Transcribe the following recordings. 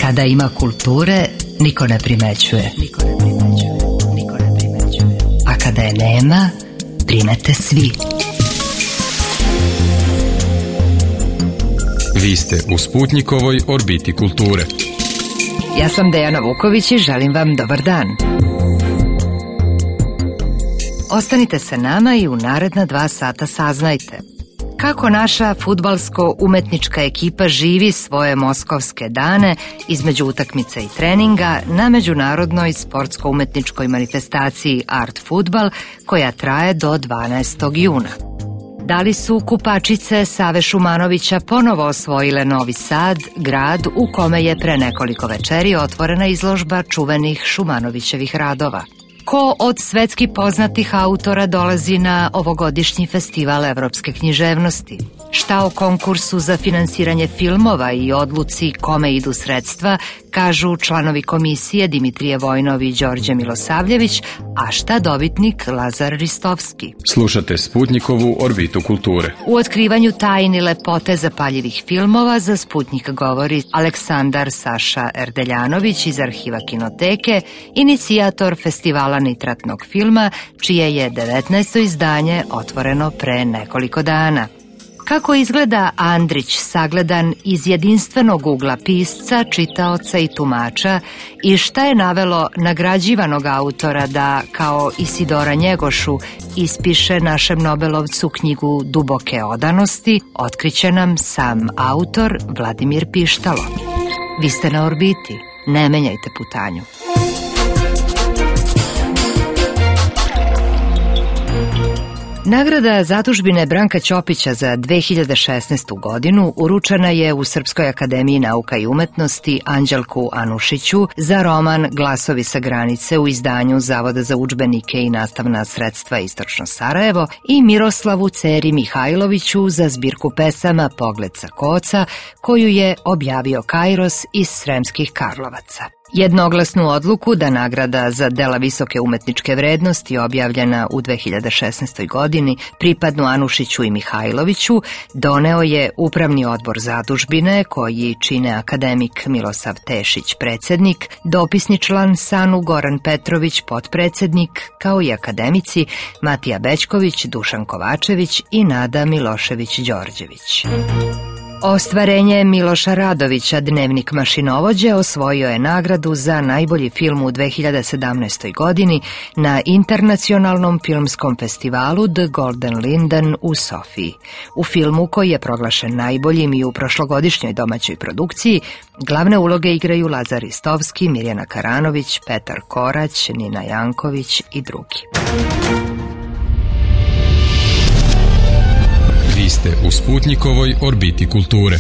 Kada ima kulture, niko ne primećuje. A kada je nema, primete svi. Vi ste u Sputnjikovoj orbiti kulture. Ja sam Dejana Vuković i želim vam dobar dan. Ostanite sa nama i u naredna 2 sata saznajte kako naša fudbalsko-umetnička ekipa živi svoje moskovske dane između utakmica i treninga na međunarodnoj sportsko-umetničkoj manifestaciji Art Futbal koja traje do 12. juna. Da li su kupačice Save Šumanovića ponovo osvojile Novi Sad, grad u kome je pre nekoliko večeri otvorena izložba čuvenih Šumanovićevih radova? Ko od svetski poznatih autora dolazi na ovogodišnji festival evropske književnosti? Šta o konkursu za finansiranje filmova i odluci kome idu sredstva kažu članovi komisije Dimitrije Vojnov i Đorđe Milosavljević, a šta dobitnik Lazar Ristovski? Slušate Sputnjikovu orbitu kulture. U otkrivanju tajni lepote zapaljivih filmova za Sputnjik govori Aleksandar Saša Erdeljanović iz Arhiva Kinoteke, inicijator festivala nitratnog filma, čije je 19. izdanje otvoreno pre nekoliko dana. Kako izgleda Andrić sagledan iz jedinstvenog ugla pisca, čitaoca i tumača i šta je navelo nagrađivanog autora da, kao Isidora Njegošu, ispiše našem Nobelovcu knjigu Duboke odanosti, otkriće nam sam autor Vladimir Pištalo. Vi ste na orbiti, ne menjajte putanju. Nagrada zadužbine Branka Ćopića za 2016. godinu uručena je u Srpskoj akademiji nauka i umetnosti Anđelku Anušiću za roman Glasovi sa granice u izdanju Zavoda za udžbenike i nastavna sredstva Istočno Sarajevo i Miroslavu Ceri Mihajloviću za zbirku pesama Pogled sa koca koju je objavio Kairos iz Sremskih Karlovaca. Jednoglasnu odluku da nagrada za dela visoke umetničke vrednosti objavljena u 2016. godini pripadnu Anušiću i Mihajloviću doneo je Upravni odbor zadužbine koji čine akademik Milosav Tešić predsjednik, dopisni član SANU Goran Petrović potpredsjednik, kao i akademici Matija Bećković, Dušan Kovačević i Nada Milošević-Đorđević. Ostvarenje Miloša Radovića, Dnevnik mašinovođe, osvojio je nagradu za najbolji film u 2017. godini na Internacionalnom filmskom festivalu The Golden Linden u Sofiji. U filmu, koji je proglašen najboljim i u prošlogodišnjoj domaćoj produkciji, glavne uloge igraju Lazar Ristovski, Mirjana Karanović, Petar Korać, Nina Janković i drugi. Vi ste u Sputnjikovoj orbiti kulture.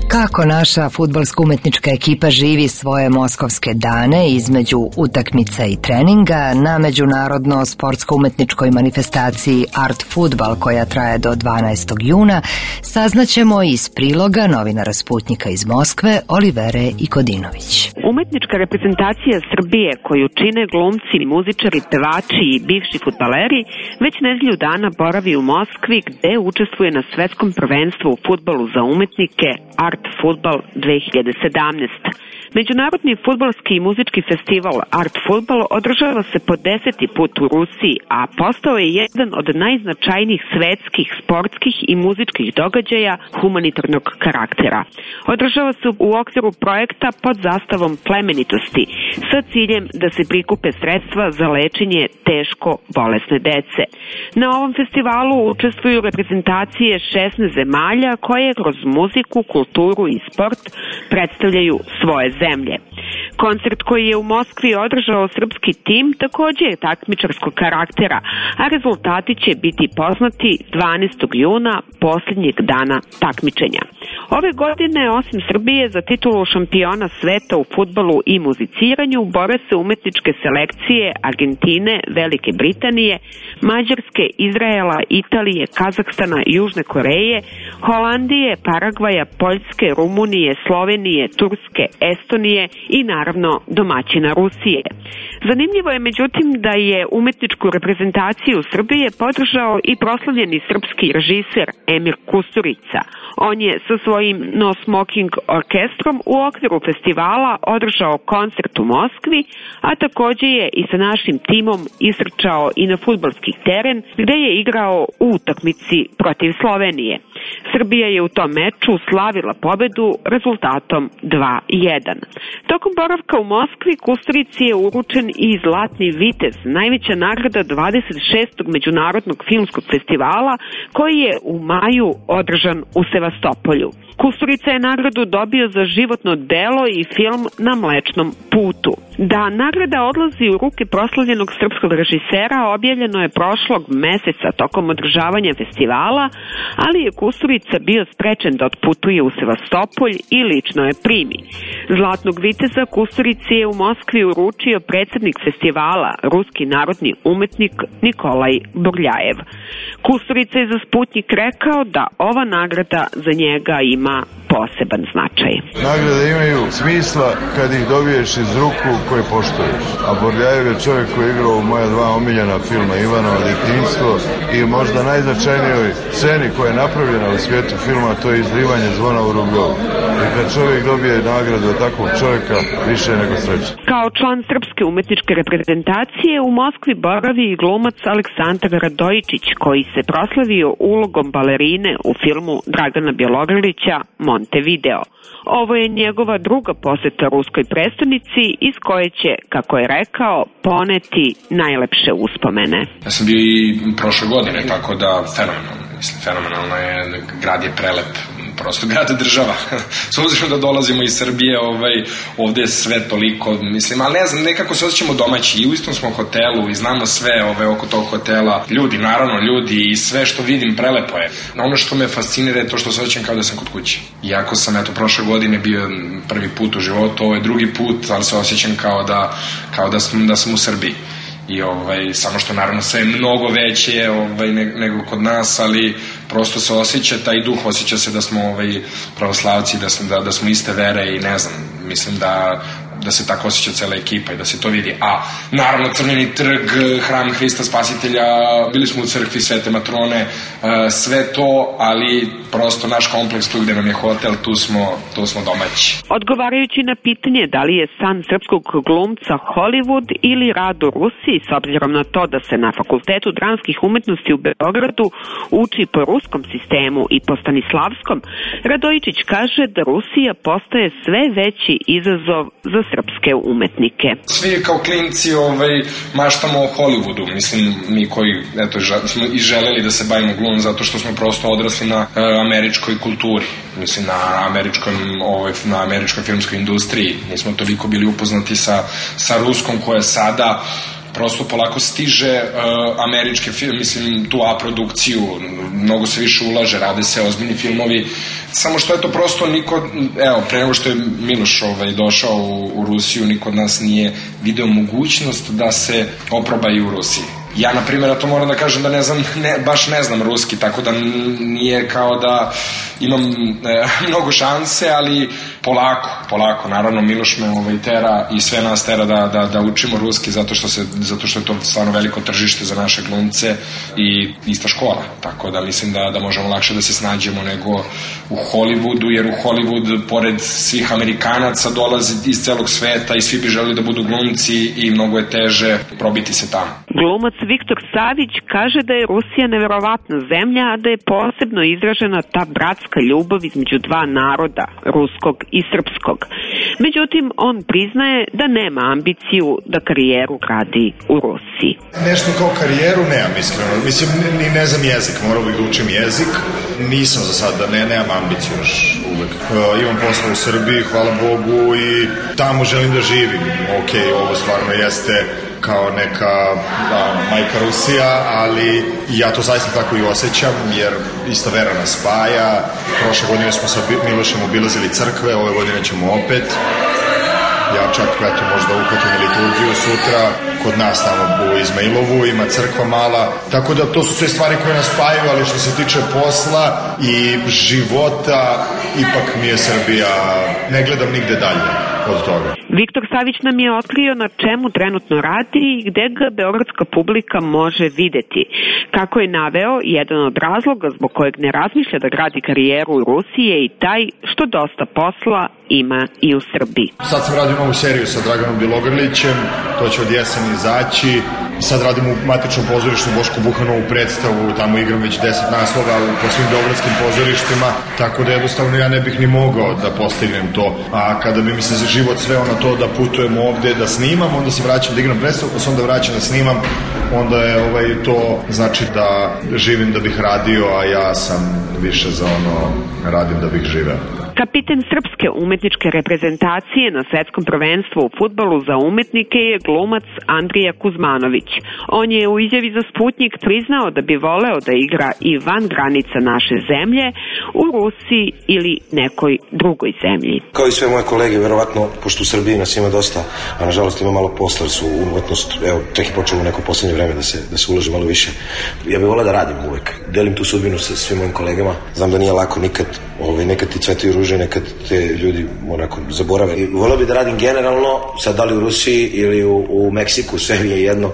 Kako naša fudbalsko-umetnička ekipa živi svoje moskovske dane između utakmica i treninga na međunarodno sportsko-umetničkoj manifestaciji Art Futbal koja traje do 12. juna, saznaćemo iz priloga novinara Sputnjika iz Moskve Olivere Ikodinović. Umetnička reprezentacija Srbije koju čine glumci, muzičari, pevači i bivši fudbaleri već nedelju dana boravi u Moskvi gde učestvuje na svetskom prvenstvu u fudbalu za umetnike Art Futbal 2017. Međunarodni fudbalski i muzički festival Art Futbal održava se po 10. put u Rusiji, a postao je jedan od najznačajnijih svetskih, sportskih i muzičkih događaja humanitarnog karaktera. Održava se u okviru projekta pod zastavom plemenitosti sa ciljem da se prikupe sredstva za lečenje teško bolesne dece. Na ovom festivalu učestvuju reprezentacije 16 zemalja koje kroz muziku, kulturu i sport predstavljaju svoje zemlje. Koncert koji je u Moskvi održao srpski tim takođe je takmičarskog karaktera, a rezultati će biti poznati 12. juna, posljednjeg dana takmičenja. Ove godine, osim Srbije, za titulu šampiona sveta u fudbalu i muziciranju bore se umetničke selekcije Argentine, Velike Britanije, Mađarske, Izraela, Italije, Kazahstana, Južne Koreje, Holandije, Paragvaja, Poljske, Rumunije, Slovenije, Turske, Estonije i naravno domaćina Rusije. Zanimljivo je međutim da je umetničku reprezentaciju Srbije podržao i proslavljeni srpski režiser Emir Kusturica. On je sa svojim No Smoking orkestrom u okviru festivala održao koncert u Moskvi, a takođe je i sa našim timom isrčao i na fudbalski teren gde je igrao u utakmici protiv Slovenije. Srbija je u tom meču slavila pobedu rezultatom 2:1. Tokom boravka u Moskvi Kusturici je uručen i Zlatni vitez, najveća nagrada 26. međunarodnog filmskog festivala koji je u maju održan u Sevastopolju. Kusturica je nagradu dobio za životno delo i film Na Mlečnom putu. Da nagrada odlazi u ruke proslavljenog srpskog režisera objavljeno je prošlog meseca tokom održavanja festivala, ali je Kusturica bio sprečen da otputuje u Sevastopolj i lično je primi. Zlatnog viteza Kusturici je u Moskvi uručio predsednik festivala, ruski narodni umetnik Nikolaj Burljajev. Kusturica je za Sputnjik rekao da ova nagrada za njega ima poseban značaj. Nagrade imaju smisla kad ih dobiješ iz ruku koje poštuješ. A Burljajev je čovjek koji je igrao u moja dva omiljena filma Ivanovo djetinjstvo i možda najznačajnijoj sceni koja je napravljena u svijetu filma, to je izlivanje zvona u Rubljovu. I kad čovjek dobije nagradu od takvog čovjeka, više je nego sreća. Kao član srpske umetničke reprezentacije u Moskvi boravi i glumac Aleksandar Radojičić, koji se proslavio ulogom balerine u filmu Dragana Bjelogrlića Montevideo. Ovo je njegova druga poseta ruskoj prestonici iz koje će, kako je rekao, poneti najlepše uspomene. Ja sam bio i prošle godine, tako da fenomenalno je, grad je prelep, prosto grad je država. S obzirom da dolazimo iz Srbije, ovde je sve toliko, ali ne znam, nekako se osjećamo domaći i u istom smo hotelu i znamo sve oko tog hotela. Ljudi i sve što vidim prelepo je. Ono što me fascinira je to što se osjećam kao da sam kod kuće. Iako sam prošle godine bio prvi put u životu, ovo je drugi put, ali se osjećam kao da sam u Srbiji. I samo što naravno sve je mnogo veće nego kod nas, ali prosto se osjeća taj duh, osjeća se da smo pravoslavci, da smo iste vere i ne znam, mislim da se tako osjeća cela ekipa i da se to vidi. A naravno Crveni trg, hram Hrista Spasitelja, bili smo u crkvi Svete Matrone, sve to, ali prosto naš kompleks tu gde nam je hotel, tu smo domaći. Odgovarajući na pitanje da li je san srpskog glumca Hollywood ili rad u Rusiji, s obzirom na to da se na Fakultetu dramskih umetnosti u Beogradu uči po ruskom sistemu i po stanislavskom, Radojičić kaže da Rusija postaje sve veći izazov za srpske umetnike. Svi kao klinci maštamo o Hollywoodu, mislim mi koji smo i želeli da se bavimo glumom zato što smo prosto odrasli na američkoj kulturi, mislim na američkoj filmskoj industriji, nismo toliko bili upoznati sa ruskom koja sada prosto polako stiže američke filme, mislim tu A produkciju, mnogo se više ulaže, rade se ozbiljni filmovi, samo što to prosto niko, pre nego što je Miloš došao u Rusiju, niko od nas nije video mogućnost da se oproba i u Rusiji. Ja, na primjer, to moram da kažem da baš ne znam ruski, tako da nije kao da imam mnogo šanse, ali polako, naravno Miloš me tera i sve nas tera da učimo ruski zato što je to stvarno veliko tržište za naše glumce i ista škola, tako da mislim da možemo lakše da se snađemo nego u Hollywoodu, jer u Hollywood pored svih Amerikanaca dolazi iz celog sveta i svi bi želeli da budu glumci i mnogo je teže probiti se tamo. Glumac Viktor Savić kaže da je Rusija neverovatna zemlja, a da je posebno izražena ta bratska ljubav između dva naroda, ruskog i srpskog. Međutim, on priznaje da nema ambiciju da karijeru gradi u Rusiji. Nešto kao karijeru nemam, iskreno. Mislim, ni ne znam jezik, morao bih da učim jezik. Nisam za sad, nemam ambiciju još uvek. Imam posla u Srbiji, hvala Bogu, i tamo želim da živim. Ok, ovo stvarno jeste kao neka majka Rusija, ali ja to zaista tako i osjećam, jer ista vera nas spaja. Prošle godine smo sa Milošem obilazili crkve, ove godine ćemo opet. Ja čak, eto, možda uhvatim liturgiju sutra, kod nas tamo u Izmailovu ima crkva mala, tako da to su sve stvari koje nas spajaju, ali što se tiče posla i života, ipak mi je Srbija, ne gledam nigde dalje od toga. Viktor Savić nam je otkrio na čemu trenutno radi i gde ga beogradska publika može videti. Kako je naveo, jedan od razloga zbog kojeg ne razmišlja da gradi karijeru u Rusiji je i taj što dosta posla ima i u Srbiji. Sad sam radio novu seriju sa Draganom Bjelogrlićem, to će od jeseni izaći. Sad radim u matičnom pozorištu Bošku Buhanovu predstavu, tamo igram već 10 naslova po svim beogradskim pozorištima, tako da jednostavno ja ne bih ni mogao da postignem to. A kada bi mi se za život sveo na to da putujem ovde, da snimam, onda se vraćam da igram predstavu, pa se onda vraćam da snimam, onda je to znači da živim da bih radio, a ja sam više za ono radim da bih živeo. Kapiten srpske umetničke reprezentacije na svetskom prvenstvu u fudbalu za umetnike je glumac Andrija Kuzmanović. On je u izjavi za Sputnik priznao da bi voleo da igra i van granica naše zemlje, u Rusiji ili nekoj drugoj zemlji. Kao i sve moje kolege, verovatno, pošto u Srbiji nas ima dosta, a nažalost ima malo posla, jer su umetnost, evo, tek je počelo u neko poslednje vreme da se ulaže malo više. Ja bih voleo da radim uvek. Delim tu sudbinu sa svim mojim kolegama. Znam da nije lako nekad ti cvetaju ruže, nekad te ljudi onako zaborave. Voleo bih da radim generalno, sad da li u Rusiji ili u Meksiku, sve mi je jedno.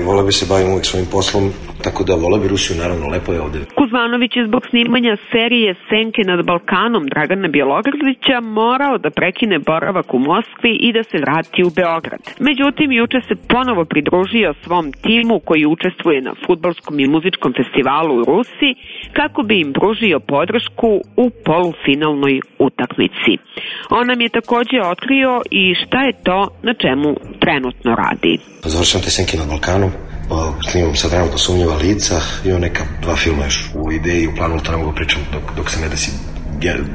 Voleo bih se bavim uvek svojim poslom, tako da voleo bih Rusiju, naravno, lepo je ovde. Kuzmanović je zbog snimanja serije Senke nad Balkanom Dragana Bjelogrlića morao da prekine boravak u Moskvi i da se vrati u Beograd. Međutim, juče se ponovo pridružio svom timu koji učestvuje na fudbalskom i muzičkom festivalu u Rusiji kako bi im pružio podršku u polufinalnoj utakmici. On nam je takođe otkrio i šta je to na čemu trenutno radi. Završam te Senke nad Balkanom. Snimam sad trenutno Sumnjiva lica, imam neka 2 filma još u ideji, u planu, to ne mogu pričam dok se ne desi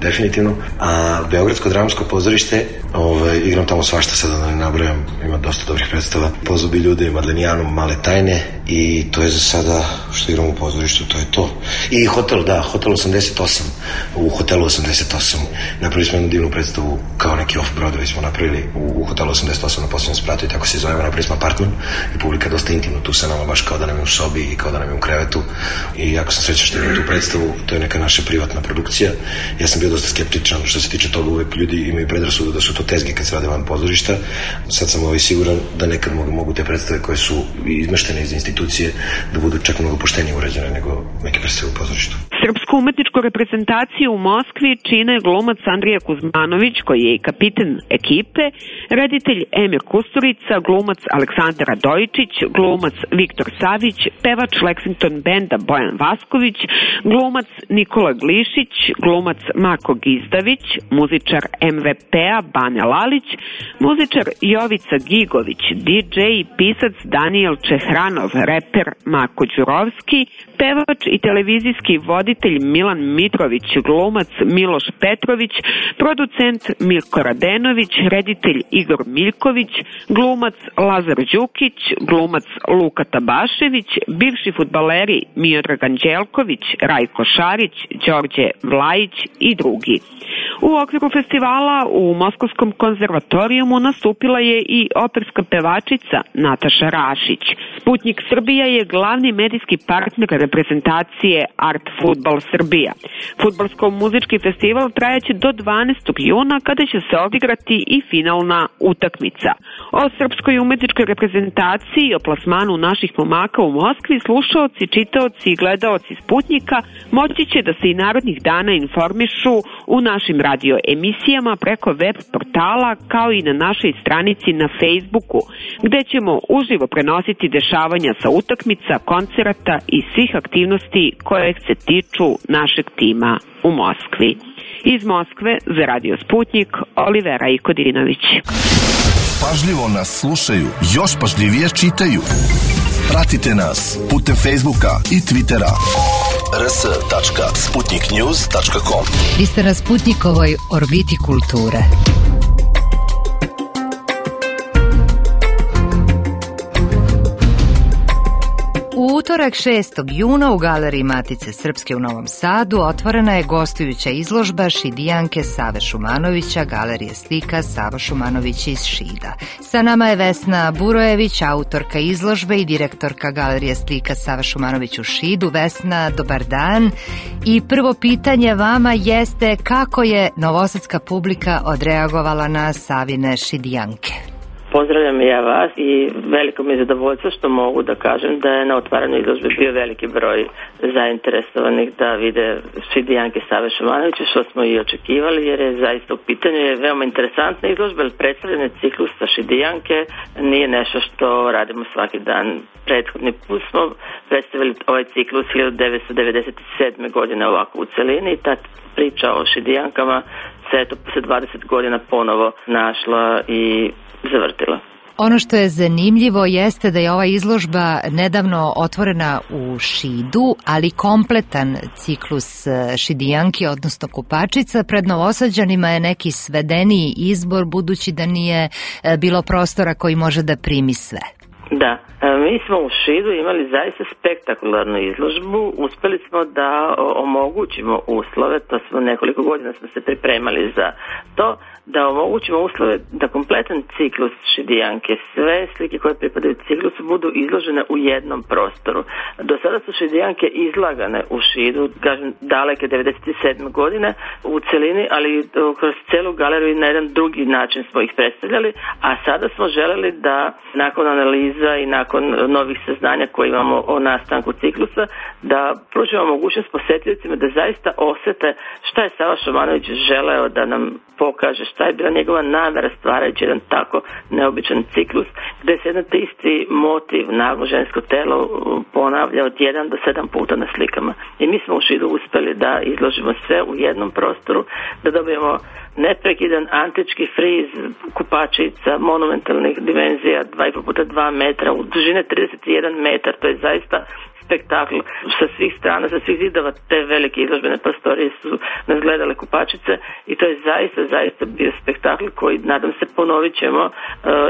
definitivno. A Beogradsko dramsko pozorište, igram tamo svašta, sada da ne nabrajam, ima dosta dobrih predstava. Pozobi ljude, Madlenijanu, Male tajne, i to je za sada što igram u pozorištu, to je to. I Hotel 88, u Hotelu 88 napravili smo jednu divnu predstavu, kao neki off-Broadway smo napravili u Hotelu 88 na posljednjem spratu, i tako se zovemo, napravili smo apartman i publika dosta intimno tu sa nama, baš kao da nam je u sobi i kao da nam je u krevetu, i jako sam srećan što imam tu predstavu, to je neka naša privatna produkcija. Ja sam bio dosta skeptičan što se tiče toga, uvek ljudi imaju predrasudu da su to tezge kad se rade van pozorišta. Sad sam siguran da nekad mogu te predstave koje su izmeštene iz institucije da budu čak mnogo poštenije urađene nego neke predstave u pozorištu. Srpsku umetničku reprezentaciju u Moskvi čine glumac Andrija Kuzmanović, koji je i kapiten ekipe, reditelj Emir Kusturica, glumac Aleksandar Radojičić, glumac Viktor Savić, pevač Lexington benda Bojan Vasković, glumac Nikola Glišić, glumac Marko Gizdavić, muzičar MVP-a Bane Lalić, muzičar Jovica Gigović, DJ i pisac Daniel Čehranov, reper Marko Đurovski, pevač i televizijski voditelj Milan Mitrović, glumac Miloš Petrović, producent Mirko Radenović, reditelj Igor Miljković, glumac Lazar Đukić, glumac Luka Tabašević, bivši fudbaleri Miodrag Anđelković, Rajko Šarić, Đorđe Vlajić i drugi. U okviru festivala u Moskovskom konzervatorijumu nastupila je i operska pevačica Nataša Rašić. Sputnik Srbija je glavni medijski partner reprezentacije Art Futbal Srbija. Fudbalsko-muzički festival trajaće do 12. juna kada će se odigrati i finalna utakmica. O srpskoj umetničkoj reprezentaciji i o plasmanu naših momaka u Moskvi slušaoci, čitaoci i gledaoci Sputnika moći će da se i narednih dana informišu u našim radio emisijama preko web portala, kao i na našoj stranici na Facebooku, gde ćemo uživo prenositi dešavanja sa utakmica, koncerata i svih aktivnosti koje se tiču našeg tima u Moskvi. Iz Moskve za Radio Sputnik, Olivera Ikodinović. Pažljivo nas slušaju, još pažljivije čitaju. Pratite nas putem Facebooka i Twittera. rs.sputniknews.com. Vi ste na Sputnikovoj orbiti kulture. U utorak 6. juna u Galeriji Matice Srpske u Novom Sadu otvorena je gostujuća izložba Šidijanke Save Šumanovića, Galerije slika Sava Šumanović iz Šida. Sa nama je Vesna Burojević, autorka izložbe i direktorka Galerije slika Sava Šumanović u Šidu. Vesna, dobar dan. I prvo pitanje vama jeste kako je novosadska publika odreagovala na Savine Šidijanke? Pozdravljam i ja vas i veliko mi je zadovoljstvo što mogu da kažem da je na otvaranju izložbe bio veliki broj zainteresovanih da vide Šidijanke Save Šumanovića, što smo i očekivali, jer je zaista u pitanju je veoma interesantna izložba, jer predstavljanje ciklusa Šidijanke nije nešto što radimo svaki dan. Prethodni put smo predstavili ovaj ciklus 1997. godine ovako u celini i ta priča o Šidijankama se eto posle 20 godina ponovo našla i zavrtila. Ono što je zanimljivo jeste da je ova izložba nedavno otvorena u Šidu, ali kompletan ciklus Šidijanki, odnosno Kupačica. Pred Novosađanima je neki svedeniji izbor, budući da nije bilo prostora koji može da primi sve. Da, mi smo u Šidu imali zaista spektakularnu izložbu, uspeli smo da omogućimo uslove, to smo nekoliko godina smo se pripremali za to, da omogućimo uslove da kompletan ciklus Šidijanke, sve slike koje pripadaju ciklusu budu izložene u jednom prostoru. Do sada su Šidijanke izlagane u Šidu, kažem daleke 97. godine u celini, ali kroz celu galeriju na jedan drugi način smo ih predstavljali, a sada smo želeli da nakon analiza i nakon novih saznanja koje imamo o nastanku ciklusa, da pružimo mogućnost posetiocima da zaista osete šta je Sava Šumanović želeo da nam pokaže, šta je bila njegova namera stvarajući jedan tako neobičan ciklus, gde se jedan te isti motiv, naglo žensko telo, ponavlja od 1 do 7 puta na slikama. I mi smo u Šidu uspeli da izložimo sve u jednom prostoru, da dobijemo neprekidan antički friz kupačica monumentalnih dimenzija 2,5 puta 2 metra, u dužine 31 metar, to je zaista spektakl sa svih strana, sa svih zidova te velike izložbene prostorije su nas gledale kupačice i to je zaista bio spektakl koji nadam se ponovit ćemo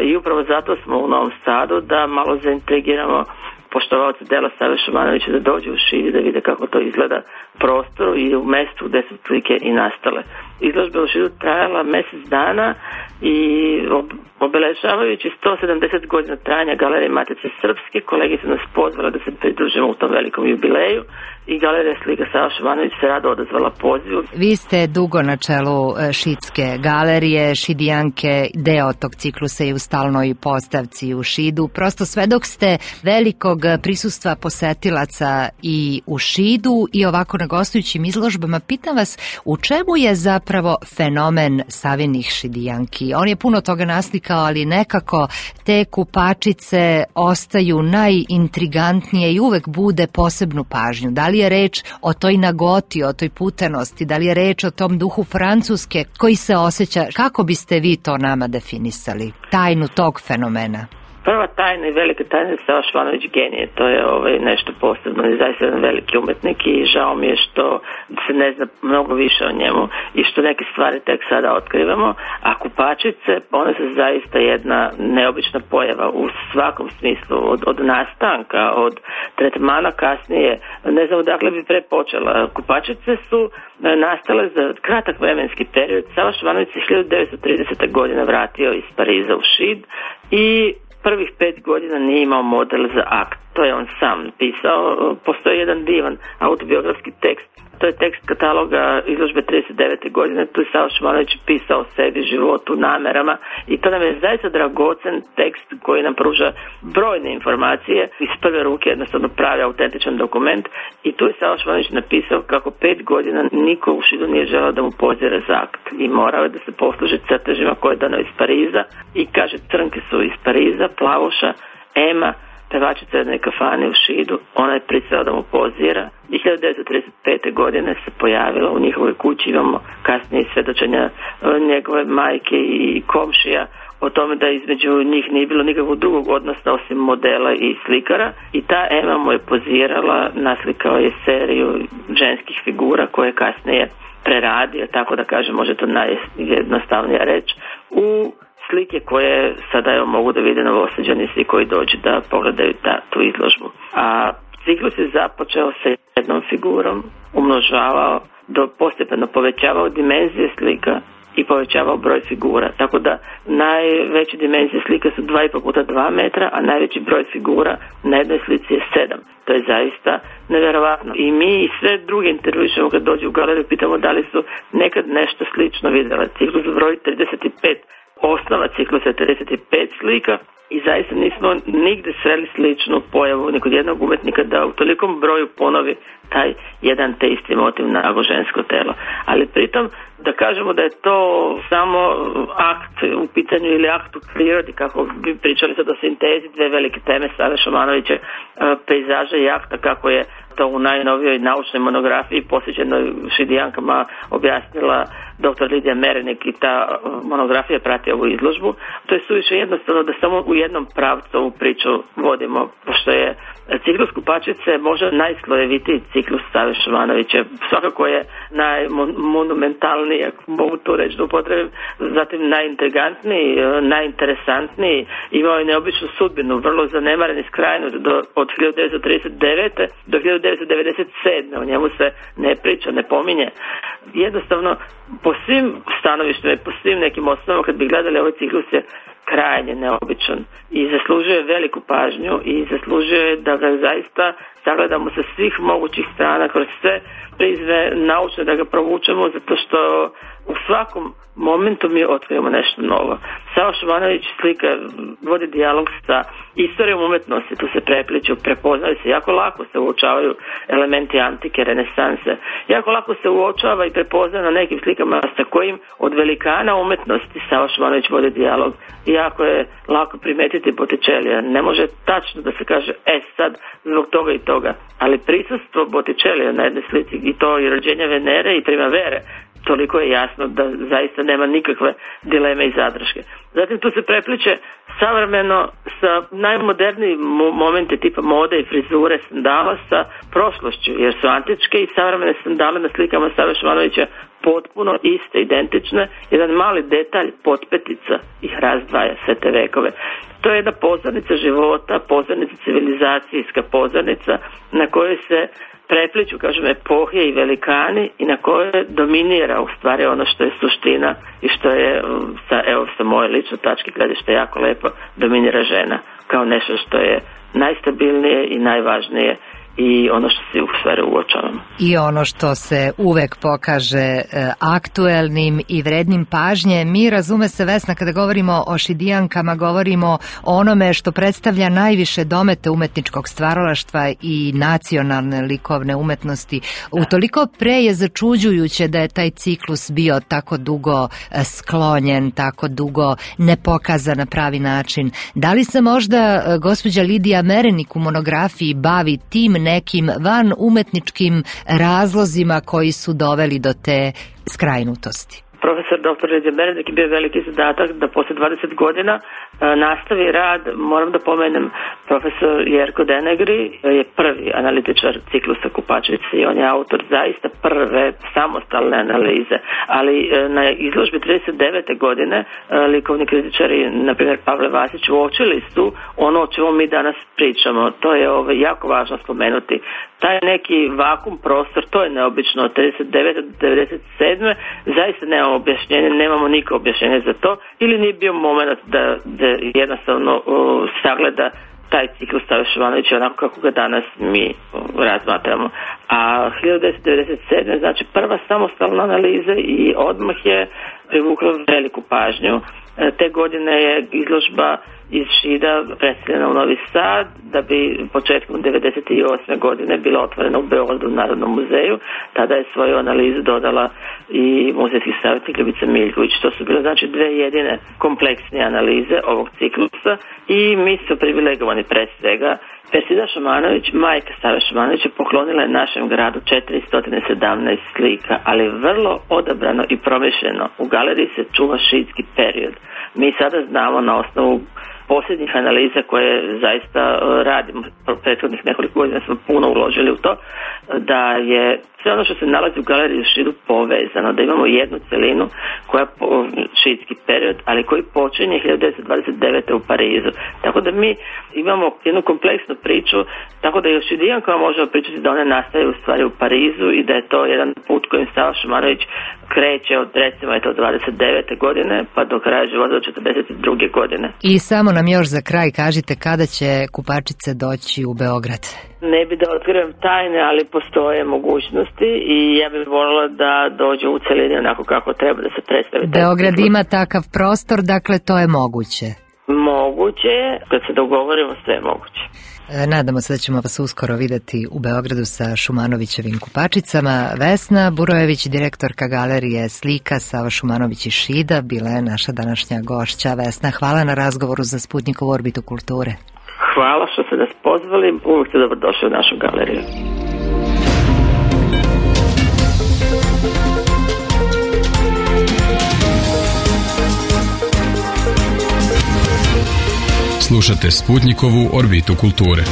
i upravo zato smo u Novom Sadu da malo zaintrigiramo poštovaoce dela Save Šumanovića da dođu u Šid i da vide kako to izgleda prostoru i u mestu gde su slike i nastale. Izložba u Šidu trajala mesec dana i obeležavajući 170 godina trajanja Galerije Matice Srpske, kolege su nas pozvali da se pridružimo u tom velikom jubileju i Galerija slika Sava Šumanović se rado odazvala pozivu. Vi ste dugo na čelu Šidske galerije, Šidijanke, deo tog ciklusa je u stalnoj postavci u Šidu. Prosto svedok ste velikog prisustva posetilaca i u Šidu i ovako na gostujućim izložbama. Pitam vas, u čemu je zapravo fenomen Savinih Šidijanki? On je puno toga naslikao, ali nekako te kupačice ostaju najintrigantnije i uvek bude posebnu pažnju. Da li je reč o toj nagoti, o toj putenosti, da li je reč o tom duhu Francuske koji se osjeća? Kako biste vi to nama definisali? Tajnu tog fenomena? Prva tajna i velika tajna je Sava Šumanović genije, to je nešto posebno i zaista jedan veliki umetnik i žao mi je što se ne zna mnogo više o njemu i što neke stvari tek sada otkrivamo, a kupačice, one su zaista jedna neobična pojava u svakom smislu, od nastanka, od tretmana kasnije, ne znam odakle bi prepočela. Kupačice su nastale za kratak vremenski period. Sava Šumanović se 1930. godine vratio iz Pariza u Šid i prvih 5 godina nije imao model za akt. To je on sam pisao. Postoji jedan divan autobiografski tekst. To je tekst kataloga izložbe 39. godine. Tu je Sava Šumanović pisao o sebi, životu, namerama i to nam je zaista dragocen tekst koji nam pruža brojne informacije iz prve ruke, jednostavno pravi autentičan dokument i tu je Sava Šumanović napisao kako 5 godina niko u Šidu nije želeo da mu pozire za akt i morao je da se posluži crtežima koje je donao iz Pariza i kaže crnke su iz Pariza, Plavuša, Ema, pevačica jedne kafane u Šidu, ona je pristala da mu pozira i 1935. godine se pojavila u njihovoj kući, imamo kasnije svedočenja njegove majke i komšija o tome da između njih nije bilo nikakvog drugog odnosa osim modela i slikara i ta Ema mu je pozirala, naslikao je seriju ženskih figura koje kasnije preradio, tako da kažem, može to najjednostavnija reč, u slike koje sada mogu da vide Novosađani svi koji dođu da pogledaju tu izložbu. A Ciklus je započeo sa jednom figurom, umnožavao, postepeno povećavao dimenzije slika i povećavao broj figura. Tako da najveće dimenzije slika su 2,5 puta 2 metra, a najveći broj figura na jednoj slici je 7. To je zaista neverovatno. I mi i sve druge intervjušemo kad dođu u galeriju, pitamo da li su nekad nešto slično vidjela. Ciklus broji 35, osnova ciklusa je 35 slika i zaista nismo nigde sreli sličnu pojavu ni kod jednog umetnika da u tolikom broju ponovi taj jedan te isti motiv nago žensko telo. Ali pritom da kažemo da je to samo akt u pitanju ili akt u prirodi, kako bi pričali sad o sintezi, dve velike teme Save Šumanovića, pejzaža i akta, kako je to u najnovijoj naučnoj monografiji posvećenoj šidijankama objasnila dr. Lidija Merenik i ta monografija prati ovu izložbu. To je suviše jednostavno da samo u jednom pravcu ovu priču vodimo, pošto je ciklus Kupačice možda najslojevitiji ciklus Save Šumanovića. Svakako je najmonumentalniji, ako mogu to reći da upotrebim, zatim najintrigantniji, najinteresantniji, imao je neobičnu sudbinu, vrlo zanemaren i skrajnut od 1939. do 1997. O njemu se ne priča, ne pominje. Jednostavno, po svim stanovištima i po svim nekim osnovama, kad bi gledali ovaj ciklus, je krajnje neobičan i zaslužuje veliku pažnju i zaslužuje da ga zaista sagledamo sa svih mogućih strana, kroz sve prizme naučne, da ga provučemo, zato što u svakom momentu mi otkrijemo nešto novo. Sava Šumanović slika vodi dijalog sa istorijom umetnosti, tu se prepliču, prepoznaju se, jako lako se uočavaju elementi antike, renesanse, jako lako se uočava i prepoznaje na nekim slikama sa kojim od velikana umetnosti Sava Šumanović vodi dijalog. I jako je lako primetiti Bottičellija. Ne može tačno da se kaže sad zbog toga i toga, ali prisustvo Bottičellija na jednoj slici, i to i rođenja Venere i Primavere, toliko je jasno da zaista nema nikakve dileme i zadrške. Zatim tu se prepliče savremeno sa najmodernijim momenti tipa mode i frizure sandala sa prošlošću, jer su antičke i savremene sandale na slikama Save Šumanovića potpuno iste, identične. Jedan mali detalj, potpetica ih razdvaja sve te vekove. To je jedna pozornica života, pozornica civilizacijska pozornica na kojoj se prepliču, kažem, epohe i velikani i na kojoj dominira u stvari ono što je suština i što je, sa moje lične tačke gledišta, jako lepo dominira žena kao nešto što je najstabilnije i najvažnije i ono što se u stvari uočavamo. I ono što se uvek pokaže aktuelnim i vrednim pažnje. Mi, razume se, Vesna, kada govorimo o šidijankama, govorimo o onome što predstavlja najviše domete umetničkog stvaralaštva i nacionalne likovne umetnosti. Utoliko pre je začuđujuće da je taj ciklus bio tako dugo sklonjen, tako dugo ne pokazan na pravi način. Da li se možda gospođa Lidija Merenik u monografiji bavi tim nekim van umetničkim razlozima koji su doveli do te skrajnutosti? Profesor dr. Lidija Merenik je bio veliki zadatak da posle 20 godina nastavi rad. Moram da pomenem, profesor Jerko Denegri je prvi analitičar ciklusa Kupačice i on je autor zaista prve samostalne analize, ali na izložbi 39. godine likovni kritičari, na primjer Pavle Vasić, uočili su ono o čemu mi danas pričamo. To je jako važno spomenuti. Taj neki vakum prostor, to je neobično od 39. do 97. zaista nemamo objašnjenje, nemamo nikakvo objašnjenje za to, ili nije bio moment da jednostavno sagleda taj ciklus Save Šumanovića onako kako ga danas mi razmatramo. A 1997. znači prva samostalna analiza i odmah je privukla veliku pažnju. Te godine je izložba iz Šida preseljena u Novi Sad, da bi početkom 1998. godine bila otvorena u Beogradu u Narodnom muzeju. Tada je svoju analizu dodala i muzejski savjetnik Ljubica Miljković. To su bile znači dve jedine kompleksne analize ovog ciklusa i mi su privilegovani pre svega. Persida Šumanović, majka Save Šumanovića, poklonila je našem gradu 417 slika, ali vrlo odabrano i promišljeno. U galeriji se čuva šidski period. Mi sada znamo na osnovu posljednjih analiza koje zaista radimo, prethodnih nekoliko godina smo puno uložili u to, da je sve ono što se nalazi u galeriji u Šidu povezano, da imamo jednu celinu koja šidski period, ali koji počinje 1929. u Parizu. Tako da mi imamo jednu kompleksnu priču, tako da je o Šidijankama možemo pričati da one nastaje u stvari u Parizu i da je to jedan put kojim Sava Šumanović kreće od recimo 29. godine pa do kraja života do 42. godine. I samo nam još za kraj kažite kada će Kupačice doći u Beograd. Ne bi da otkrivam tajne, ali postoje mogućnosti i ja bih voljela da dođu u celini onako kako treba da se predstavi. Beograd ima takav prostor, dakle to je moguće. Moguće je, kad se dogovorimo sve je moguće. Nadamo se da ćemo vas uskoro videti u Beogradu sa Šumanovićevim Kupačicama. Vesna Burojević, direktorka galerije Slika Sava Šumanović iz Šida, bila je naša današnja gošća. Vesna, hvala na razgovoru za Sputnikovu orbitu kulture. Hvala što ste nas pozvali, uvijek ste dobrodošli u našu galeriju. Slušate Sputnikovu orbitu kulture.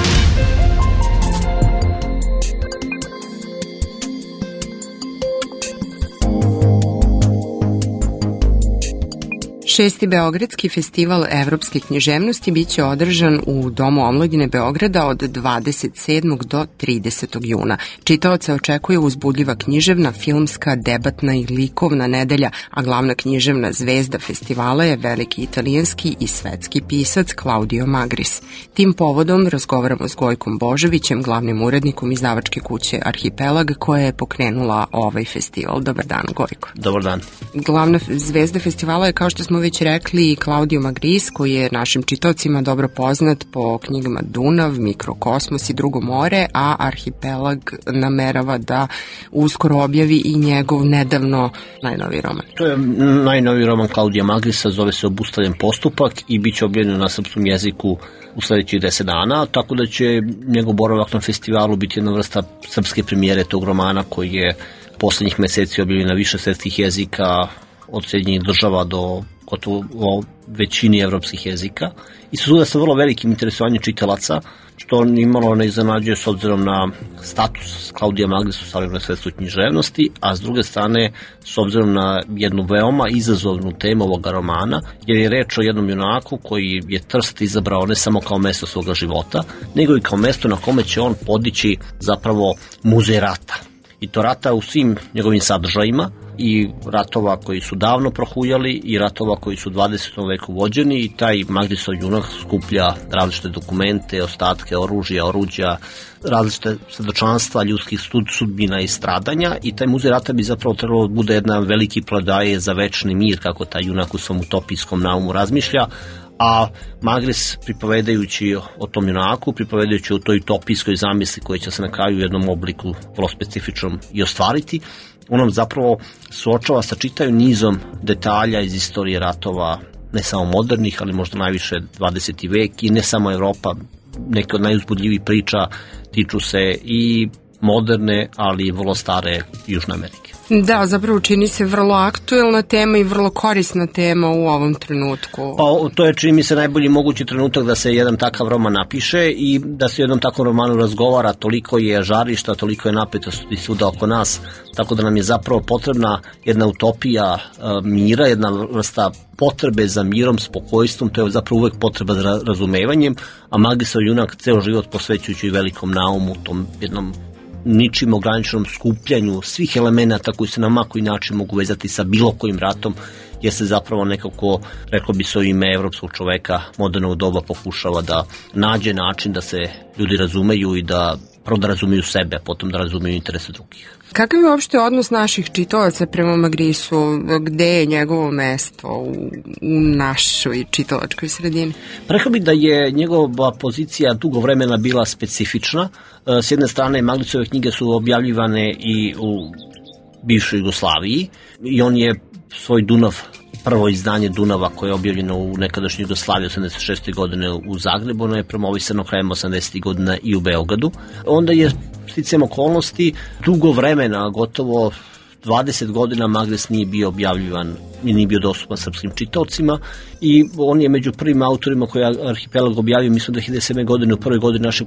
Šesti Beogradski festival evropske književnosti biće održan u Domu omladine Beograda od 27. do 30. juna. Čitaoce očekuje uzbudljiva književna, filmska, debatna i likovna nedelja, a glavna književna zvezda festivala je veliki italijanski i svetski pisac Claudio Magris. Tim povodom razgovaramo s Gojkom Božovićem, glavnim urednikom izdavačke kuće Arhipelag, koja je pokrenula ovaj festival. Dobar dan, Gojko. Dobar dan. Glavna zvezda festivala je, kao što smo već rekli, Claudio Magris, koji je našim čitaocima dobro poznat po knjigama Dunav, Mikrokosmos i Drugo more, a Arhipelag namerava da uskoro objavi i njegov nedavno najnoviji roman. To je najnoviji roman Claudia Magrisa, zove se Obustavljen postupak i bit će objavljen na srpskom jeziku u sledećih 10 dana, tako da će njegov boravak na festivalu biti jedna vrsta srpske premijere tog romana koji je poslednjih meseci objavljen na više svetskih jezika, od Sjedinjenih država do gotovo većini evropskih jezika. I suda sa vrlo velikim interesovanjem čitalaca, što nimalo ne iznenađuje s obzirom na status Claudia Magris u savremenoj svetskoj književnosti, a s druge strane s obzirom na jednu veoma izazovnu temu ovoga romana, jer je reč o jednom junaku koji je Trst izabrao ne samo kao mesto svoga života, nego i kao mesto na kome će on podići zapravo muzej rata. I to rata u svim njegovim sadržajima, i ratova koji su davno prohujali i ratova koji su u 20. veku vođeni, i taj Magrisov junak skuplja različite dokumente, ostatke oruđa, različite svedočanstva ljudskih sudbina i stradanja, i taj muzej rata bi zapravo trebalo da bude jedna veliki pledoaje za večni mir, kako taj junak u svom utopijskom naumu razmišlja, a Magris, pripovedajući o tom junaku, pripovedajući o toj utopijskoj zamisli koja će se na kraju u jednom obliku vrlo specifičnom i ostvariti, on nam zapravo suočava sa čitavim nizom detalja iz istorije ratova, ne samo modernih, ali možda najviše 20. vek, i ne samo Evropa. Neke od najuzbudljivih priča tiču se i moderne, ali i vrlo stare Južne Amerike. Da, zapravo čini se vrlo aktuelna tema i vrlo korisna tema u ovom trenutku. Pa to je, čini mi se, najbolji mogući trenutak da se jedan takav roman napiše i da se jednom takvom romanu razgovara. Toliko je žarišta, toliko je napetosti svuda oko nas, tako da nam je zapravo potrebna jedna utopija mira, jedna vrsta potrebe za mirom, spokojstvom. To je zapravo uvek potreba za razumevanjem, a Magrisov junak ceo život posvećujući velikom naumu, tom jednom ničim ograničenom skupljanju svih elemenata koji se na koji način mogu vezati sa bilo kojim ratom, jer se zapravo nekako, reklo bi se u ime evropskog čoveka modernog doba, pokušava da nađe način da se ljudi razumeju i da prvo da razumeju sebe, a potom da razumeju interese drugih. Kakav je uopšte odnos naših čitalaca prema Magrisu? Gde je njegovo mesto u našoj čitalačkoj sredini? Rekao bih da je njegova pozicija dugo vremena bila specifična. S jedne strane, Magrisove knjige su objavljivane i u bivšoj Jugoslaviji i on je svoj Dunav, prvo izdanje Dunava koje je objavljeno u nekadašnjoj Jugoslaviji 86. godine u Zagrebu, ono je promovisano krajem 80. godina i u Beogradu. Onda je sticajem okolnosti dugo vremena, gotovo 20 godina Magres nije bio objavljivan i nije bio dostupan srpskim čitaocima i on je među prvim autorima koji je Arhipelag objavio, mislim 2007. godine, u prvoj godini našeg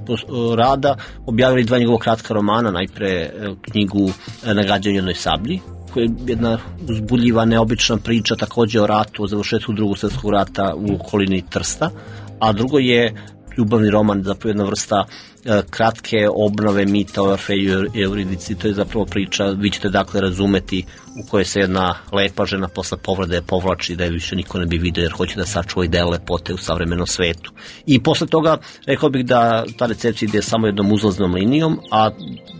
rada, objavili 2 njegova kratka romana, najpre knjigu Nagađanje jednoj sablji, koja je jedna uzbudljiva, neobična priča takođe o ratu, o završetku Drugog svjetskog rata u okolini Trsta, a drugo je ljubavni roman, zapravo jedna vrsta kratke obnove mita o Orfeju i Euridici. To je zapravo priča, vi ćete dakle razumeti, u kojoj se jedna lepa žena posle povrede povlači da je više niko ne bi vidio jer hoće da sačuva ideje lepote u savremenom svetu. I posle toga rekao bih da ta recepcija ide samo jednom uzlaznom linijom, a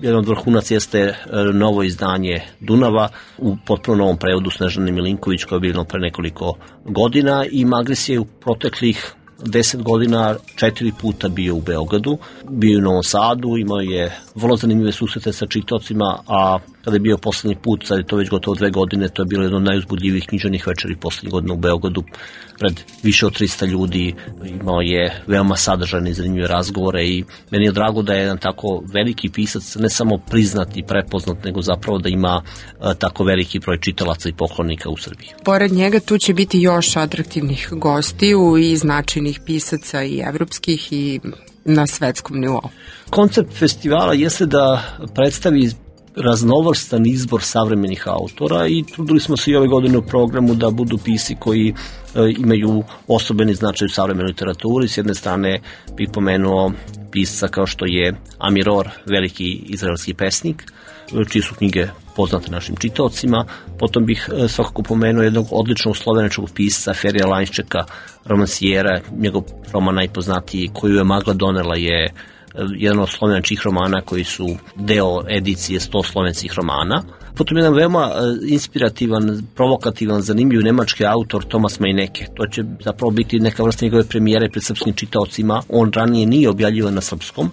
jedan od vrhunac jeste novo izdanje Dunava u potpuno novom prevodu Snežane Milinković, koje je bilo pre nekoliko godina, i Magres je u proteklih 10 godina 4 puta bio u Beogradu, bio je u Novom Sadu, imao je vrlo zanimljive susrete sa čitaocima, a kada je bio poslednji put, sad je to već gotovo 2 godine, to je bilo jedno od najuzbudljivih književnih večeri poslednjih godina u Beogradu, pred više od 300 ljudi, imao je veoma sadržajne i zanimljive razgovore i meni je drago da je jedan tako veliki pisac, ne samo priznat i prepoznat, nego zapravo da ima tako veliki broj čitalaca i poklonika u Srbiji. Pored njega tu će biti još atraktivnih gostiju i značajnih pisaca i evropskih i na svetskom nivou. Koncept festivala jeste da predstavi raznovrstan izbor savremenih autora i trudili smo se i ove godine u programu da budu pisci koji imaju osobeni značaj u savremenoj literaturi. S jedne strane bih pomenuo pisca kao što je Amiror, veliki izraelski pesnik, čije su knjige poznate našim čitaocima. Potom bih svakako pomenuo jednog odličnog slovenačkog pisca, Ferija Lanjščeka, romansijera. Njegov roman najpoznatiji, Koju je magla donela, je jedan od slovenačkih romana koji su deo edicije 100 slovenskih romana. Potom jedan veoma inspirativan, provokativan, zanimljiv nemački autor Tomas Meineke. To će zapravo biti neka vrsta njegove premijere pred srpskim čitaocima. On ranije nije objavljivan na srpskom.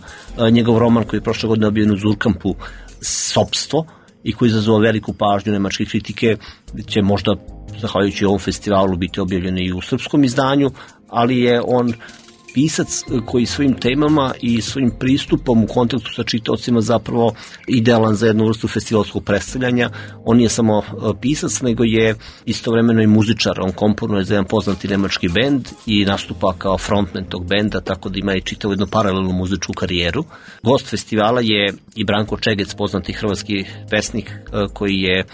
Njegov roman koji je prošle godine objavljen u Zurkampu, Sopstvo, i koji izazvao veliku pažnju nemačke kritike, će možda, zahvaljujući ovom festivalu, biti objavljen i u srpskom izdanju, ali je on pisac koji svojim temama i svojim pristupom u kontaktu sa čitaocima zapravo idealan za jednu vrstu festivalskog predstavljanja. On nije samo pisac, nego je istovremeno i muzičar. On komponuje za jedan poznati nemački bend i nastupa kao frontman tog benda, tako da ima i čitavu jednu paralelnu muzičku karijeru. Gost festivala je i Branko Čegec, poznati hrvatski pesnik koji je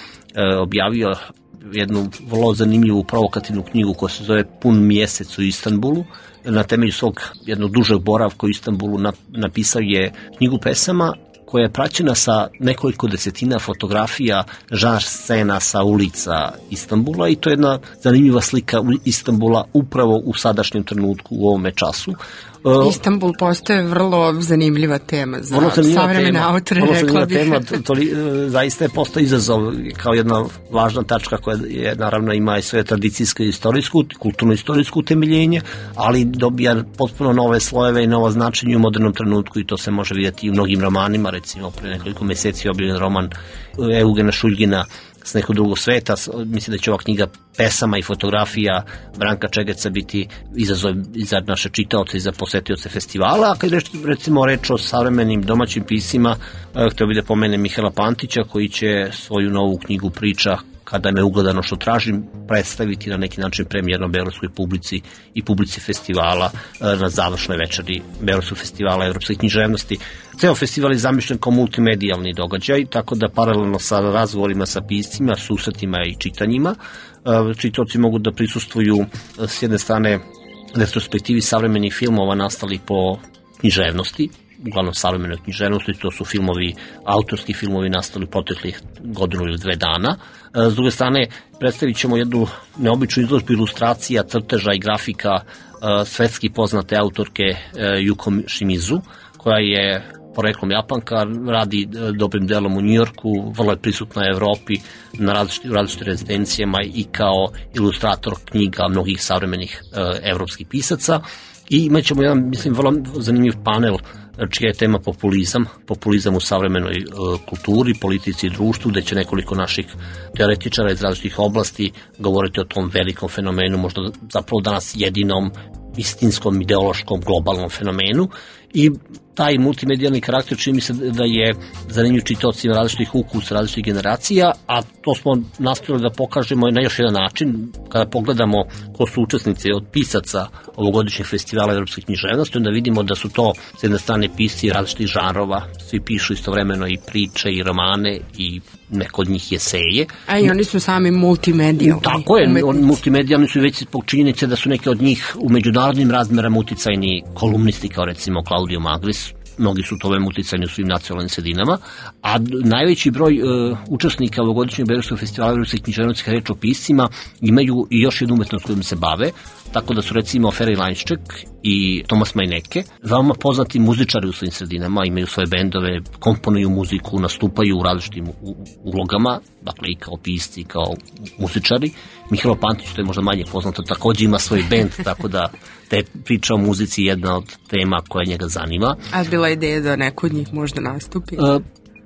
objavio jednu vrlo zanimljivu provokativnu knjigu koja se zove Pun mjesec u Istanbulu. Na temelju svog jednog dužeg boravka u Istanbulu napisao je knjigu pesama koja je praćena sa nekoliko desetina fotografija žanr scena sa ulica Istanbula i to je jedna zanimljiva slika Istanbula upravo u sadašnjem trenutku u ovome času. Istanbul postaje vrlo zanimljiva tema za savremene autore, rekla bih. Zaista je postao izazov kao jedna važna tačka koja je, naravno ima i svoje tradicijsko i istorijsko, kulturno-istorijsko utemeljenje, ali dobija potpuno nove slojeve i novo značenje u modernom trenutku i to se može vidjeti i u mnogim romanima. Recimo, pre nekoliko meseci objavljen roman Eugena Šuljgina S nekog drugog sveta. Mislim da će ova knjiga pesama i fotografija Branka Čegeca biti izazov i za naše čitaoce i za posetioce festivala. A kad recimo reč o savremenim domaćim piscima, htio bih da pomenem Mihaela Pantića koji će svoju novu knjigu Priča kada me ugledano što tražim predstaviti na neki način premijerno beogradskoj publici i publici festivala na završnoj večeri Beogradskog festivala evropske književnosti. Ceo festival je zamišljen kao multimedijalni događaj, tako da paralelno sa razgovorima sa piscima, susretima i čitanjima, čitaoci mogu da prisustvuju s jedne strane retrospektivi savremenih filmova nastali po književnosti, uglavnom savremenoj književnosti, to su filmovi, autorski filmovi nastali proteklih godinu ili 2 dana. S druge strane, predstavit ćemo jednu neobičnu izložbu ilustracija, crteža i grafika svetski poznate autorke Yuko Shimizu, koja je poreklom Japanka, radi dobrim delom u Njujorku, vrlo je prisutna u Evropi na različitim rezidencijama i kao ilustrator knjiga mnogih savremenih evropskih pisaca. I imat ćemo jedan, mislim, vrlo zanimljiv panel čija je tema populizam u savremenoj kulturi, politici i društvu, gde će nekoliko naših teoretičara iz različitih oblasti govoriti o tom velikom fenomenu, možda zapravo danas jedinom istinskom, ideološkom, globalnom fenomenu. I taj multimedijalni karakter čini mi se da je zanimljiv čitaocima različitih ukusa, različitih generacija, a to smo nastavili da pokažemo na još jedan način. Kada pogledamo ko su učesnici od pisaca ovogodišnjeg festivala evropske književnosti, onda vidimo da su to s jedne strane pisci različitih žanrova, svi pišu istovremeno i priče i romane i neko od njih eseje. A i oni su sami multimedijalni. Tako je, multimedijalni su već zbog činjenice da su neki od njih u međunarodnim razmerama uticajni kolumnisti, kao recimo Claudio Magris, mnogi su tome uticajni u svim nacionalnim sredinama, a najveći broj učesnika ovogodišnjeg Beogradskog festivala evropske književnosti, kada reč o piscima, imaju i još jednu umetnost kojom se bave, tako da su recimo Feri Lanjšček i Tomas Majneke veoma poznati muzičari u svojim sredinama, imaju svoje bendove, komponuju muziku, nastupaju u različitim ulogama, dakle i kao pisci, kao muzičari. Mihajlo Pantić, to je možda manje poznato, takođe ima svoj bend, tako da te priča o muzici je jedna od tema koja njega zanima. A bila ideja da neko od njih možda nastupi?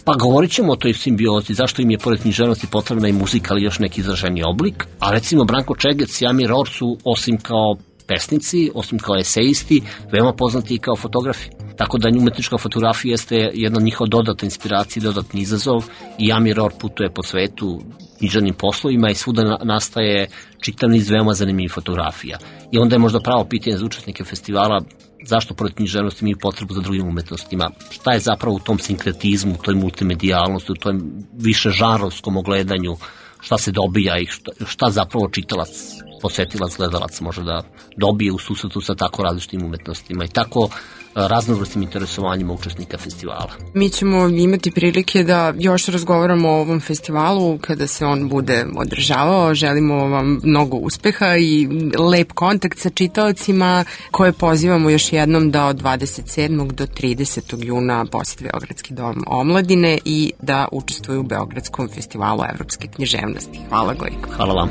Pa govorit ćemo o toj simbiozi, zašto im je pored književnosti potrebna i muzika, ali još neki izraženi oblik. A recimo Branko Čegec i Amir Or su, osim kao pesnici, osim kao esejisti, veoma poznati i kao fotografi. Tako da umetnička fotografija jeste jedna njihova dodatna inspiracija, dodatni izazov i Amir Or putuje po svetu književnim poslovima i svuda nastaje čitav niz veoma zanimljivih fotografija. I onda je možda pravo pitanje za učesnike festivala zašto pored književnosti imaju potrebu za drugim umetnostima. Šta je zapravo u tom sinkretizmu, u toj multimedijalnosti, u tom više žanrovskom ogledanju, šta se dobija i šta zapravo čitalac, posetilac, gledalac može da dobije u susretu sa tako različitim umetnostima i tako raznovrsnim interesovanjima učesnika festivala. Mi ćemo imati prilike da još razgovaramo o ovom festivalu kada se on bude održavao. Želimo vam mnogo uspeha i lep kontakt sa čitaocima koje pozivamo još jednom da od 27. do 30. juna posete Beogradski dom omladine i da učestvuju u Beogradskom festivalu evropske književnosti. Hvala, Gojko. Hvala vam.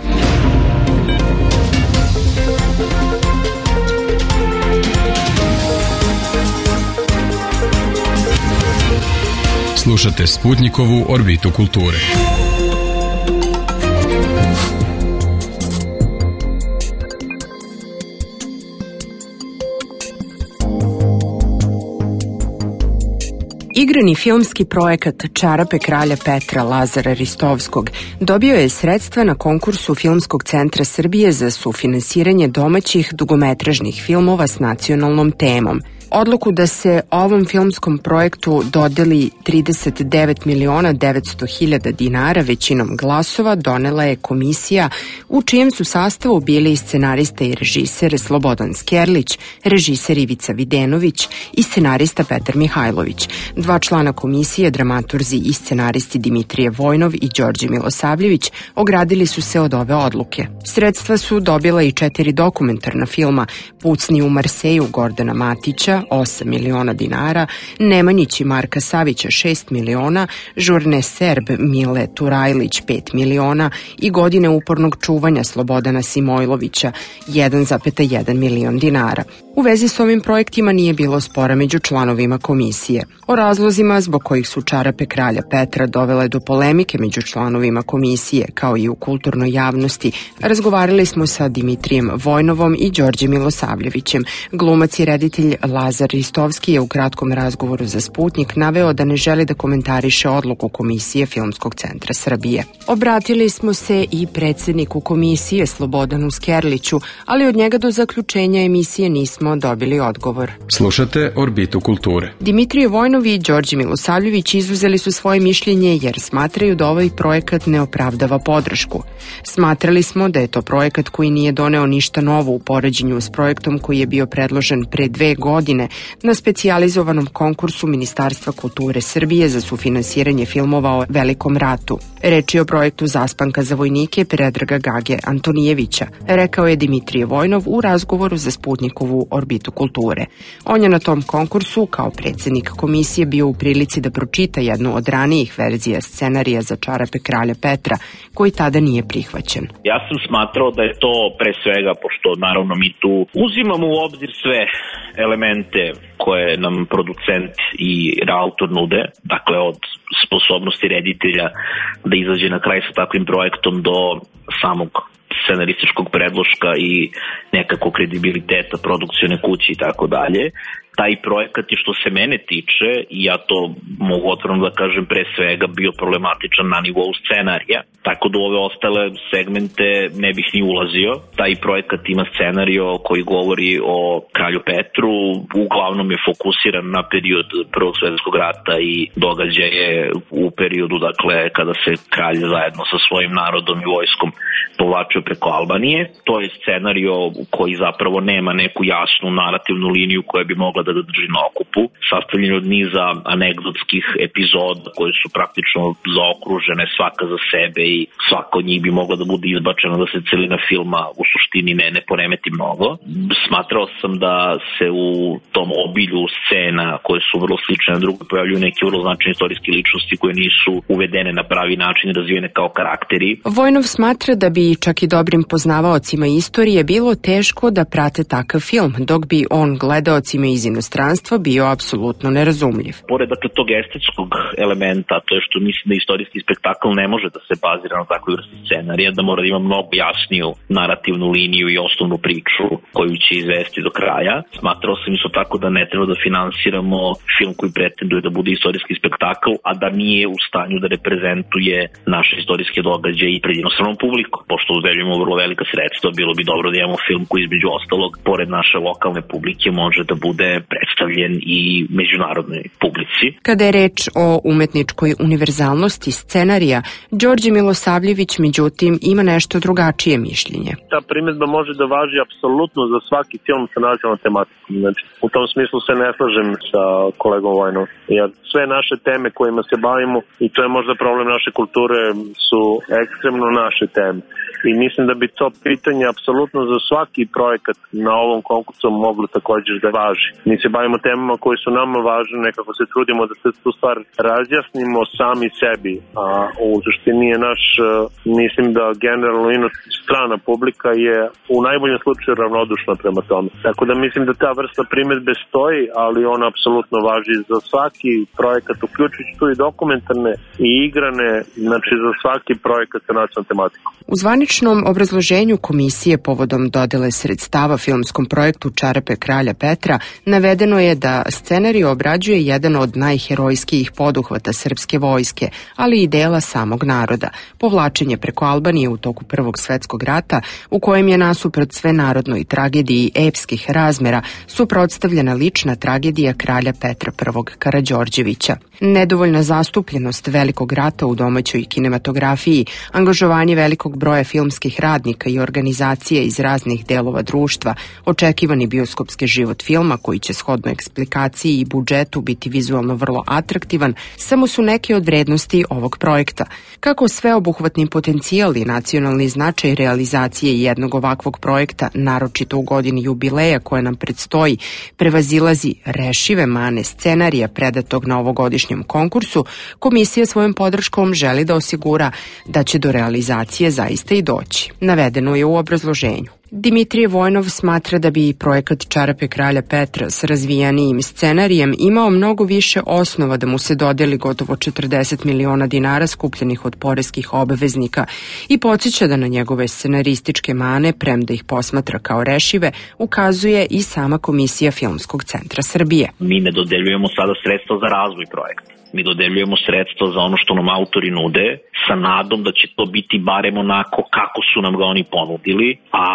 Slušate Sputnikovu orbitu kulture. Igrani filmski projekat Čarape kralja Petra Lazara Ristovskog dobio je sredstva na konkursu Filmskog centra Srbije za sufinansiranje domaćih dugometražnih filmova s nacionalnom temom. Odluku da se ovom filmskom projektu dodeli 39.900.000 dinara većinom glasova donela je komisija u čijem su sastavu bili i scenarista i režiser Slobodan Skerlić, režiser Ivica Videnović i scenarista Petar Mihajlović. 2 člana komisije, dramaturzi i scenaristi Dimitrije Vojnov i Đorđe Milosavljević, ogradili su se od ove odluke. Sredstva su dobila i 4 dokumentarna filma: Pucni u Marseju Gordana Matića 8 miliona dinara, Nemanjić i Marka Savića 6 miliona, Žurne Serb Mile Turajlić 5 miliona i Godine upornog čuvanja Slobodana Simojlovića 1,1 milion dinara. U vezi s ovim projektima nije bilo spora među članovima komisije. O razlozima zbog kojih su Čarape kralja Petra dovele do polemike među članovima komisije, kao i u kulturnoj javnosti, razgovarali smo sa Dimitrijem Vojnovom i Đorđem Milosavljevićem. Glumac i reditelj Lazar Ristovski je u kratkom razgovoru za Sputnik naveo da ne želi da komentariše odluku komisije Filmskog centra Srbije. Obratili smo se i predsedniku komisije Slobodanu Skerliću, ali od njega do zaključenja emisije nismo dobili odgovor. Slušate Orbitu kulture. Dimitrije Vojnov i Đorđe Milosavljević izuzeli su svoje mišljenje jer smatraju da ovaj projekat ne opravdava podršku. Smatrali smo da je to projekat koji nije doneo ništa novo u poređenju s projektom koji je bio predložen pre 2 godine na specijalizovanom konkursu Ministarstva kulture Srbije za sufinansiranje filmova o Velikom ratu. Reč je o projektu Zaspanka za vojnike Predraga Gage Antonijevića, rekao je Dimitrije Vojnov u razgovoru za Sputnikovu orbitu kulture. On je na tom konkursu kao predsednik komisije bio u prilici da pročita jednu od ranijih verzija scenarija za Čarape kralja Petra, koji tada nije prihvaćen. Ja sam smatrao da je to pre svega, pošto naravno mi tu uzimamo u obzir sve elemente koje nam producent i autor nude, dakle od sposobnosti reditelja da izađe na kraj sa takvim projektom do samog scenarističkog predloška i nekako kredibiliteta produkcione kuće i tako dalje. taj projekat je što se mene tiče, i ja to mogu otvoreno da kažem, pre svega bio problematičan na nivou scenarija, tako da u ove ostale segmente ne bih ni ulazio. Taj projekat ima scenario koji govori o kralju Petru, uglavnom je fokusiran na period Prvog svetskog rata i događaje u periodu, dakle, kada se kralj zajedno sa svojim narodom i vojskom povlačio preko Albanije. To je scenario koji zapravo nema neku jasnu narativnu liniju koja bi mogla da drži na okupu, sastavljen od niza anegdotskih epizoda koje su praktično zaokružene svaka za sebe i svaka od njih bi mogla da bude izbačena da se celina filma u suštini ne poremeti mnogo. Smatrao sam da se u tom obilju scena koje su vrlo slične na drugo pojavljuju neke vrlo značajne istorijske ličnosti koje nisu uvedene na pravi način i razvijene kao karakteri. Vojnov smatra da bi čak i dobrim poznavaocima istorije bilo teško da prate takav film, dok bi on gledaocima iz inostranstva bio apsolutno nerazumljiv. Pored dakle tog estetskog elementa, to je što mislim da istorijski spektakl ne može da se bazira na takvoj vrsti scenarija, da mora da ima mnogo jasniju narativnu liniju i osnovnu priču koju će izvesti do kraja. Smatrao sam isto tako da ne treba da finansiramo film koji pretenduje da bude istorijski spektakl, a da nije u stanju da reprezentuje naše istorijske događaje i pred inostranom publikom. Pošto udeljujemo vrlo velika sredstva, bilo bi dobro da imamo film koji između ostalog, pored naše lokalne publike, može da bude predstavljen i međunarodnoj publici. Kada je reč o umetničkoj univerzalnosti scenarija, Đorđe Milosavljević međutim ima nešto drugačije mišljenje. Ta primjedba može da važi apsolutno za svaki film sa nacionalnom tematikom. Znači, u tom smislu se ne slažem sa kolegom Vojnom. Jer sve naše teme kojima se bavimo, i to je možda problem naše kulture, su ekstremno naše teme. I mislim da bi to pitanje apsolutno za svaki projekat na ovom konkursu moglo također da važi. Mi se bavimo temama koje su nama važne, nekako se trudimo da se tu stvar razjasnimo sami sebi, a u suštini je naš, mislim da generalno strana publika je u najboljem slučaju ravnodušna prema tome. Tako da mislim da ta vrsta primjedbe stoji, ali ona apsolutno važi za svaki projekat, uključujući tu i dokumentarne i igrane, znači za svaki projekat sa nacionalnom tematikom. U zvaničnom obrazloženju komisije povodom dodele sredstava filmskom projektu Čarape kralja Petra navedeno je da scenarij obrađuje jedan od najherojskijih poduhvata srpske vojske, ali i dela samog naroda, povlačenje preko Albanije u toku Prvog svetskog rata, u kojem je nasuprot svenarodnoj tragediji epskih razmera suprotstavljena lična tragedija kralja Petra I Karađorđevića. Nedovoljna zastupljenost velikog rata u domaćoj kinematografiji, angažovanje velikog broja filmskih radnika i organizacije iz raznih delova društva, očekivani bioskopski život filma koji će shodno eksplikaciji i budžetu biti vizualno vrlo atraktivan, samo su neke od vrednosti ovog projekta. Kako sveobuhvatni potencijal i nacionalni značaj realizacije jednog ovakvog projekta, naročito u godini jubileja koja nam predstoji, prevazilazi rešive mane scenarija predatog na ovogodišnjem konkursu, komisija svojom podrškom želi da osigura da će do realizacije zaista i doći. Navedeno je u obrazloženju. Dimitrije Vojnov smatra da bi projekat Čarape kralja Petra s razvijanijim scenarijem imao mnogo više osnova da mu se dodeli gotovo 40 miliona dinara skupljenih od poreskih obveznika i podsjeća da na njegove scenarističke mane, premda ih posmatra kao rešive, ukazuje i sama Komisija Filmskog centra Srbije. Mi ne dodeljujemo sada sredstva za razvoj projekta. Mi dodeljujemo sredstva za ono što nam autori nude sa nadom da će to biti barem onako kako su nam ga oni ponudili, a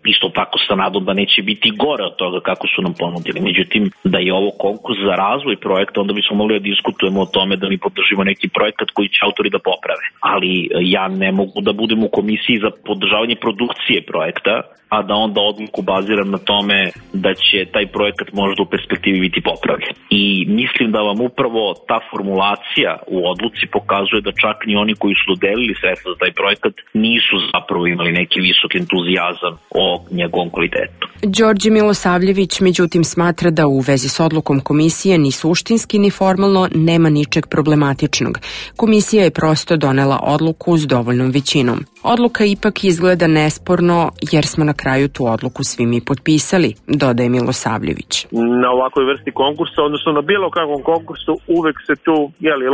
isto tako sa nadom da neće biti gore od toga kako su nam ponudili. Međutim, da je ovo konkurs za razvoj projekta, onda bismo mogli da diskutujemo o tome da mi podržimo neki projekat koji će autori da poprave. Ali ja ne mogu da budem u komisiji za podržavanje produkcije projekta, a da onda odluku baziram na tome da će taj projekat možda u perspektivi biti popravljen. I mislim da vam upravo ta formulacija u odluci pokazuje da čak ni oni koji su dodelili sredstva za taj projekat nisu zapravo imali neki visok entuzijazam o njegovom kvalitetu. Đorđe Milosavljević međutim smatra da u vezi s odlukom komisije ni suštinski ni formalno nema ničeg problematičnog. Komisija je prosto donela odluku s dovoljnom većinom. Odluka ipak izgleda nesporno jer smo na kraju tu odluku svi mi potpisali, dodaje Milosavljević. Na ovakvoj vrsti konkursa, odnosno na bilo kakvom konkursu, uvek se tu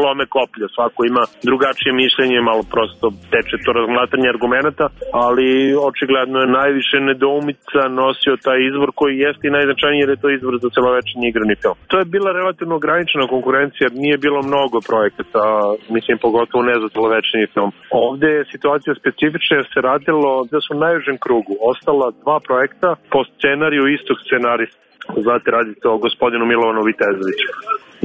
lome koplja. Svako ima drugačije mišljenje, malo prosto teče to razmatanje argumenta, ali očigledno je najviše nedoumica nosio taj izvor koji jeste i najznačajniji jer je to izvor za celovečernji igrani film. To je bila relativno ograničena konkurencija jer nije bilo mnogo projekata, mislim pogotovo ne za celovečernji film. Ovde je situacija specifična jer se radilo da su u najužem krugu ostala 2 projekta po scenariju istog scenarista. Znate, radi se o gospodinu Milovanu Vitezoviću.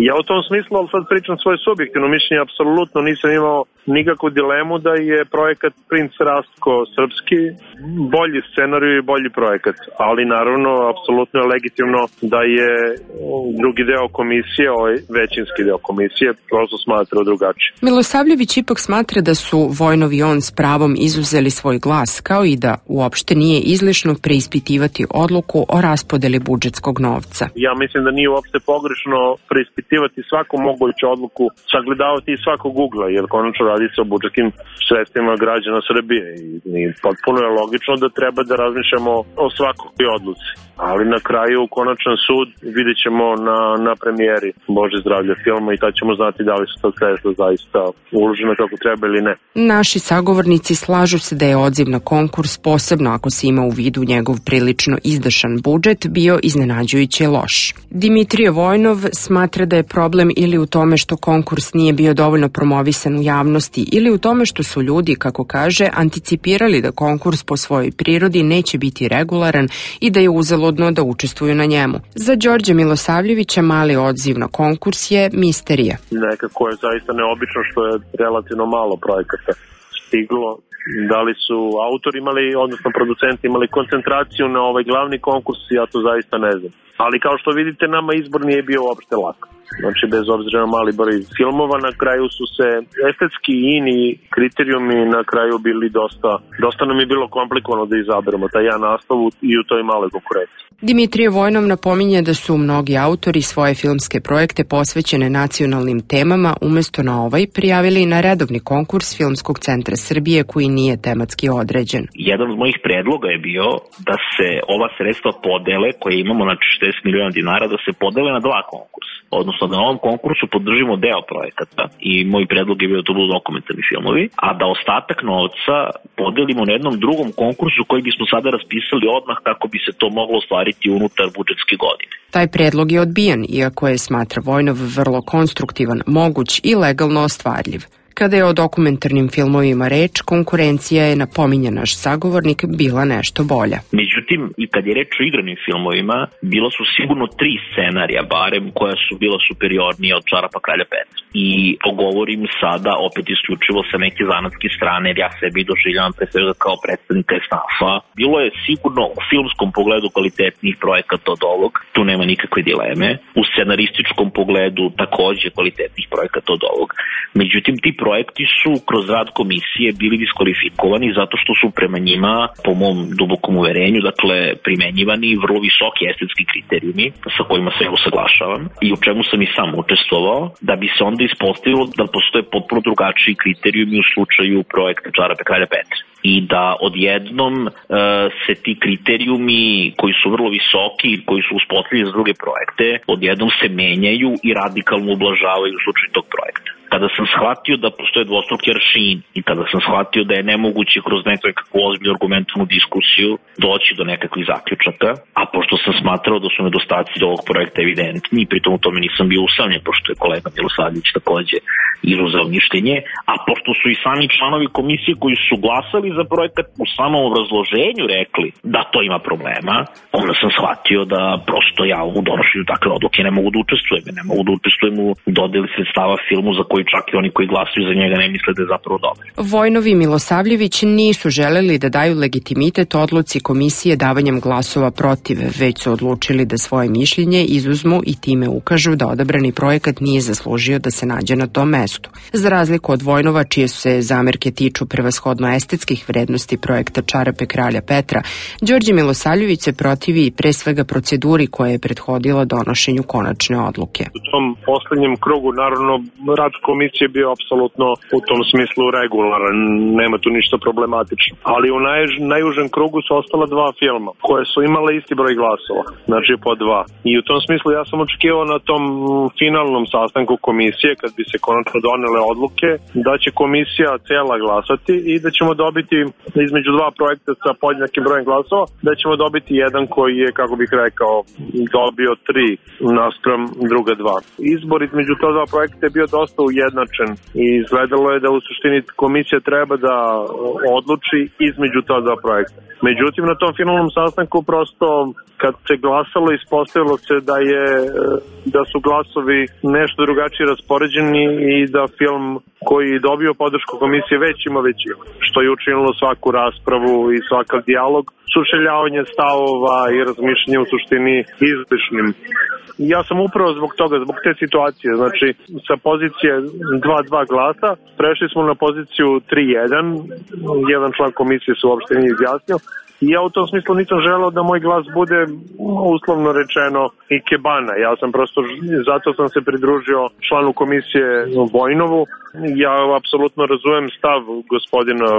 Ja u tom smislu, ali sad pričam svoje subjektivno mišljenje, apsolutno nisam imao nikakvu dilemu da je projekat Princ Rastko srpski bolji scenarij i bolji projekat, ali naravno apsolutno je legitimno da je drugi deo komisije, ovaj većinski deo komisije, prosto smatrao drugačije. Milosavljević ipak smatra da su Vojnov i on s pravom izuzeli svoj glas, kao i da uopšte nije izlišno preispitivati odluku o raspodeli budžetskog novca. Ja mislim da nije uopšte pogrešno preispitivati svaku moguću odluku, sagledavati i svakog ugla, jer konačno radi se o budžetskim sredstvima građana Srbije i potpuno je logično da treba da razmišljamo o svakoj odluci. Ali na kraju konačan sud vidjet ćemo na premijeri Bože zdravlja filma i tad ćemo znati da li su to sredstva zaista uložena kako treba ili ne. Naši sagovornici slažu se da je odziv na konkurs, posebno ako se ima u vidu njegov prilično izdašan budžet, bio iznenađujuće loš. Dimitrije Vojnov smatra da je problem ili u tome što konkurs nije bio dovoljno promovisan u javnosti ili u tome što su ljudi, kako kaže, anticipirali da konkurs po svojoj prirodi neće biti regularan i da je uzaludno da učestvuju na njemu. Za Đorđa Milosavljevića mali odziv na konkurs je misterija. Nekako je zaista neobično što je relativno malo projekata stiglo. Da li su autori imali, odnosno producenti imali koncentraciju na ovaj glavni konkurs, ja to zaista ne znam. Ali kao što vidite, nama izbor nije bio uopšte lak. Znači, bez obzira na mali broj filmova, na kraju su se estetski i ini kriterijumi na kraju bili dosta nam je bilo komplikovano da izaberemo taj jedan nastav i u toj maloj konkurenciji. Dimitrije Vojnov napominje da su mnogi autori svoje filmske projekte posvećene nacionalnim temama umesto na ovaj prijavili na redovni konkurs Filmskog centra Srbije koji nije tematski određen. Jedan od mojih predloga je bio da se ova sredstva podele koje imamo na 40 miliona dinara da se podele na 2 konkursa. Odnosno da na ovom konkursu podržimo deo projekata i moj predlog je bio da to budu dokumentarni filmovi, a da ostatak novca podelimo na jednom drugom konkursu koji bismo sada raspisali odmah kako bi se to moglo ostvariti unutar budžetske godine. Taj predlog je odbijen, iako je, smatra Vojnov, vrlo konstruktivan, moguć i legalno ostvarljiv. Kada je o dokumentarnim filmovima reč, konkurencija je, napominje naš sagovornik, bila nešto bolja. Međutim, i kad je reč o igranim filmovima, bilo su sigurno 3 scenarija, barem, koja su bila superiornija od Čarapa kralja Petra. I govorim sada opet isključivo sa neke zanatske strane, jer ja sebi doživljavam pre svega kao predstavnika SNAF-a. Bilo je sigurno u filmskom pogledu kvalitetnih projekata od ovog, tu nema nikakve dileme. U scenarističkom pogledu takođe kvalitetnih projekata od ovog. Međutim, ti projekti su kroz rad komisije bili diskvalifikovani zato što su prema njima, po mom dubokom uverenju, dakle, primenjivani vrlo visoki estetski kriterijumi sa kojima se usaglašavam i u čemu sam i sam učestvovao, da bi se onda ispostavilo da postoje potpuno drugačiji kriterijumi u slučaju projekta Čarape kralja Petra. I da odjednom se ti kriterijumi koji su vrlo visoki i koji su uspostavljeni za druge projekte, odjednom se menjaju i radikalno ublažavaju u slučaju tog projekta. Kada sam shvatio da postoje dvostruki aršin i kada sam shvatio da je nemoguće kroz nekakvu ozbiljnu argumentovnu diskusiju doći do nekakvih zaključaka, a pošto sam smatrao da su nedostaci ovog projekta evidentni i pritom u tome nisam bio usamljen, pošto je kolega Milosavljević takođe izuzeo mišljenje, a pošto su i sami članovi komisije koji su glasali za projekat u samom obrazloženju rekli da to ima problema, onda sam shvatio da prosto ja u donošenju takve odluke ne mogu da učestvujem u dodeli sredstava filmu za koji čak i oni koji glasuju za njega ne misle da je zapravo dobar. Vojnov i Milosavljević nisu želeli da daju legitimitet odluci komisije davanjem glasova protiv, već su odlučili da svoje mišljenje izuzmu i time ukažu da odabrani projekat nije zaslužio da se nađe na tom mestu. Za razliku od Vojnova, čije se zamerke tiču prevashodno estetskih vrednosti projekta Čarape kralja Petra, Đorđe Milosavljević se protivi pre svega proceduri koja je prethodila donošenju konačne odluke. U tom poslednjem krugu, naravno, rad komisije bio apsolutno u tom smislu regularan, nema tu ništa problematično. Ali u najužem krugu su ostala dva filma koje su imale isti broj glasova, znači po 2. I u tom smislu ja sam očekivao na tom finalnom sastanku komisije, kad bi se konačno donele odluke, da će komisija cela glasati i da ćemo dobiti između dva projekta sa podjednakim brojem glasova, da ćemo dobiti jedan koji je, kako bih rekao, dobio 3 naspram druga 2. Izbor između to dva projekta je bio dosta ujednačen i izgledalo je da u suštini komisija treba da odluči između ta dva projekta. Međutim, na tom finalnom sastanku prosto kad se glasalo, ispostavilo se da su glasovi nešto drugačije raspoređeni i da film koji je dobio podršku komisije već ima većinu, što je učinilo svaku raspravu i svakav dijalog, sučeljavanje stavova i razmišljanje u suštini izlišnim. Ja sam upravo zbog toga, zbog te situacije, znači sa pozicije 2-2 glasa prešli smo na poziciju 3-1, jedan član komisije se uopšte nije izjasnio. I ja u tom smislu nisam želeo da moj glas bude uslovno rečeno ikebana. Ja sam prosto, zato sam se pridružio članu komisije Vojnovu. Ja apsolutno razumem stav gospodina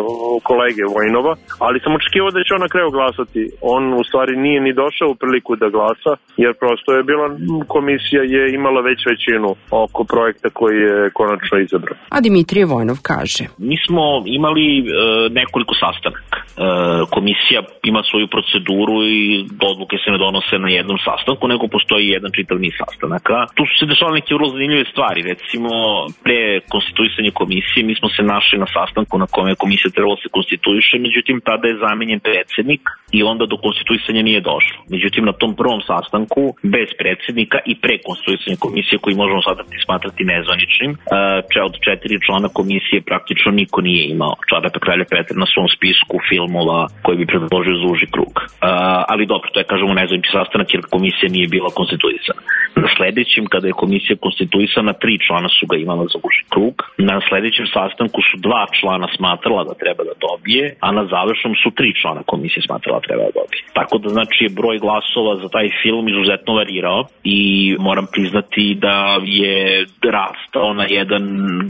kolege Vojnova, ali sam očekivao da će on na kraju glasati. On u stvari nije ni došao u priliku da glasa, jer prosto je bila, komisija je imala već većinu oko projekta koji je konačno izabran. A Dimitrije Vojnov kaže: Mi smo imali nekoliko sastanaka. Komisija ima svoju proceduru i odluke se ne donose na jednom sastanku, nego postoji jedan čitav niz sastanaka. Tu su se dešavale neke vrlo zanimljive stvari. Recimo, pre konstituisanja komisije mi smo se našli na sastanku na kome je komisija trebalo se konstituiše, međutim tada je zamenjen predsednik i onda do konstituisanja nije došlo. Međutim, na tom prvom sastanku, bez predsednika i pre konstituisanja komisije, koji možemo sada smatrati nezvaničnim, od 4 člana komisije praktično niko nije imao Čarape kralja Petra na svom spisku filmova koji bi predložio za uži krug. Ali dobro, to je, kažemo, nezvanični sastanak jer komisija nije bila konstituisana. Na sledećem, kada je komisija konstituisana, 3 člana su ga imala za uži krug. Na sledećem sastanku su 2 člana smatrala da treba da dobije, a na završnom su 3 člana komisije smatrala da treba da dobije. Tako da, znači, je broj glasova za taj film izuzetno varirao i moram priznati da je rastao na jedan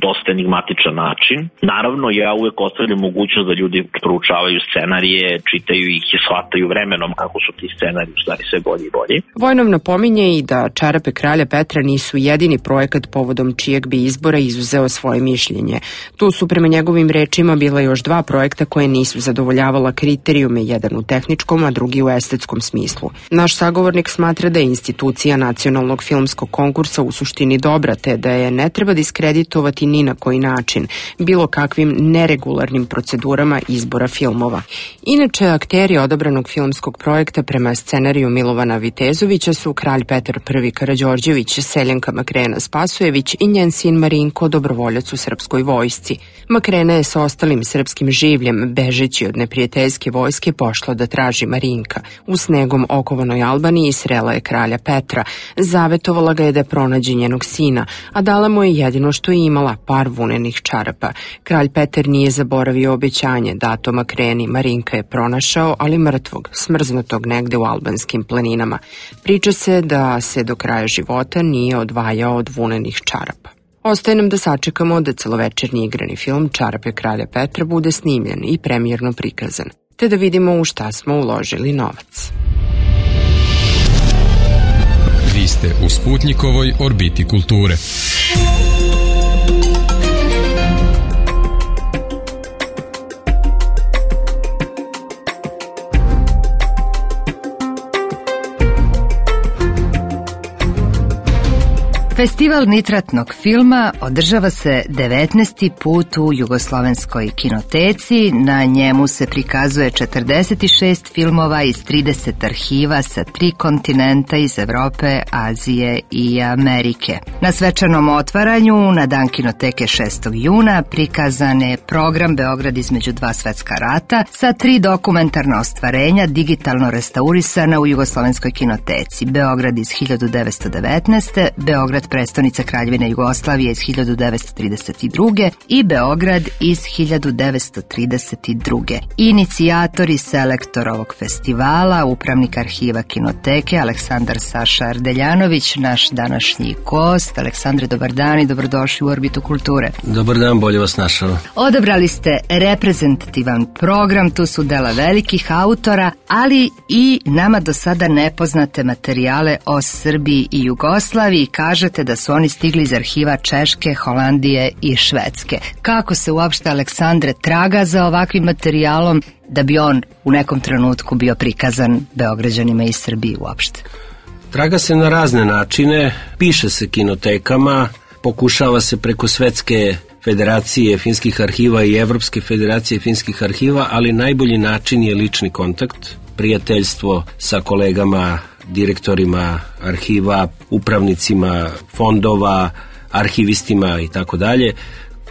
dosta enigmatičan način. Naravno, ja uvek ostavljam mogućnost da ljudi proučavaju scenarije, čitaju ih i shvataju vremenom kako su ti scenariji u stvari sve bolji i bolji. Vojnov napominje i da Čarape kralja Petra nisu jedini projekat povodom čijeg bi izbora izuzeo svoje mišljenje. Tu su prema njegovim rečima bila još 2 projekta koje nisu zadovoljavala kriterijume, jedan u tehničkom, a drugi u estetskom smislu. Naš sagovornik smatra da je institucija nacionalnog filmskog konkursa u suštini dobra, te da je ne treba diskreditovati ni na koji način, bilo kakvim neregularnim procedurama izbora filmova. Inače, akteri odabranog filmskog projekta prema scenariju Milovana Vitezovića su kralj Petar I Karađorđević, Seljanka Makrena Spasojević i njen sin Marinko, dobrovoljac u srpskoj vojsci. Makrena je sa ostalim srpskim življem, bežeći od neprijateljske vojske, pošla da traži Marinka. U snegom okovanoj Albaniji srela je kralja Petra, zavetovala ga je da pronađe njenog sina, a dala mu je jedino što je imala, par vunenih čarapa. Kralj Petar nije zaboravio obećanje dato Makreni. Marinka je pronašao, ali mrtvog, smrznutog negde u albanskim planinama. Priča se da se do kraja života nije odvajao od vunenih čarapa. Ostaje nam da sačekamo da celovečernji igrani film Čarape kralja Petra bude snimljen i premijerno prikazan, te da vidimo u šta smo uložili novac. Vi ste u Sputnikovoj orbiti kulture. Festival nitratnog filma održava se 19. put u Jugoslovenskoj kinoteci. Na njemu se prikazuje 46 filmova iz 30 arhiva sa 3 kontinenta iz Evrope, Azije i Amerike. Na svečanom otvaranju na dan kinoteke 6. juna prikazan je program Beograd između 2 svetska rata sa 3 dokumentarna ostvarenja digitalno restaurisana u Jugoslovenskoj kinoteci. Beograd iz 1919. Beograd prestaje prestonica Kraljevine Jugoslavije iz 1932. i Beograd iz 1932. Inicijator i selektor ovog festivala, upravnik arhiva Kinoteke Aleksandar Saša Ardeljanović, naš današnji gost. Aleksandre, dobar dan i dobrodošli u Orbitu kulture. Dobar dan, bolje vas našao. Odabrali ste reprezentativan program, tu su dela velikih autora, ali i nama do sada nepoznate materijale o Srbiji i Jugoslaviji. Kažete da su oni stigli iz arhiva Češke, Holandije i Švedske. Kako se uopšte, Aleksandre, traga za ovakvim materijalom da bi on u nekom trenutku bio prikazan Beograđanima iz Srbije uopšte? Traga se na razne načine, piše se kinotekama, pokušava se preko Svetske federacije finskih arhiva i Evropske federacije finskih arhiva, ali najbolji način je lični kontakt, prijateljstvo sa kolegama, direktorima arhiva, upravnicima fondova, arhivistima i tako dalje.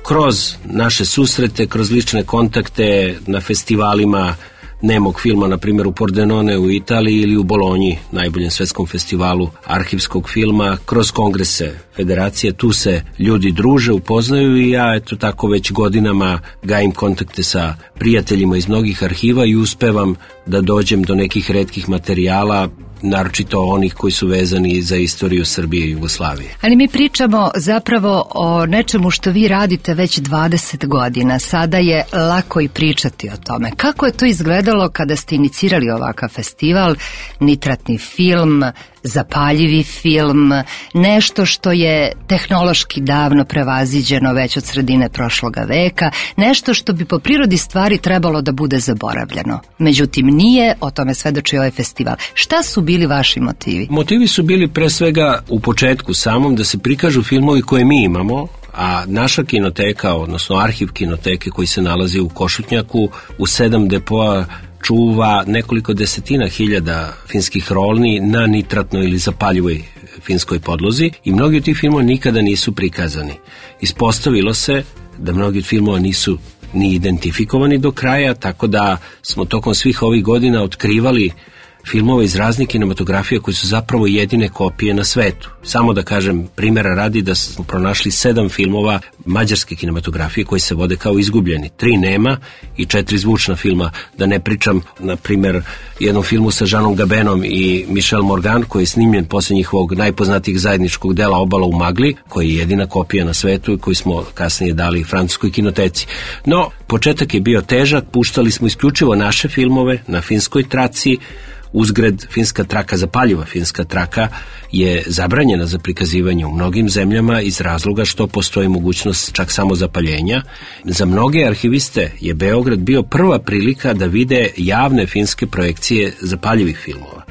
Kroz naše susrete, kroz lične kontakte na festivalima nemog filma, na primjer u Pordenone u Italiji ili u Bolonji, najboljem svetskom festivalu arhivskog filma, kroz kongrese federacije, tu se ljudi druže, upoznaju i ja eto tako već godinama gajim kontakte sa prijateljima iz mnogih arhiva i uspevam da dođem do nekih retkih materijala, naročito onih koji su vezani za istoriju Srbije i Jugoslavije. Ali mi pričamo zapravo o nečemu što vi radite već 20 godina. Sada je lako i pričati o tome. Kako je to izgledalo kada ste inicirali ovakav festival, nitratni film, zapaljivi film, nešto što je tehnološki davno prevaziđeno već od sredine prošloga veka, nešto što bi po prirodi stvari trebalo da bude zaboravljeno. Međutim, nije, o tome svedoči ovaj festival. Šta su bili vaši motivi? Motivi su bili pre svega u početku samom da se prikažu filmovi koje mi imamo, a naša kinoteka, odnosno arhiv kinoteke koji se nalazi u Košutnjaku, u 7 depoa čuva nekoliko desetina hiljada finskih rolni na nitratnoj ili zapaljivoj finskoj podlozi i mnogi od tih filmova nikada nisu prikazani. Ispostavilo se da mnogi od filmova nisu ni identifikovani do kraja, tako da smo tokom svih ovih godina otkrivali filmove iz raznih kinematografija koji su zapravo jedine kopije na svetu. Samo da kažem, primjera radi da smo pronašli 7 filmova mađarske kinematografije koji se vode kao izgubljeni. 3 nema i 4 zvučna filma. Da ne pričam, na primjer, jednom filmu sa Žanom Gabenom i Michel Morgan koji je snimljen posle njihovog najpoznatijeg zajedničkog dela Obala u magli, koji je jedina kopija na svetu i koji smo kasnije dali francuskoj kinoteci. No, početak je bio težak, puštali smo isključivo naše filmove na finskoj traci. Uzgred, finska traka, zapaljiva finska traka je zabranjena za prikazivanje u mnogim zemljama iz razloga što postoji mogućnost čak samo zapaljenja. Za mnoge arhiviste je Beograd bio prva prilika da vide javne finske projekcije zapaljivih filmova.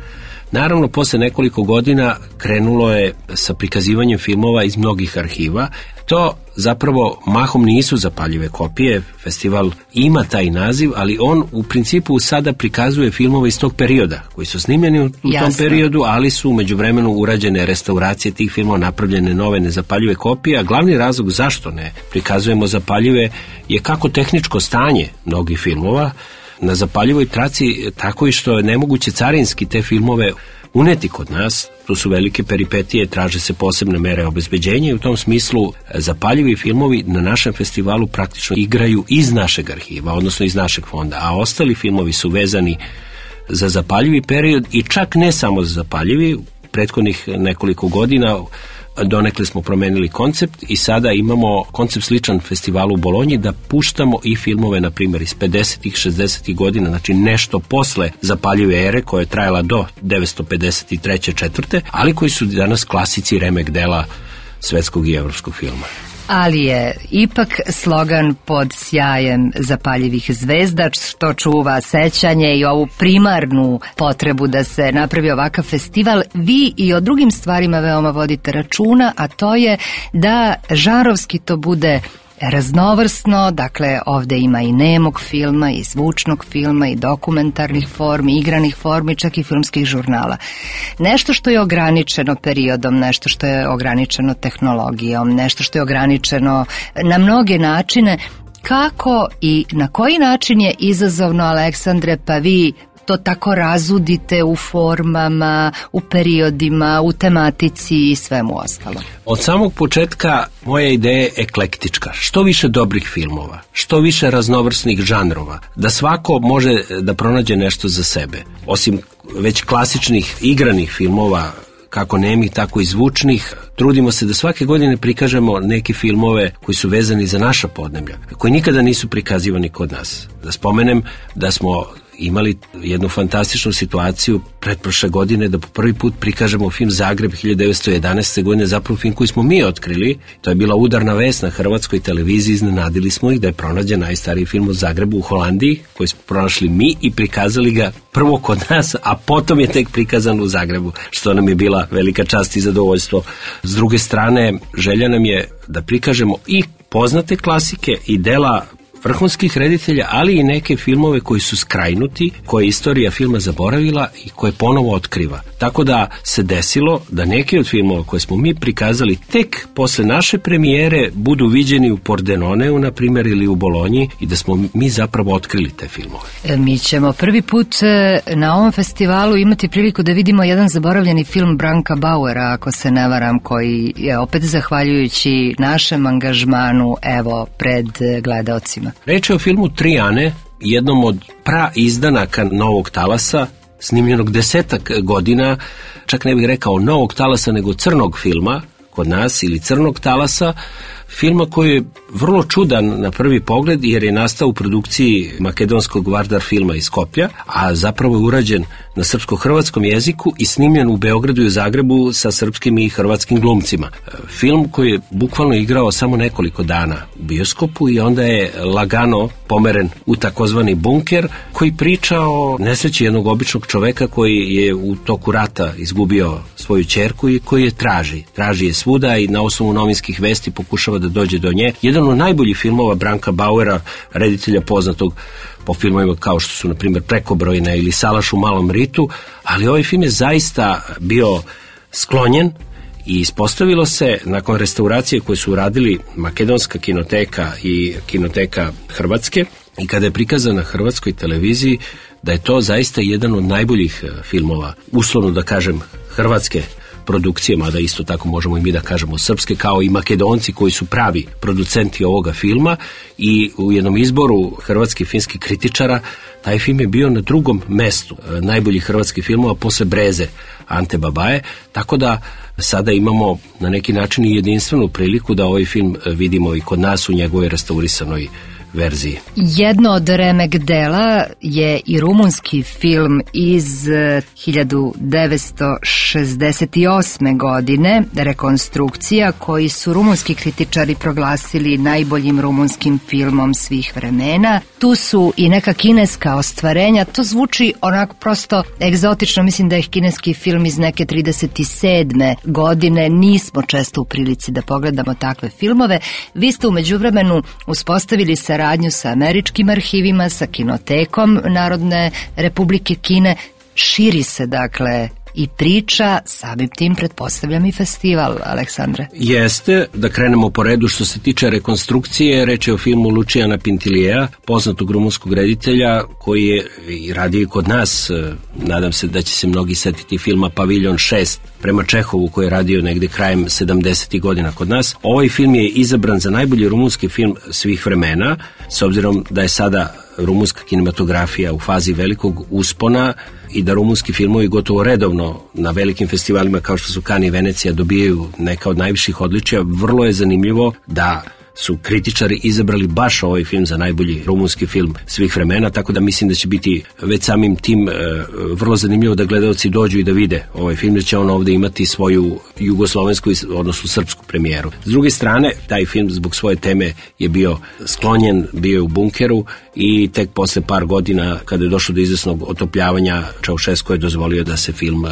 Naravno, posle nekoliko godina krenulo je sa prikazivanjem filmova iz mnogih arhiva. To zapravo mahom nisu zapaljive kopije, festival ima taj naziv, ali on u principu sada prikazuje filmove iz tog perioda, koji su snimljeni u tom periodu, ali su u međuvremenu urađene restauracije tih filmova, napravljene nove nezapaljive kopije, a glavni razlog zašto ne prikazujemo zapaljive je kako tehničko stanje mnogih filmova na zapaljivoj traci, tako i što je nemoguće carinski te filmove uneti kod nas. Tu su velike peripetije, traže se posebne mere obezbeđenja i u tom smislu zapaljivi filmovi na našem festivalu praktično igraju iz našeg arhiva, odnosno iz našeg fonda, a ostali filmovi su vezani za zapaljivi period i čak ne samo za zapaljivi. Prethodnih nekoliko godina donekle smo promenili koncept i sada imamo koncept sličan festivalu u Bolonji da puštamo i filmove, na primjer, iz 50-ih, 60-ih godina, znači nešto posle zapaljive ere koja je trajala do 953. 4. ali koji su danas klasici remek dela svetskog i evropskog filma. Ali je ipak slogan pod sjajem zapaljivih zvezda, što čuva sećanje i ovu primarnu potrebu da se napravi ovakav festival. Vi i o drugim stvarima veoma vodite računa, a to je da žanrovski to bude raznovrsno, dakle ovde ima i nemog filma, i zvučnog filma, i dokumentarnih formi, igranih formi, čak i filmskih žurnala. Nešto što je ograničeno periodom, nešto što je ograničeno tehnologijom, nešto što je ograničeno na mnoge načine. Kako i na koji način je izazovno, Aleksandre, pa vi to tako razudite u formama, u periodima, u tematici i svemu ostalo? Od samog početka moja ideja je eklektička. Što više dobrih filmova, što više raznovrsnih žanrova, da svako može da pronađe nešto za sebe. Osim već klasičnih igranih filmova, kako nemih, tako i zvučnih, trudimo se da svake godine prikažemo neke filmove koji su vezani za naša podneblja, koji nikada nisu prikazivani kod nas. Da spomenem da smo imali jednu fantastičnu situaciju pretprošle godine da po prvi put prikažemo film Zagreb 1911. godine, zapravo film koji smo mi otkrili. To je bila udarna vest na hrvatskoj televiziji, iznenadili smo ih da je pronađen najstariji film o Zagrebu u Holandiji, koji smo pronašli mi i prikazali ga prvo kod nas, a potom je tek prikazan u Zagrebu, što nam je bila velika čast i zadovoljstvo. S druge strane, želja nam je da prikažemo i poznate klasike i dela vrhunskih reditelja, ali i neke filmove koji su skrajnuti, koje je istorija filma zaboravila i koje ponovo otkriva. Tako da se desilo da neki od filmova koje smo mi prikazali tek posle naše premijere budu viđeni u Pordenoneu, na primjer, ili u Bolonji, i da smo mi zapravo otkrili te filmove. Mi ćemo prvi put na ovom festivalu imati priliku da vidimo jedan zaboravljeni film Branka Bauera, ako se ne varam, koji je opet zahvaljujući našem angažmanu evo pred gledaocima. Reč je o filmu Tri Ane, jednom od praizdanaka Novog talasa, snimljenog 10 godina, čak ne bih rekao Novog talasa, nego crnog filma kod nas, ili Crnog talasa, filma koji je vrlo čudan na prvi pogled jer je nastao u produkciji makedonskog Vardar filma iz Skoplja, a zapravo je urađen na srpsko-hrvatskom jeziku i snimljen u Beogradu i u Zagrebu sa srpskim i hrvatskim glumcima. Film koji je bukvalno igrao samo nekoliko dana u bioskopu i onda je lagano pomeren u takozvani bunker, koji priča o nesreći jednog običnog čoveka koji je u toku rata izgubio svoju ćerku i koji je traži je svuda i na osnovu novinskih vesti pokušava da dođe do nje. Jedan od najboljih filmova Branka Bauera, reditelja poznatog po filmovima kao što su, na primjer, Prekobrojna ili Salaš u malom ritu, ali ovaj film je zaista bio sklonjen i ispostavilo se, nakon restauracije koje su uradili Makedonska kinoteka i Kinoteka Hrvatske, i kada je prikazan na hrvatskoj televiziji, da je to zaista jedan od najboljih filmova, uslovno da kažem, hrvatske produkcije, mada isto tako možemo i mi da kažemo srpske, kao i Makedonci koji su pravi producenti ovoga filma, i u jednom izboru hrvatskih filmskih kritičara taj film je bio na drugom mestu najboljih hrvatskih filmova posle Breze Ante Babaje, tako da sada imamo na neki način i jedinstvenu priliku da ovaj film vidimo i kod nas u njegovoj restaurisanoj verziji. Jedno od remek dela je i rumunski film iz 1968. godine, Rekonstrukcija, koji su rumunski kritičari proglasili najboljim rumunskim filmom svih vremena. Tu su i neka kineska ostvarenja, to zvuči onako prosto egzotično, mislim da je kineski film iz neke 37. godine, nismo često u prilici da pogledamo takve filmove. Vi ste u međuvremenu uspostavili saradnju sa američkim arhivima, sa Kinotekom Narodne Republike Kine. Širi se, dakle, i priča, samim tim pretpostavljam i festival, Aleksandre. Jeste, da krenemo po redu. Što se tiče Rekonstrukcije, reč je o filmu Lučijana Pintilijeja, poznatog rumunskog reditelja, koji je radio kod nas. Nadam se da će se mnogi setiti filma Paviljon 6 prema Čehovu, koji je radio negde krajem 70. godina kod nas. Ovaj film je izabran za najbolji rumunski film svih vremena, s obzirom da je sada rumunska kinematografija u fazi velikog uspona i da rumunski filmovi gotovo redovno na velikim festivalima kao što su Cannes i Venecija dobijaju neka od najviših odličija. Vrlo je zanimljivo da su kritičari izabrali baš ovaj film za najbolji rumunski film svih vremena, tako da mislim da će biti već samim tim vrlo zanimljivo da gledaoci dođu i da vide ovaj film, da će on ovde imati svoju jugoslovensku, odnosno srpsku premijeru. S druge strane, taj film zbog svoje teme je bio sklonjen, bio je u bunkeru i tek posle par godina, kada je došlo do izvesnog otopljavanja, Čaušesku je dozvolio da se film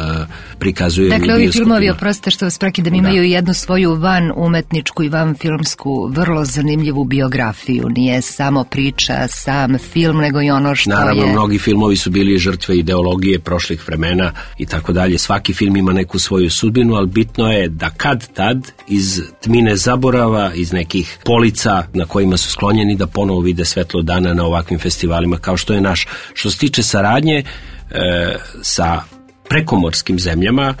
prikazuje. Dakle, ovi filmovi, oprostite što vas prekidam, imaju jednu svoju van umetničku i van filmsku vrlo zanimljivu biografiju. Nije samo priča, sam film, nego i ono što Naravno, mnogi filmovi su bili žrtve ideologije prošlih vremena i tako dalje. Svaki film ima neku svoju sudbinu, ali bitno je da kad tad iz tmine zaborava, iz nekih polica na kojima su sklonjeni, da ponovo vide svetlo dana na ovakvim festivalima kao što je naš. Što se tiče saradnje, sa prekomorskim zemljama.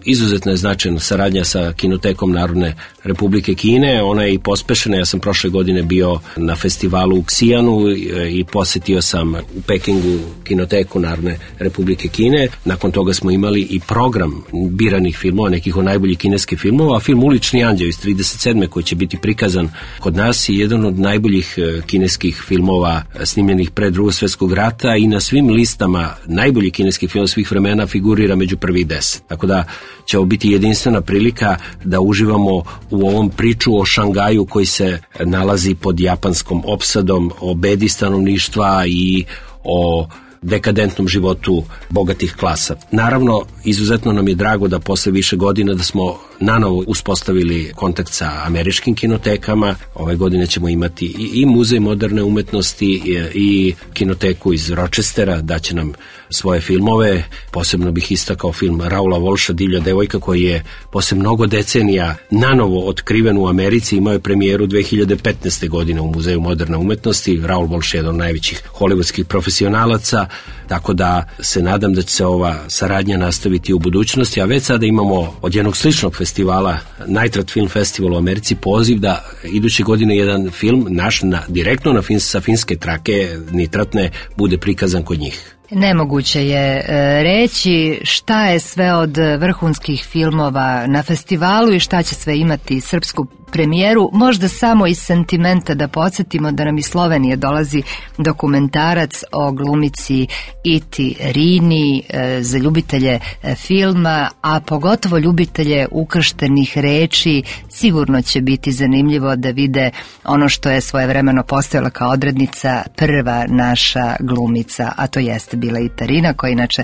Izuzetno je značajna saradnja sa Kinotekom Narodne Republike Kine, ona je i pospešena. Ja sam prošle godine bio na festivalu u Ksijanu i posetio sam u Pekingu Kinoteku Narodne Republike Kine. Nakon toga smo imali i program biranih filmova, nekih od najboljih kineskih filmova, a film Ulični anđeo iz 37. koji će biti prikazan kod nas je jedan od najboljih kineskih filmova snimljenih pre Drugog svjetskog rata i na svim listama najboljih kineskih filmova svih vremena figurira među prvih 10. Tako da će ovo biti jedinstvena prilika da uživamo u ovom priču o Šangaju koji se nalazi pod japanskom opsadom, o bedi stanovništva i o dekadentnom životu bogatih klasa. Naravno, izuzetno nam je drago da posle više godina da smo nanovo uspostavili kontakt sa američkim kinotekama. Ove godine ćemo imati i Muzej moderne umetnosti i kinoteku iz Rochestera, daće nam svoje filmove. Posebno bih istakao film Raula Walsha Divlja devojka koji je posle mnogo decenija nanovo otkriven u Americi, imao je premijeru 2015. godine u Muzeju moderne umetnosti. Raul Walsh je jedan od najvećih hollywoodskih profesionalaca, tako da se nadam da će se ova saradnja nastaviti u budućnosti, a već sada imamo od jednog sličnog festivala, Nitrate Film Festival u Americi, poziv da iduće godine jedan film naš direktno sa finske trake nitratne bude prikazan kod njih. Nemoguće je reći šta je sve od vrhunskih filmova na festivalu i šta će sve imati srpsku premijeru. Možda samo iz sentimenta da podsjetimo da nam iz Slovenije dolazi dokumentarac o glumici Iti Rini za ljubitelje filma, a pogotovo ljubitelje ukrštenih reči. Sigurno će biti zanimljivo da vide ono što je svojevremeno postojala kao odrednica prva naša glumica, a to jeste bila Ita Rina, koja inače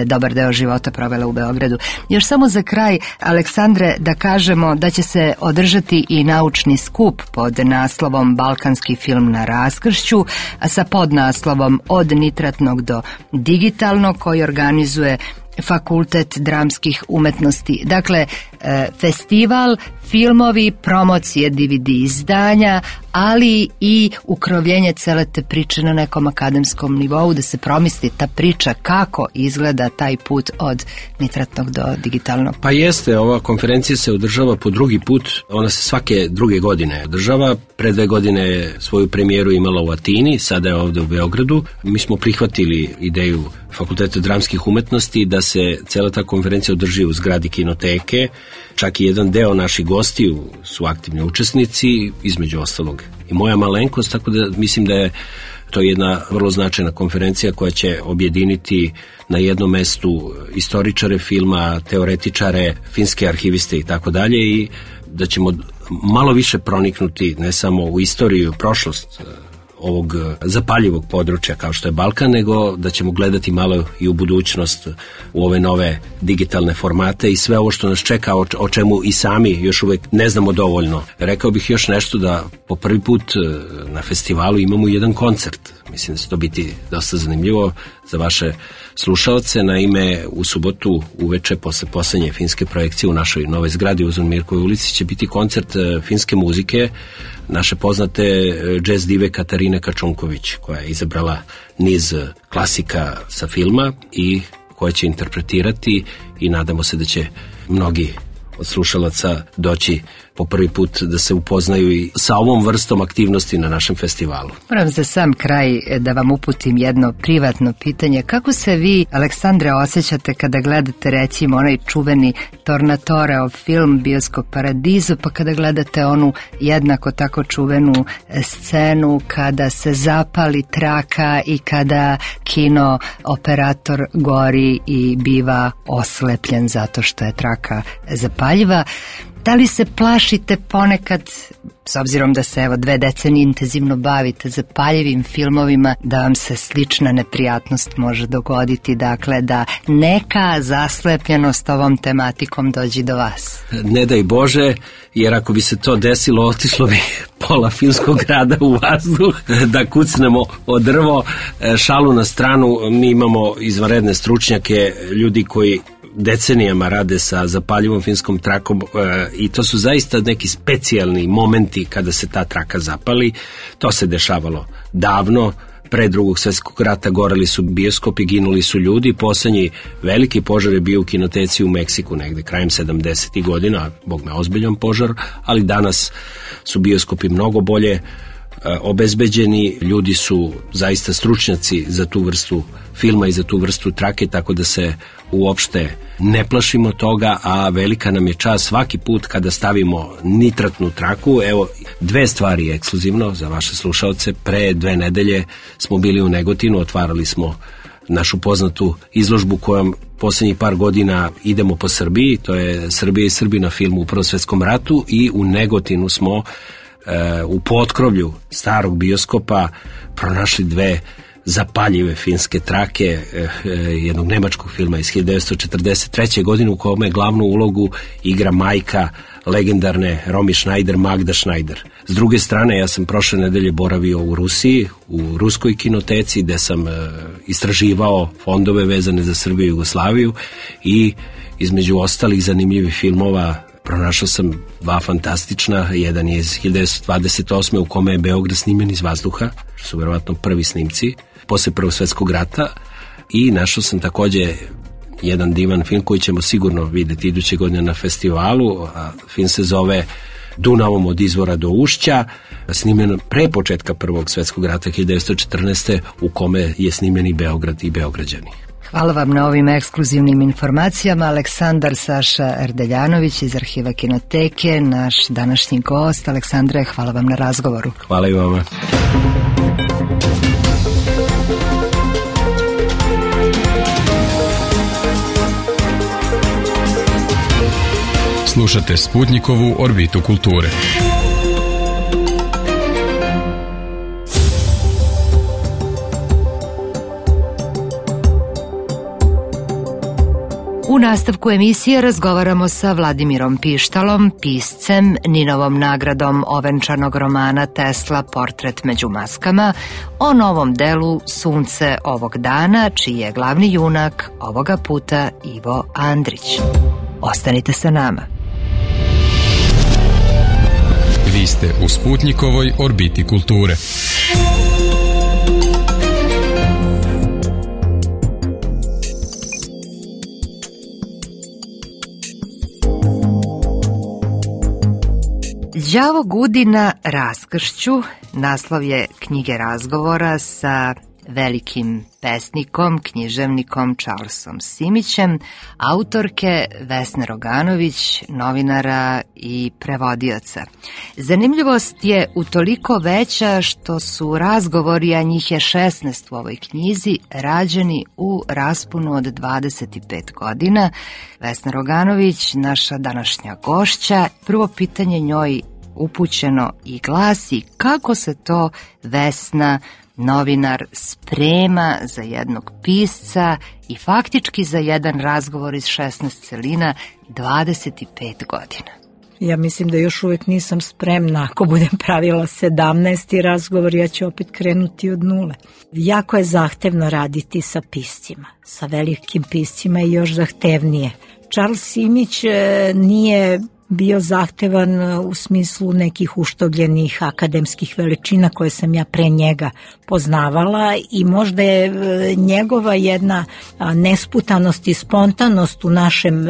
dobar deo života provela u Beogradu. Još samo za kraj, Aleksandre, da kažemo da će se održati i naučni skup pod naslovom Balkanski film na raskršću, a sa podnaslovom Od nitratnog do digitalnog, koji organizuje Fakultet dramskih umetnosti. Dakle, festival, filmovi, promocije DVD izdanja, ali i ukrovljenje cele te priče na nekom akademskom nivou, da se promisli ta priča kako izgleda taj put od nitratnog do digitalnog. Pa jeste, ova konferencija se održava po drugi put, ona se svake druge godine održava. Pre 2 godine je svoju premijeru imala u Atini, sada je ovde u Beogradu. Mi smo prihvatili ideju Fakulteta dramskih umetnosti da se cela ta konferencija održi u zgradi Kinoteke. Čak i jedan deo naših gostiju su aktivni učesnici, između ostalog i moja malenkost, tako da mislim da je to jedna vrlo značajna konferencija koja će objediniti na jednom mestu istoričare filma, teoretičare, finske arhiviste i tako dalje, i da ćemo malo više proniknuti ne samo u istoriju, prošlost ovog zapaljivog područja kao što je Balkan, nego da ćemo gledati malo i u budućnost, u ove nove digitalne formate i sve ovo što nas čeka, o čemu i sami još uvek ne znamo dovoljno. Rekao bih još nešto, da po prvi put na festivalu imamo jedan koncert. Mislim da će to biti dosta zanimljivo za vaše slušaoce. Naime, u subotu uveče posle poslednje finske projekcije u našoj novoj zgradi u Zomirkovoj ulici će biti koncert finske muzike naše poznate džez dive Katarine Kačunković, koja je izabrala niz klasika sa filma i koja će interpretirati, i nadamo se da će mnogi od slušalaca doći po prvi put da se upoznaju i sa ovom vrstom aktivnosti na našem festivalu. Moram za sam kraj da vam uputim jedno privatno pitanje. Kako se vi, Aleksandre, osjećate kada gledate recimo onaj čuveni Tornatoreov film Bioskop Paradiso, pa kada gledate onu jednako tako čuvenu scenu kada se zapali traka i kada kino operator gori i biva oslepljen zato što je traka zapaljiva? Da li se plašite ponekad, s obzirom da se 2 decenije intenzivno bavite zapaljivim filmovima, da vam se slična neprijatnost može dogoditi, dakle da neka zaslepljenost ovom tematikom dođe do vas? Ne daj Bože, jer ako bi se to desilo, otišlo bi pola filmskog grada u vazduh, da kucnemo o drvo. Šalu na stranu, mi imamo izvanredne stručnjake, ljudi koji decenijama rade sa zapaljivom filmskom trakom i to su zaista neki specijalni momenti kada se ta traka zapali. To se dešavalo davno, pre Drugog svjetskog rata goreli su bioskopi, ginuli su ljudi. Poslednji veliki požar je bio u kinoteci u Meksiku negde krajem 70. godina, bog me ozbiljan požar, ali danas su bioskopi mnogo bolje obezbeđeni, ljudi su zaista stručnjaci za tu vrstu filma i za tu vrstu trake, tako da se uopšte ne plašimo toga, a velika nam je čast svaki put kada stavimo nitratnu traku. Evo, 2 stvari ekskluzivno za vaše slušaoce. Pre 2 nedelje smo bili u Negotinu, otvarali smo našu poznatu izložbu kojom poslednjih par godina idemo po Srbiji, to je Srbija i Srbi na filmu u Prvom svetskom ratu, i u Negotinu smo u potkrovlju starog bioskopa pronašli 2 zapaljive finske trake jednog nemačkog filma iz 1943. godine u kome glavnu ulogu igra majka legendarne Romy Schneider, Magda Schneider. S druge strane, ja sam prošle nedelje boravio u Rusiji, u ruskoj kinoteci, gde sam istraživao fondove vezane za Srbiju i Jugoslaviju, i između ostalih zanimljivih filmova pronašao sam 2 fantastična. Jedan je iz 1928. u kome je Beograd snimen iz vazduha, što su verovatno prvi snimci posle Prvog svjetskog rata, i našao sam takođe jedan divan film koji ćemo sigurno videti iduće godine na festivalu. Film se zove Dunavom od izvora do ušća, snimen pre početka Prvog svjetskog rata 1914. u kome je snimen i Beograd i Beograđani. Hvala vam na ovim ekskluzivnim informacijama. Aleksandar Saša Erdeljanović iz Arhiva Kinoteke, naš današnji gost. Aleksandre, hvala vam na razgovoru. Hvala i vama. Slušate Sputnikovu orbitu kulture. U nastavku emisije razgovaramo sa Vladimirom Pištalom, piscem, Ninovom nagradom ovenčanog romana Tesla Portret među maskama, o novom delu Sunce ovog dana, čiji je glavni junak ovoga puta Ivo Andrić. Ostanite sa nama. Vi ste u Sputnikovoj orbiti kulture. Đavo gudi na raskršću, naslov je knjige razgovora sa velikim pesnikom, književnikom Charlesom Simićem, autorke Vesne Roganović, novinara i prevodioca. Zanimljivost je utoliko veća što su razgovori, a njih je 16 u ovoj knjizi, rađeni u rasponu od 25 godina. Vesna Roganović, naša današnja gošća, prvo pitanje njoj upućeno i glasi: kako se to Vesna, novinar, sprema za jednog pisca i faktički za jedan razgovor iz 16 celina 25 godina? Ja mislim da još uvek nisam spremna. Ako budem pravila 17. razgovor, ja ću opet krenuti od nule. Jako je zahtevno raditi sa piscima. Sa velikim piscima je još zahtevnije. Charles Simić nije bio zahtevan u smislu nekih uštogljenih akademskih veličina koje sam ja pre njega poznavala, i možda je njegova jedna nesputanost i spontanost u našem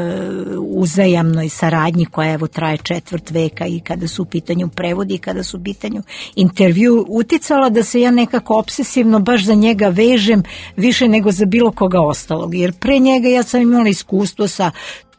uzajamnoj saradnji koja evo traje 4 veka, i kada su u pitanju prevodi i kada su u pitanju intervju, uticala da se ja nekako obsesivno baš za njega vežem više nego za bilo koga ostalog, jer pre njega ja sam imala iskustvo sa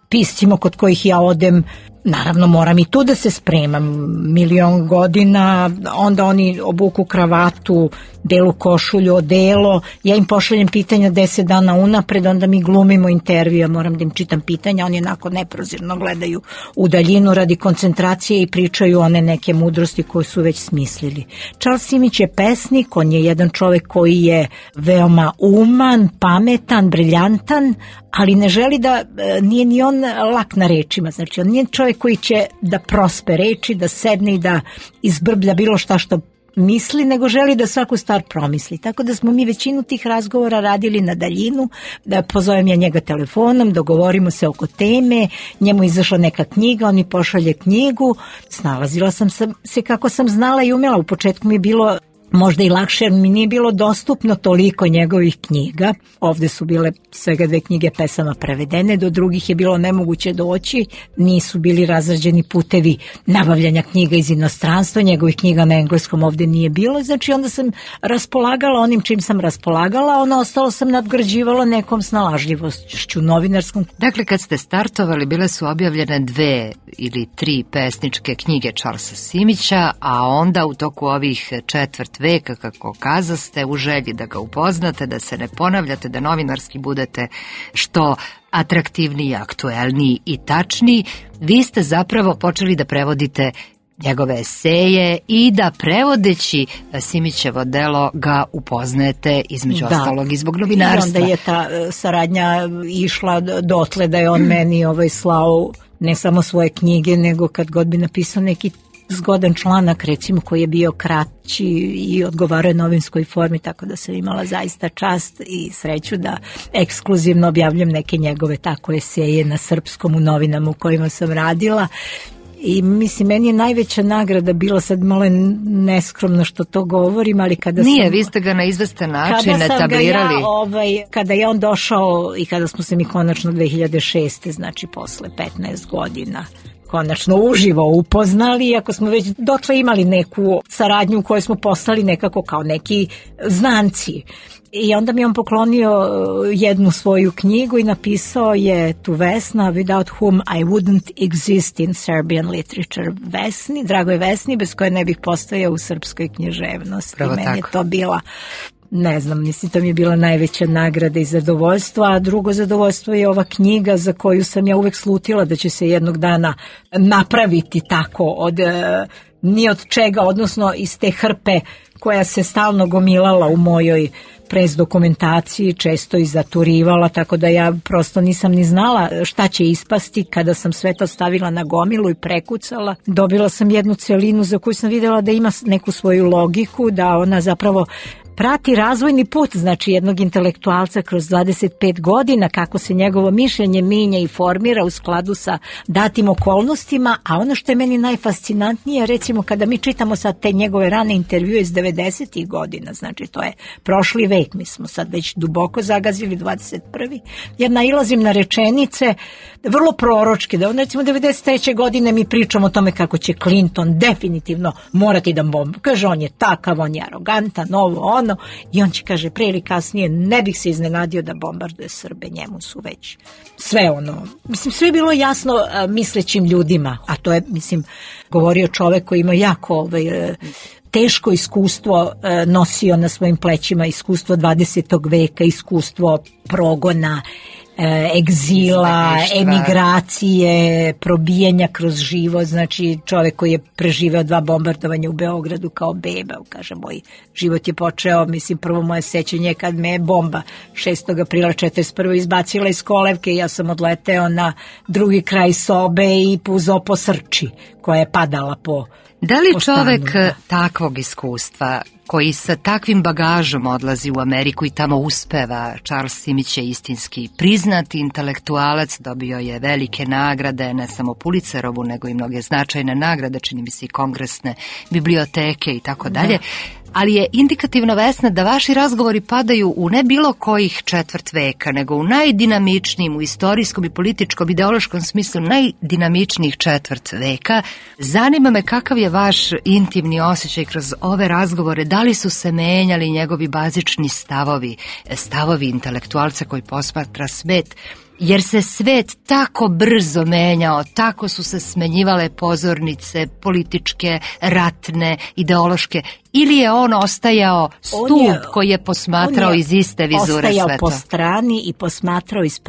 piscima kod kojih ja odem. Naravno, moram i tu da se spremam 1.000.000 godina, onda oni obuku kravatu, belu košulju, odelo, ja im pošaljem pitanja 10 dana unapred, onda mi glumimo intervju, moram da im čitam pitanja, oni onako neprozirno gledaju u daljinu radi koncentracije i pričaju one neke mudrosti koje su već smislili. Charles Simić je pesnik, on je jedan čovek koji je veoma uman, pametan, briljantan, ali ne želi da, nije ni on lak na rečima, znači on nije čovjek koji će da prospe reči, da sedne i da izbrblja bilo šta što misli, nego želi da svaku stvar promisli. Tako da smo mi većinu tih razgovora radili na daljinu, da pozovem ja njega telefonom, dogovorimo se oko teme, njemu izašla neka knjiga, on mi pošalje knjigu, snalazila sam se kako sam znala i umela. U početku mi je bilo možda i lakše, jer mi nije bilo dostupno toliko njegovih knjiga. Ovde su bile svega 2 knjige pesama prevedene, do drugih je bilo nemoguće doći, nisu bili razrađeni putevi nabavljanja knjiga iz inostranstva, njegovih knjiga na engleskom ovde nije bilo, znači onda sam raspolagala onim čim sam raspolagala, ono ostalo sam nadgrađivala nekom snalažljivošću novinarskom. Dakle, kad ste startovali, bile su objavljene 2 ili 3 pesničke knjige Charlesa Simića, a onda u toku ovih četvrt veka, kako kazaste, u želji da ga upoznate, da se ne ponavljate, da novinarski budete što atraktivniji, aktuelniji i tačniji, vi ste zapravo počeli da prevodite njegove eseje i da prevodeći Simićevo delo ga upoznajete između ostalog i zbog novinarstva. I onda je ta saradnja išla dotle da je on meni slao ne samo svoje knjige, nego kad god bi napisao neki zgodan članak, recimo, koji je bio kraći i odgovarao novinskoj formi, tako da sam imala zaista čast i sreću da ekskluzivno objavljam neke njegove tako eseje na srpskom u novinama u kojima sam radila. I mislim, meni je najveća nagrada bila, sad malo neskromno što to govorim, ali kada Nije, vi ste ga na izvestan način etablirali. Kada je on došao i kada smo se mi konačno 2006. znači posle 15 godina konačno uživo upoznali, iako smo već dotle imali neku saradnju u kojoj smo postali nekako kao neki znanci. I onda mi on poklonio jednu svoju knjigu i napisao je tu Vesna, without whom I wouldn't exist in Serbian literature. Vesni, dragoj Vesni, bez koje ne bih postojao u srpskoj književnosti. Pravo meni tako. je to bila, ne znam, mislim, to mi je bila najveća nagrada i zadovoljstvo, a drugo zadovoljstvo je ova knjiga za koju sam ja uvek slutila da će se jednog dana napraviti tako od ni od čega, odnosno iz te hrpe koja se stalno gomilala u mojoj pres dokumentaciji, često i zaturivala, tako da ja prosto nisam ni znala šta će ispasti. Kada sam sve to stavila na gomilu i prekucala, dobila sam jednu celinu za koju sam videla da ima neku svoju logiku, da ona zapravo prati razvojni put, znači jednog intelektualca kroz 25 godina, kako se njegovo mišljenje minja i formira u skladu sa datim okolnostima, a ono što je meni najfascinantnije, recimo kada mi čitamo sad te njegove rane intervjue iz 90. godina, znači to je prošli vek, mi smo sad već duboko zagazili 21. Ja nailazim na rečenice vrlo proročke, da on recimo 93. godine mi pričamo o tome kako će Clinton definitivno morati da kaže on je takav, on je arogantan, ono, i on će, kaže, pre ili kasnije ne bih se iznenadio da bombarduje Srbe, njemu su već sve mislim, sve je bilo jasno mislećim ljudima, a to je, mislim, govorio čovek koji ima jako teško iskustvo nosio na svojim plećima, iskustvo 20. veka, iskustvo progona, egzila, emigracije, probijanja kroz život, znači čovjek koji je preživeo 2 bombardovanja u Beogradu kao beba, kaže, moj život je počeo, mislim, prvo moje sećanje kad me je bomba 6. aprila 1941. izbacila iz kolevke i ja sam odleteo na drugi kraj sobe i puzao po srči koja je padala po Da li čovek takvog iskustva, koji sa takvim bagažom odlazi u Ameriku i tamo uspeva, Charles Simić je istinski priznati intelektualac, dobio je velike nagrade, ne samo Pulitzerovu, nego i mnoge značajne nagrade, čini mi se i kongresne biblioteke i tako dalje. Ali je indikativno, Vesna, da vaši razgovori padaju u ne bilo kojih četvrt veka, nego u najdinamičnijim, u istorijskom i političkom, ideološkom smislu najdinamičnijih četvrt veka. Zanima me kakav je vaš intimni osjećaj kroz ove razgovore, da li su se menjali njegovi bazični stavovi intelektualca koji posmatra svet, jer se svet tako brzo menjao, tako su se smenjivale pozornice političke, ratne, ideološke, ili je on ostajao stup koji je posmatrao iz iste vizure sveta? Ostajao po strani i posmatrao iz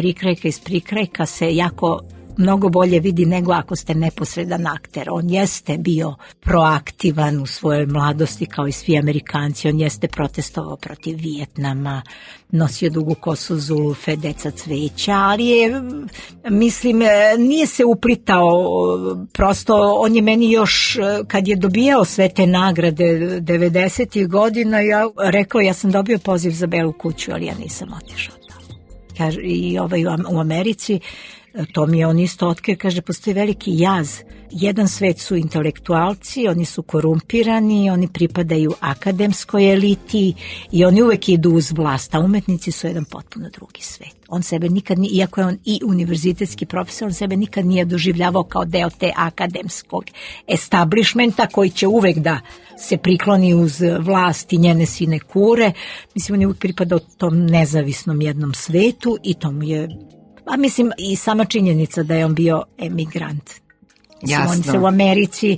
prikrajka se jako mnogo bolje vidi nego ako ste neposredan akter. On jeste bio proaktivan u svojoj mladosti kao i svi Amerikanci, on jeste protestovao protiv Vijetnama, nosio dugu kosu Zulufe, deca cveća, ali je, mislim, nije se uplitao, prosto on je meni još, kad je dobijao sve te nagrade 90. godina, rekao, ja sam dobio poziv za Belu kuću, ali ja nisam otišao. I u Americi To mi je on isto otkrio, kaže, postoji veliki jaz. Jedan svet su intelektualci, oni su korumpirani, oni pripadaju akademskoj eliti i oni uvek idu uz vlast, a umetnici su jedan potpuno drugi svet. On sebe nikad, iako je on i univerzitetski profesor, on sebe nikad nije doživljavao kao deo te akademskog establishmenta koji će uvek da se prikloni uz vlast i njene sinekure. Mislim, on je uvek pripadao tom nezavisnom jednom svetu i to mu je, a mislim i sama činjenica da je on bio emigrant. Jasno. On se u Americi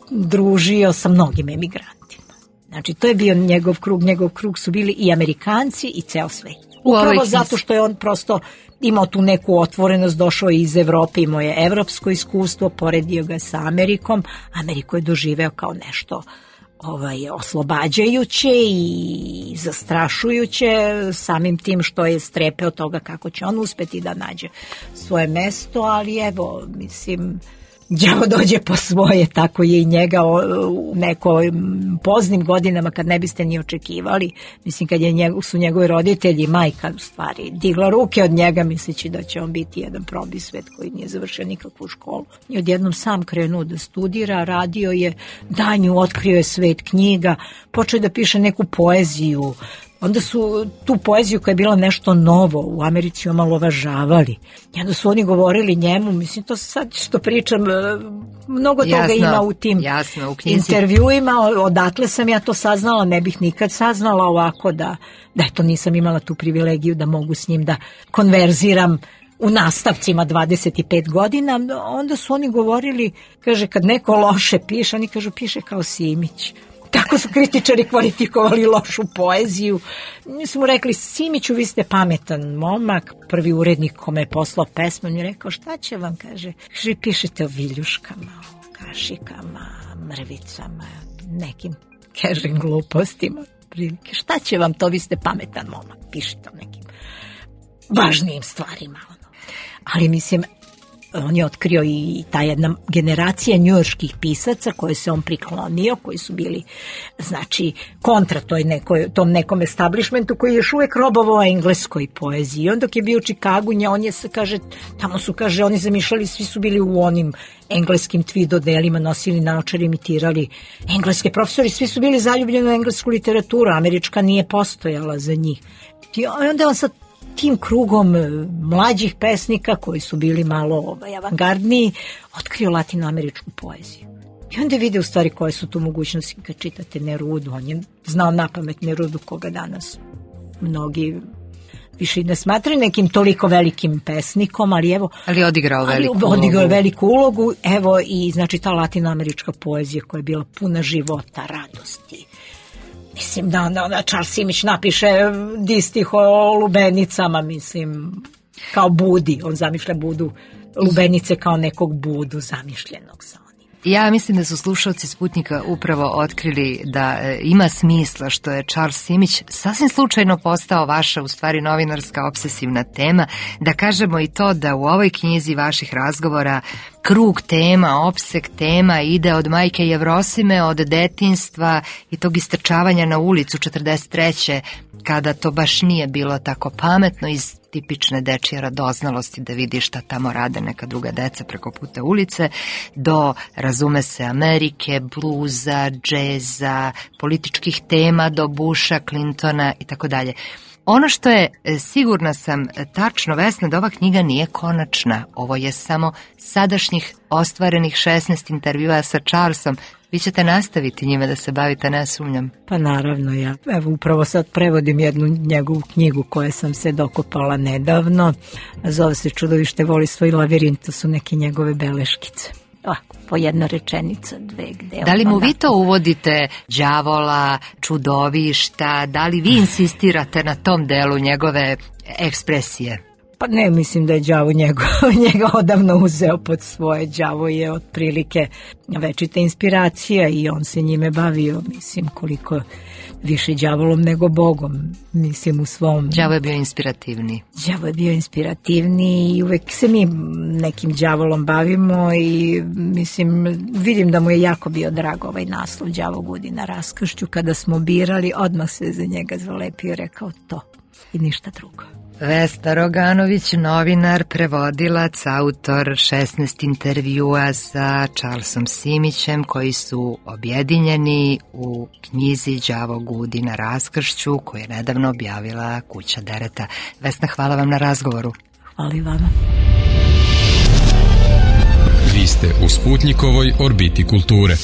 družio sa mnogim emigrantima. Znači, to je bio njegov krug su bili i Amerikanci i ceo svet. Upravo zato što je on prosto imao tu neku otvorenost, došao iz Evrope, imao je evropsko iskustvo, poredio ga sa Amerikom. Ameriku je doživeo kao nešto oslobađajuće i zastrašujuće, samim tim što je strepeo toga kako će on uspeti da nađe svoje mesto, ali evo, mislim, đavo dođe po svoje, tako je i njega u nekoj poznim godinama kad ne biste ni očekivali, mislim kad su njegovi roditelji, majka u stvari, digla ruke od njega misleći da će on biti jedan probisvet koji nije završio nikakvu školu. I odjednom sam krenuo da studira, radio je danju, otkrio je svet knjiga, počeo da piše neku poeziju. Onda su tu poeziju koja je bila nešto novo u Americi omalovažavali. I onda su oni govorili njemu, mislim to sad što pričam, mnogo toga ima u tim intervjuima, odatle sam ja to saznala, ne bih nikad saznala ovako da eto nisam imala tu privilegiju da mogu s njim da konverziram u nastavcima 25 godina. Onda su oni govorili, kaže kad neko loše piše, oni kažu piše kao Simić. Tako su kritičari kvalifikovali lošu poeziju. Mi smo mu rekli, Simiću, vi ste pametan momak, prvi urednik kome je poslao pesmu, on je rekao, šta će vam, kaže, pišete o viljuškama, o kašikama, mrvicama, nekim, kažem, glupostima, prilike. Šta će vam to, vi ste pametan momak, pišete o nekim važnijim stvarima. Ali mislim, on je otkrio i ta jedna generacija njujorških pisaca koje se on priklonio, koji su bili, znači, kontra tom nekom establishmentu koji je još uvek robovao engleskoj poeziji. On dok je bio u Čikagu, on je, kaže, tamo su, kaže, oni zamišljali, svi su bili u onim engleskim tweed odelima, nosili naočare, imitirali engleske profesori, svi su bili zaljubljeni u englesku literaturu, američka nije postojala za njih. I onda on sad tim krugom mlađih pesnika koji su bili malo avangardniji, otkrio latinoameričku poeziju. I onda vide u stvari koje su tu mogućnosti kad čitate Nerudu. On je znao napamet Nerudu koga danas mnogi više ne smatraju nekim toliko velikim pesnikom, ali evo... Ali odigrao veliku ulogu. Evo i znači ta latinoamerička poezija koja je bila puna života, radosti. Mislim da Charles Simić napiše distih o lubenicama, mislim, kao Budi. On zamišlja Budu, lubenice kao nekog Budu zamišljenog sa onim. Ja mislim da su slušalci Sputnika upravo otkrili da ima smisla što je Charles Simić sasvim slučajno postao vaša, u stvari, novinarska obsesivna tema. Da kažemo i to da u ovoj knjizi vaših razgovora krug tema, opseg tema ide od majke Jevrosime, od detinjstva i tog istrčavanja na ulicu 43. kada to baš nije bilo tako pametno, iz tipične dečje radoznalosti da vidi šta tamo rade neka druga deca preko puta ulice, do, razume se, Amerike, bluza, džeza, političkih tema, do Busha, Clintona i tako dalje. Ono što je, sigurna sam, tačno, Vesna, da ova knjiga nije konačna. Ovo je samo sadašnjih ostvarenih 16 intervjua sa Charlesom. Vi ćete nastaviti njime da se bavite, ne sumnjam. Pa naravno, ja evo upravo sad prevodim jednu njegovu knjigu koje sam se dokopala nedavno. Zove se Čudovište voli svoj lavirint, to su neke njegove beleškice. Ovako, po jedna rečenica, dve, gde... Da li mu vi to uvodite, đavola, čudovišta, da li vi insistirate na tom delu njegove ekspresije? Pa ne, mislim da je đavo njega odavno uzeo pod svoje. Đavo je otprilike večita inspiracija i on se njime bavio, mislim, koliko više đavolom nego Bogom, mislim, u svom... Đavo je bio inspirativniji. Đavo je bio inspirativniji i uvek se mi nekim đavolom bavimo i, mislim, vidim da mu je jako bio drag ovaj naslov Đavo budi na raskršću. Kada smo birali, odmah se za njega zalepio i rekao to i ništa drugo. Vesna Roganović, novinar, prevodilac, autor 16 intervjua sa Charlesom Simićem koji su objedinjeni u knjizi Đavo gudi na raskršću koju je nedavno objavila Kuća Dereta. Vesna, hvala vam na razgovoru. Hvala i vama. Vi ste u Sputnjikovoj orbiti kulture.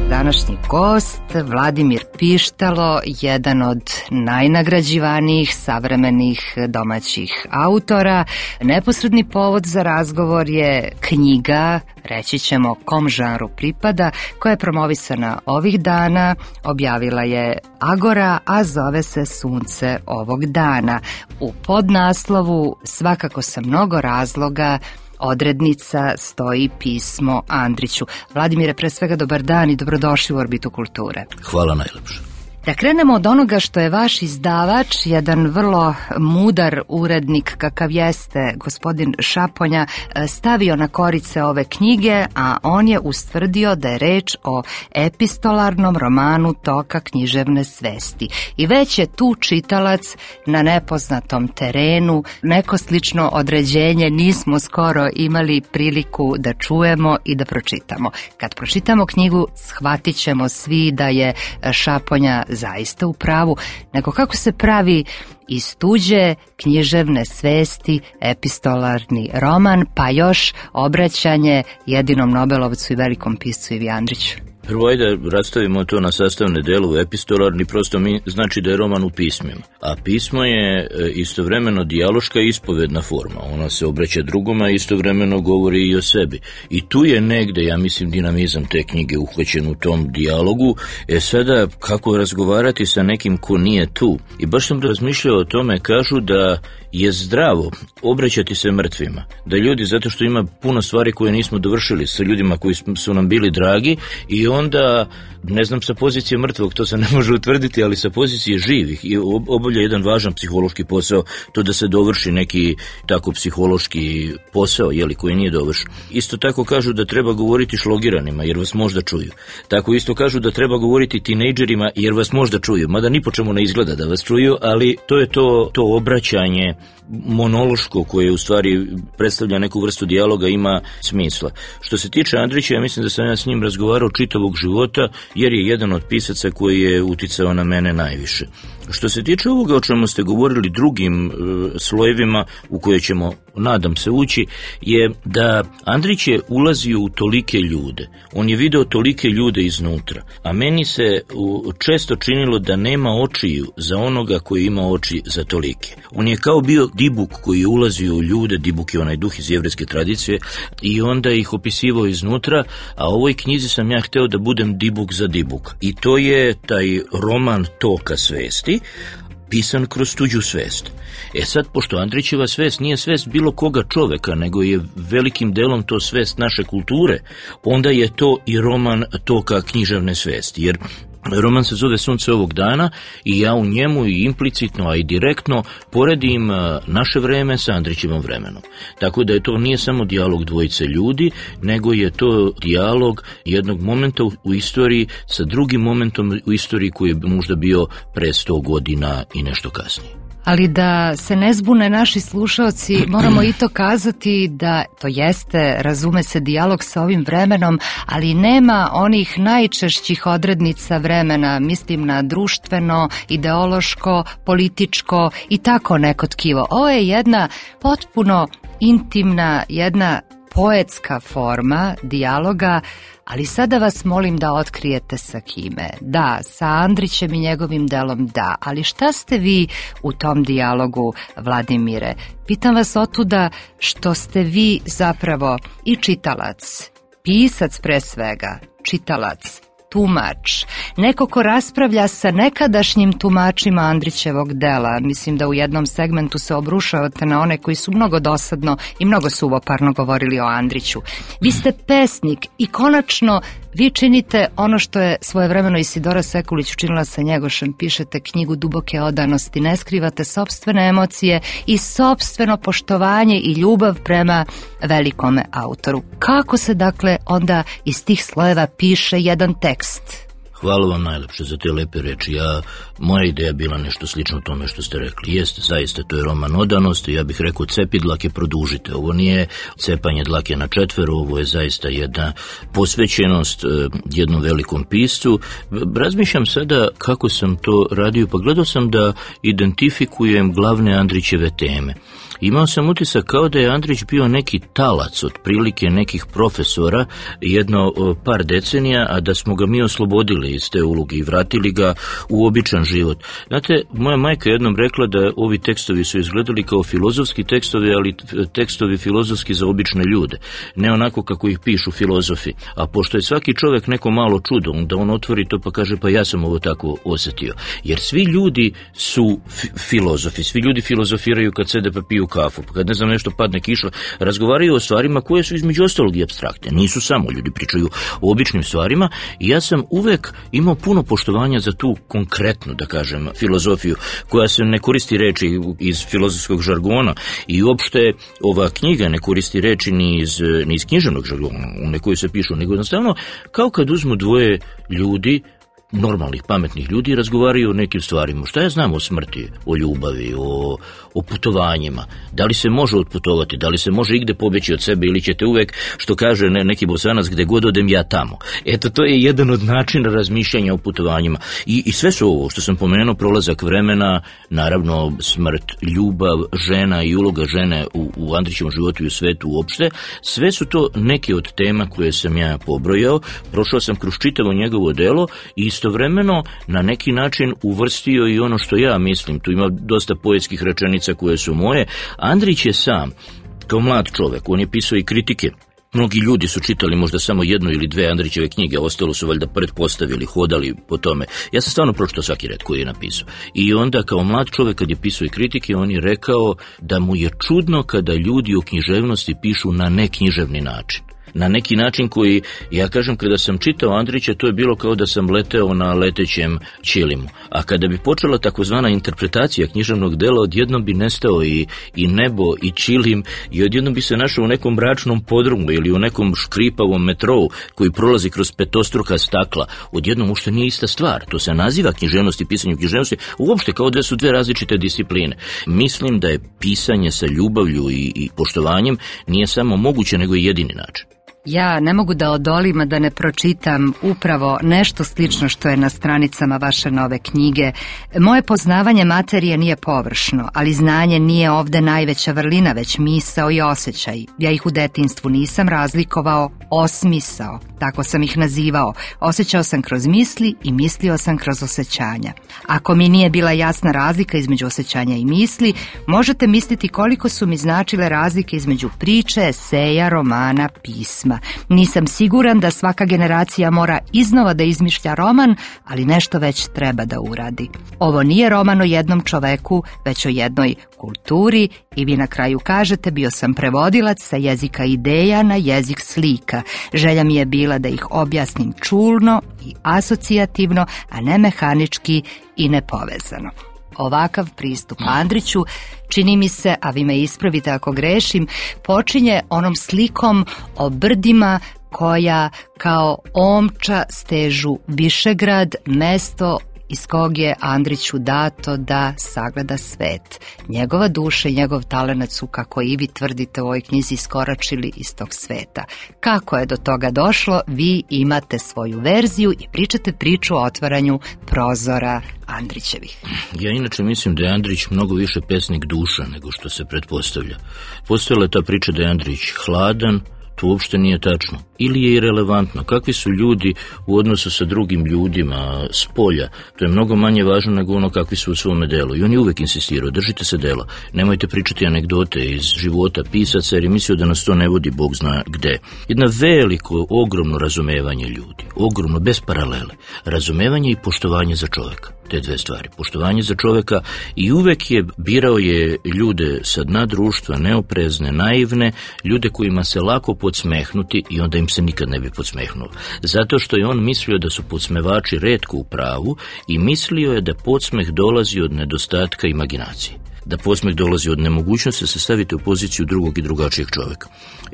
Današnji gost, Vladimir Pištalo, jedan od najnagrađivanijih savremenih domaćih autora. Neposredni povod za razgovor je knjiga, reći ćemo kom žanru pripada, koja je promovisana ovih dana, objavila je Agora, a zove se Sunce ovog dana. U podnaslovu svakako sa mnogo razloga odrednica stoji pismo Andriću. Vladimire, pre svega dobar dan i dobrodošli u Orbitu kulture. Hvala najlepše. Da krenemo od onoga što je vaš izdavač, jedan vrlo mudar urednik kakav jeste gospodin Šaponja, stavio na korice ove knjige, a on je ustvrdio da je reč o epistolarnom romanu toka književne svesti. I već je tu čitalac na nepoznatom terenu, neko slično određenje nismo skoro imali priliku da čujemo i da pročitamo. Kad pročitamo knjigu, shvatit ćemo svi da je Šaponja zaista u pravu, nego kako se pravi iz tuđe književne svesti epistolarni roman, pa još obraćanje jedinom Nobelovcu i velikom piscu Ivi Andriću. Prvo ajde rastavimo to na sastavne delove. Epistolarni prosto znači da je roman u pismima. A pismo je istovremeno dijaloška i ispovedna forma. Ona se obraća drugoma, a istovremeno govori i o sebi. I tu je negde, ja mislim, dinamizam te knjige uhvaćen u tom dijalogu. Sada, kako razgovarati sa nekim ko nije tu? I baš sam razmišljao o tome, kažu da je zdravo obraćati se mrtvima. Da ljudi, zato što ima puno stvari koje nismo dovršili sa ljudima koji su nam bili dragi, i onda, ne znam sa pozicije mrtvog, to se ne može utvrditi, ali sa pozicije živih i obavlja jedan važan psihološki posao, to da se dovrši neki tako psihološki posao, koji nije dovršen. Isto tako kažu da treba govoriti šlogiranima, jer vas možda čuju. Tako isto kažu da treba govoriti tinejdžerima, jer vas možda čuju, mada ni po čemu ne izgleda da vas čuju, ali to je to obraćanje monološko koje u stvari predstavlja neku vrstu dijaloga, ima smisla. Što se tiče Andrića, ja mislim da sam ja s njim razgovarao čitavog života, jer je jedan od pisaca koji je uticao na mene najviše. Što se tiče ovoga o čemu ste govorili, drugim slojevima u koje ćemo, nadam se, ući, je da Andrić je ulazio u tolike ljude. On je video tolike ljude iznutra. A meni se često činilo da nema očiju za onoga koji ima oči za tolike. On je kao bio Dibuk koji je ulazio u ljude, Dibuk je onaj duh iz jevrejske tradicije, i onda ih opisivao iznutra, a u ovoj knjizi sam ja hteo da budem Dibuk za Dibuk. I to je taj roman toka svesti, pisan kroz tuđu svest. Sad, pošto Andrićeva svest nije svest bilo koga čoveka, nego je velikim delom to svest naše kulture, onda je to i roman toka književne svesti, jer roman se zove Sunce ovog dana i ja u njemu i implicitno, a i direktno poredim naše vreme sa Andrićevom vremenom. Tako da je to nije samo dijalog dvojice ljudi, nego je to dijalog jednog momenta u istoriji sa drugim momentom u istoriji koji je možda bio pre 100 godina i nešto kasnije. Ali da se ne zbune naši slušaoci, moramo i to kazati da to jeste, razume se, dijalog sa ovim vremenom, ali nema onih najčešćih odrednica vremena, mislim na društveno, ideološko, političko i tako neko tkivo. Ovo je jedna potpuno intimna, jedna poetska forma dijaloga, ali sada vas molim da otkrijete sa kime. Da, sa Andrićem i njegovim delom da, ali šta ste vi u tom dijalogu, Vladimire? Pitam vas otuda što ste vi zapravo i čitalac, pisac pre svega, čitalac, tumač, neko ko raspravlja sa nekadašnjim tumačima Andrićevog dela. Mislim da u jednom segmentu se obrušavate na one koji su mnogo dosadno i mnogo suvoparno govorili o Andriću. Vi ste pesnik i konačno vi činite ono što je svojevremeno Isidora Sekulić učinila sa Njegošem, pišete knjigu duboke odanosti, ne skrivate sopstvene emocije i sopstveno poštovanje i ljubav prema velikome autoru. Kako se dakle onda iz tih slojeva piše jedan tekst? Hvala vam najlepše za te lepe reči. Moja ideja bila nešto slično tome što ste rekli. Jeste, zaista, to je roman odanosti. Ja bih rekao, cepi dlake, produžite. Ovo nije cepanje dlake na četvero, ovo je zaista jedna posvećenost jednom velikom piscu. Razmišljam sada kako sam to radio, pa gledao sam da identifikujem glavne Andrićeve teme. Imao sam utisak kao da je Andrić bio neki talac od prilike nekih profesora jedno par decenija, a da smo ga mi oslobodili iz te uloge i vratili ga u običan život. Znate, moja majka jednom rekla da ovi tekstovi su izgledali kao filozofski tekstovi, ali tekstovi filozofski za obične ljude. Ne onako kako ih pišu filozofi. A pošto je svaki čovjek neko malo čudo, onda on otvori to pa kaže pa ja sam ovo tako osjetio. Jer svi ljudi su filozofi, svi ljudi filozofiraju kad sede pa piju kafu, pa kad ne znam nešto padne kiša, razgovaraju o stvarima koje su između ostalog i apstraktne. Nisu samo, ljudi pričaju o običnim stvarima i ja sam uvek imao puno poštovanja za tu konkretnu, da kažem, filozofiju koja se ne koristi reči iz filozofskog žargona i uopšte ova knjiga ne koristi reči ni iz književnog žargona u kojoj se pišu, nego jednostavno kao kad uzmu dvoje ljudi, normalnih, pametnih ljudi, razgovaraju o nekim stvarima. Šta ja znam o smrti, o ljubavi, o putovanjima? Da li se može otputovati? Da li se može igde pobjeći od sebe ili ćete uvek, što kaže neki Bosanac, gde god odem ja tamo? Eto, to je jedan od načina razmišljanja o putovanjima. I sve su ovo što sam pomenuo, prolazak vremena, naravno smrt, ljubav, žena i uloga žene u Andrićevom životu i u svetu uopšte, sve su to neke od tema koje sam ja pobrojao. Prošao sam kroz čitavo njegovo delo i istovremeno na neki način uvrstio i ono što ja mislim. Tu ima dosta poetskih rečenica koje su moje. Andrić je sam, kao mlad čovek, on je pisao i kritike. Mnogi ljudi su čitali možda samo jednu ili dve Andrićeve knjige, ostalo su valjda pretpostavili, hodali po tome. Ja sam stvarno pročitao svaki red koji je napisao. I onda kao mlad čovek kad je pisao i kritike, on je rekao da mu je čudno kada ljudi o književnosti pišu na neknjiževni način. Na neki način koji, ja kažem, kada sam čitao Andrića, to je bilo kao da sam leteo na letećem ćilimu. A kada bi počela takozvana interpretacija književnog dela, odjednom bi nestao i nebo i ćilim i odjednom bi se našao u nekom mračnom podrumu ili u nekom škripavom metrou koji prolazi kroz petostruka stakla. Odjednom uopšte nije ista stvar. To se naziva književnost i pisanje književnosti, uopšte kao da su dve različite discipline. Mislim da je pisanje sa ljubavlju i poštovanjem nije samo moguće, nego i jedini način. Ja ne mogu da odolim, a da ne pročitam upravo nešto slično što je na stranicama vaše nove knjige. Moje poznavanje materije nije površno, ali znanje nije ovde najveća vrlina, već misao i osjećaj. Ja ih u detinjstvu nisam razlikovao, osmisao, tako sam ih nazivao. Osjećao sam kroz misli i mislio sam kroz osjećanja. Ako mi nije bila jasna razlika između osjećanja i misli, možete misliti koliko su mi značile razlike između priče, eseja, romana, pisma. Nisam siguran da svaka generacija mora iznova da izmišlja roman, ali nešto već treba da uradi. Ovo nije roman o jednom čoveku, već o jednoj kulturi i vi na kraju kažete bio sam prevodilac sa jezika ideja na jezik slika. Želja mi je bila da ih objasnim čulno i asocijativno, a ne mehanički i nepovezano. Ovakav pristup Andriću, čini mi se, a vi me ispravite ako grešim, počinje onom slikom o brdima koja kao omča stežu Višegrad, mesto iz kog je Andriću dato da sagleda svet. Njegova duša i njegov talenat su, kako i vi tvrdite u ovoj knjizi, iskoračili iz tog sveta. Kako je do toga došlo, vi imate svoju verziju i pričate priču o otvaranju prozora Andrićevih. Ja inače mislim da je Andrić mnogo više pesnik duša nego što se pretpostavlja. Postojala je ta priča da je Andrić hladan, to uopšte nije tačno. Ili je irelevantno. Kakvi su ljudi u odnosu sa drugim ljudima s polja? To je mnogo manje važno nego ono kakvi su u svome delu. I on je uvek insistirao, držite se dela. Nemojte pričati anegdote iz života pisaca, jer je mislio da nas to ne vodi Bog zna gde. Jedno veliko, ogromno razumevanje ljudi. Ogromno, bez paralele. Razumevanje i poštovanje za čoveka. Te dve stvari. Poštovanje za čoveka i uvek je birao je ljude sa dna društva, neoprezne, naivne, ljude kojima se lako podsmehnuti i onda im se nikad ne bi podsmehnulo. Zato što je on mislio da su podsmevači retko u pravu i mislio je da podsmeh dolazi od nedostatka imaginacije. Da podsmeh dolazi od nemogućnosti da se stavite u poziciju drugog i drugačijeg čovjeka.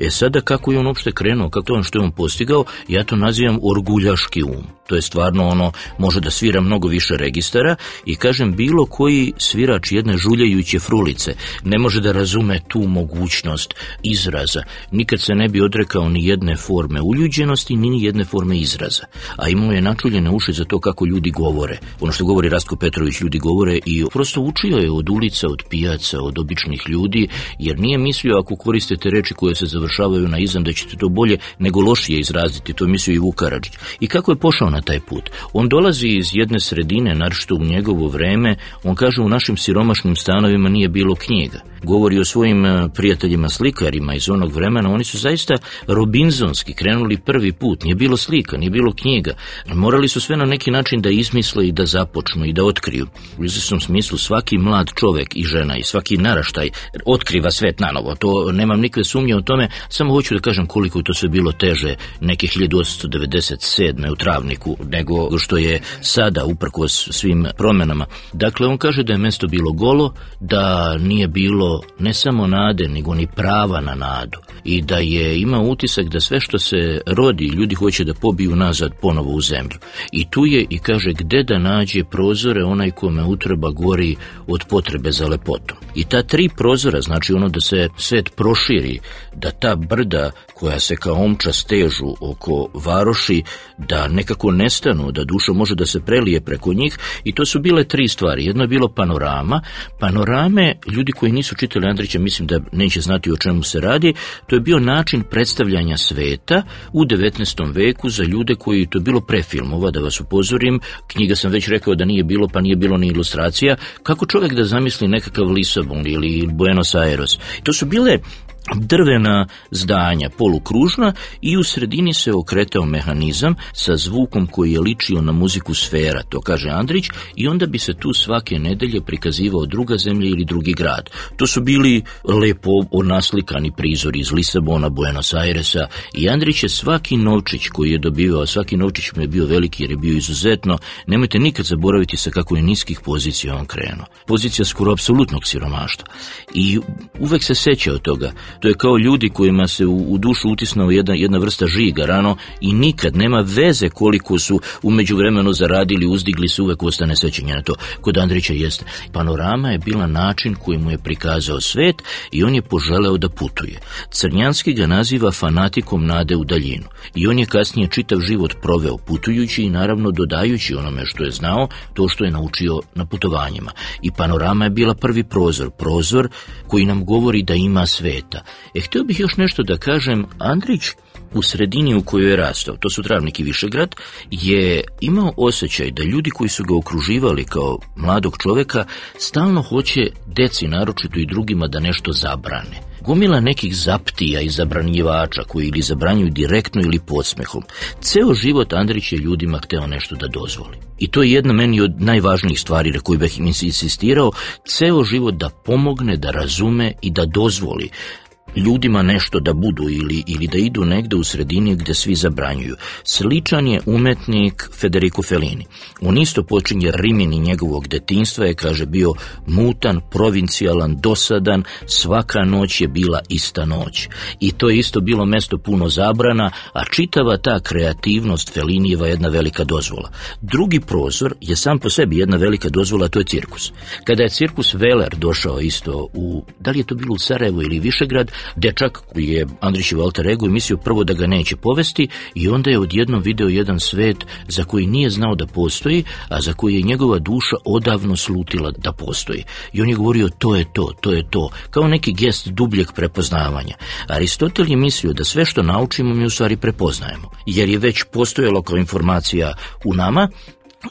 Sada kako je on uopšte krenuo, kako to što je on postigao, ja to nazivam orguljaški um. To je stvarno ono, može da svira mnogo više registara i kažem, bilo koji svirač jedne žuljajuće frulice ne može da razume tu mogućnost izraza. Nikad se ne bi odrekao ni jedne forme uljuđenosti, ni jedne forme izraza. A imao je načuljene uši za to kako ljudi govore. Ono što govori Rastko Petrović, ljudi govore, i prosto učio je od ulica, od pijaca, od običnih ljudi, jer nije mislio ako koristite reči koje se završavaju na izam da ćete to bolje nego lošije izraziti. To je mislio i Vuk Karadžić. I kako je pošao na taj put? On dolazi iz jedne sredine, naročito u njegovo vreme, on kaže u našim siromašnim stanovima nije bilo knjiga. Govori o svojim prijateljima slikarima iz onog vremena, oni su zaista robinzonski krenuli prvi put, nije bilo slika, nije bilo knjiga. Morali su sve na neki način da izmisle i da započnu i da otkriju. U izvesnom smislu svaki mlad čovek i žena i svaki naraštaj otkriva svet nanovo, to nemam nikakve sumnje o tome, samo hoću da kažem koliko je to sve bilo teže neke 1897. u Travniku nego što je sada uprkos svim promenama. Dakle, on kaže da je mesto bilo golo, da nije bilo ne samo nade, nego ni prava na nadu i da je imao utisak da sve što se rodi, ljudi hoće da pobiju nazad ponovo u zemlju. I tu je, i kaže, gde da nađe prozore onaj kome utreba gori od potrebe za lepotom. I ta 3 prozora, znači ono da se svet proširi, da ta brda koja se kao omča stežu oko varoši, da nekako nestanu, da duša može da se prelije preko njih, i to su bile 3 stvari. Jedno je bilo panorama. Panorame, ljudi koji nisu čitali Andrića, mislim da neće znati o čemu se radi, to je bio način predstavljanja sveta u 19. veku za ljude koji, to je bilo pre filmova, da vas upozorim, knjiga sam već rekao da nije bilo, pa nije bilo ni ilustracija, kako čovjek da zamisli nekakav Lisabon ili Buenos Aires. To su bile drvena zdanja, polukružna, i u sredini se okretao mehanizam sa zvukom koji je ličio na muziku sfera, to kaže Andrić, i onda bi se tu svake nedelje prikazivao druga zemlja ili drugi grad. To su bili lepo naslikani prizori iz Lisabona, Buenos Airesa, i Andrić je svaki novčić koji je dobivao, svaki novčić mu je bio veliki jer je bio izuzetno, nemojte nikad zaboraviti sa kako je niskih pozicija on krenuo. Pozicija skoro apsolutnog siromaštva. I uvek se seća od toga. To je kao ljudi kojima se u dušu utisnao jedna vrsta žiga rano i nikad nema veze koliko su u međuvremenu zaradili, uzdigli se, uvek ostane sećanje na to. Kod Andrića jeste. Panorama je bila način koji mu je prikazao svet i on je poželeo da putuje. Crnjanski ga naziva fanatikom nade u daljinu. I on je kasnije čitav život proveo putujući i naravno dodajući onome što je znao, to što je naučio na putovanjima. I panorama je bila prvi prozor koji nam govori da ima sveta. Htio bih još nešto da kažem. Andrić u sredini u kojoj je rastao, to su Travnik i Višegrad, je imao osjećaj da ljudi koji su ga okruživali kao mladog čoveka stalno hoće deci, naročito i drugima, da nešto zabrane. Gomila nekih zaptija i zabranjivača koji ili zabranjuju direktno ili podsmehom. Ceo život Andrić je ljudima hteo nešto da dozvoli. I to je jedna meni od najvažnijih stvari na koju bih insistirao, ceo život da pomogne, da razume i da dozvoli ljudima nešto da budu ili da idu negde u sredini gde svi zabranjuju. Sličan je umetnik Federico Fellini. On isto počinje Rimini njegovog detinjstva, je, kaže, bio mutan, provincijalan, dosadan, svaka noć je bila ista noć. I to je isto bilo mesto puno zabrana, a čitava ta kreativnost Fellinijeva je jedna velika dozvola. Drugi prozor je sam po sebi jedna velika dozvola, to je cirkus. Kada je cirkus Veler došao isto da li je to bilo u Sarajevo ili Višegrad, dečak koji je Andrićev alter ego i mislio prvo da ga neće povesti, i onda je odjednom video jedan svet za koji nije znao da postoji, a za koji je njegova duša odavno slutila da postoji. I on je govorio to je to, kao neki gest dubljeg prepoznavanja. Aristotel je mislio da sve što naučimo mi u stvari prepoznajemo, jer je već postojalo kao informacija u nama,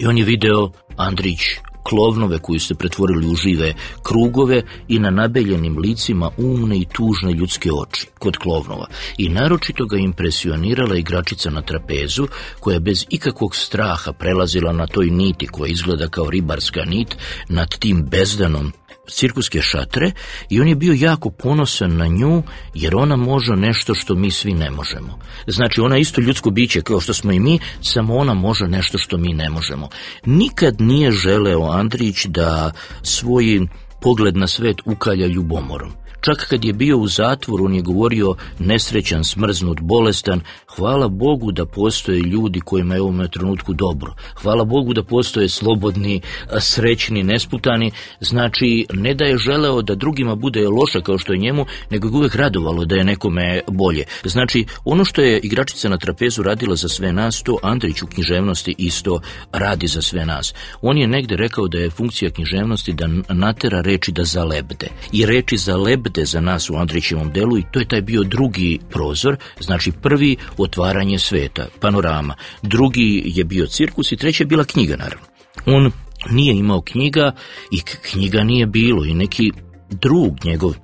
i on je video, Andrić, klovnove koji su se pretvorili u žive krugove i na nabeljenim licima umne i tužne ljudske oči kod klovnova. I naročito ga impresionirala igračica na trapezu koja bez ikakvog straha prelazila na toj niti koja izgleda kao ribarska nit nad tim bezdanom cirkuske šatre, i on je bio jako ponosan na nju jer ona može nešto što mi svi ne možemo. Znači, ona isto ljudsko biće kao što smo i mi, samo ona može nešto što mi ne možemo. Nikad nije želeo Andrić da svoj pogled na svet ukalja ljubomorom. Čak kad je bio u zatvoru, on je govorio nesrećan, smrznut, bolestan. Hvala Bogu da postoje ljudi kojima je u ovom trenutku dobro. Hvala Bogu da postoje slobodni, srećni, nesputani. Znači, ne da je želeo da drugima bude loše kao što je njemu, nego je uvek radovalo da je nekome bolje. Znači, ono što je igračica na trapezu radila za sve nas, to Andrić u književnosti isto radi za sve nas. On je negde rekao da je funkcija književnosti da natera reči da zalebde. I reči zalebde za nas u Andrićevom delu, i to je taj bio drugi prozor. Znači, prvi otvaranje sveta, panorama. Drugi je bio cirkus i treći je bila knjiga, naravno. On nije imao knjiga i knjiga nije bilo, i neki drug njegov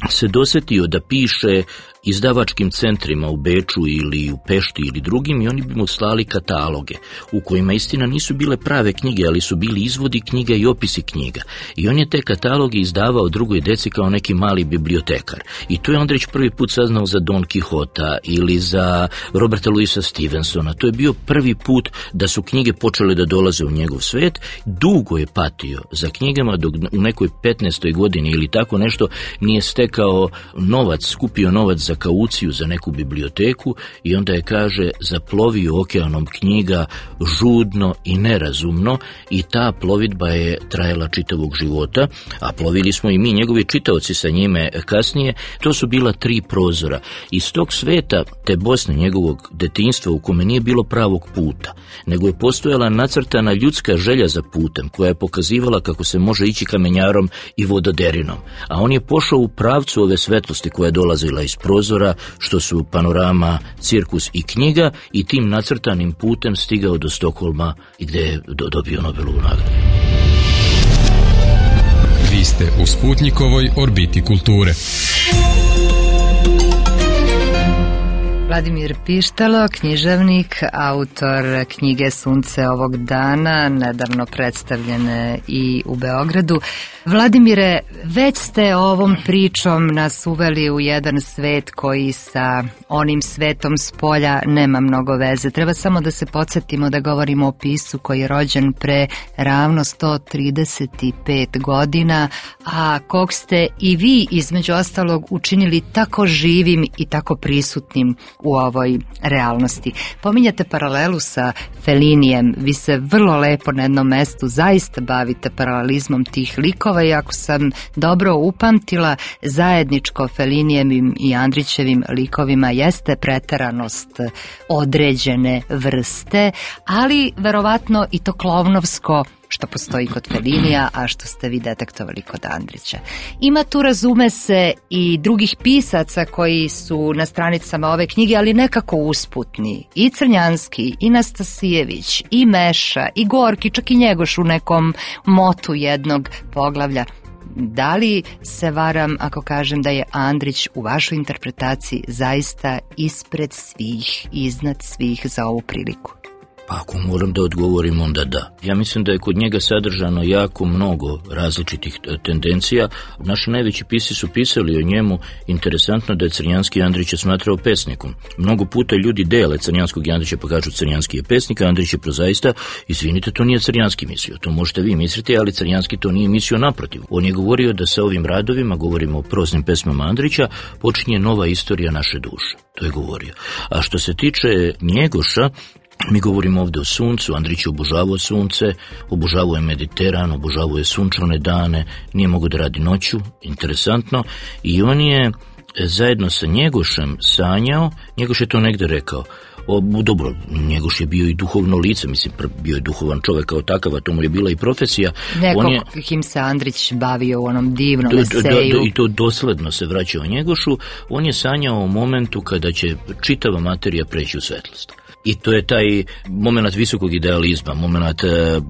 se dosetio da piše izdavačkim centrima u Beču ili u Pešti ili drugim, i oni bi mu slali kataloge u kojima istina nisu bile prave knjige, ali su bili izvodi knjiga i opisi knjiga. I on je te kataloge izdavao drugoj deci kao neki mali bibliotekar. I tu je Andrić prvi put saznao za Don Quixota ili za Roberta Louisa Stevensona. To je bio prvi put da su knjige počele da dolaze u njegov svet. Dugo je patio za knjigama, dok u nekoj 15. godini ili tako nešto nije stekao novac, skupio novac za kauciju za neku biblioteku, i onda je, kaže, zaplovio okeanom knjiga žudno i nerazumno, i ta plovidba je trajala čitavog života, a plovili smo i mi, njegovi čitaoci, sa njime kasnije. To su bila 3 prozora. Iz tog sveta, te Bosne, njegovog detinjstva, u kome nije bilo pravog puta, nego je postojala nacrtana ljudska želja za putem, koja je pokazivala kako se može ići kamenjarom i vododerinom. A on je pošao u pravcu ove svetlosti koja je dolazila iz prozora, što su panorama, cirkus i knjiga, i tim nacrtanim putem stigao do Stokholma i gde je dobio Nobelovu nagradu. Vi ste u Sputnikovoj orbiti kulture. Vladimir Pištalo, književnik, autor knjige Sunce ovog dana, nedavno predstavljene i u Beogradu. Vladimire, već ste ovom pričom nas uveli u jedan svet koji sa onim svetom s polja nema mnogo veze. Treba samo da se podsjetimo da govorimo o piscu koji je rođen pre ravno 135 godina, a kog ste i vi između ostalog učinili tako živim i tako prisutnim u ovoj realnosti. Pominjate paralelu sa Felinijem, vi se vrlo lepo na jednom mestu zaista bavite paralelizmom tih likova, i ako sam dobro upamtila, zajedničko Felinijevim i Andrićevim likovima jeste preteranost određene vrste, ali verovatno i to klovnovsko što postoji kod Felinija, a što ste vi detektovali kod Andrića. Ima tu, razume se, i drugih pisaca koji su na stranicama ove knjige, ali nekako usputni. I Crnjanski, i Nastasijević, i Meša, i Gorki, čak i Njegoš u nekom motu jednog poglavlja. Da li se varam ako kažem da je Andrić u vašoj interpretaciji zaista ispred svih, iznad svih za ovu priliku? Pa ako moram da odgovorim, onda da. Ja mislim da je kod njega sadržano jako mnogo različitih tendencija. Naši najveći pisci su pisali o njemu. Interesantno da je Crnjanski Andrića smatrao pesnikom. Mnogo puta ljudi dele Crnjanskog i Andrića pa kažu Crnjanski je pesnik, a Andrić je prozaista. Izvinite, to nije Crnjanski mislio. To možete vi misliti, ali Crnjanski to nije mislio, naprotiv. On je govorio da sa ovim radovima, govorimo o proznim pesmama Andrića, počinje nova istorija naše duše. To je govorio. A što se tiče Njegoša, mi govorimo ovdje o suncu. Andrić je obožavao sunce, obožavao je Mediteran, obožavao je sunčane dane, nije mogao da radi noću, interesantno, i on je zajedno sa Njegošem sanjao. Njegoš je to negde rekao. Dobro, Njegoš je bio i duhovno lice, mislim, bio je duhovan čovjek kao takav, a to mu je bila i profesija. Kim se Andrić bavio u onom divnom eseju. I to dosledno se vraćao Njegošu. On je sanjao o momentu kada će čitava materija preći u svetlost. I to je taj moment visokog idealizma, moment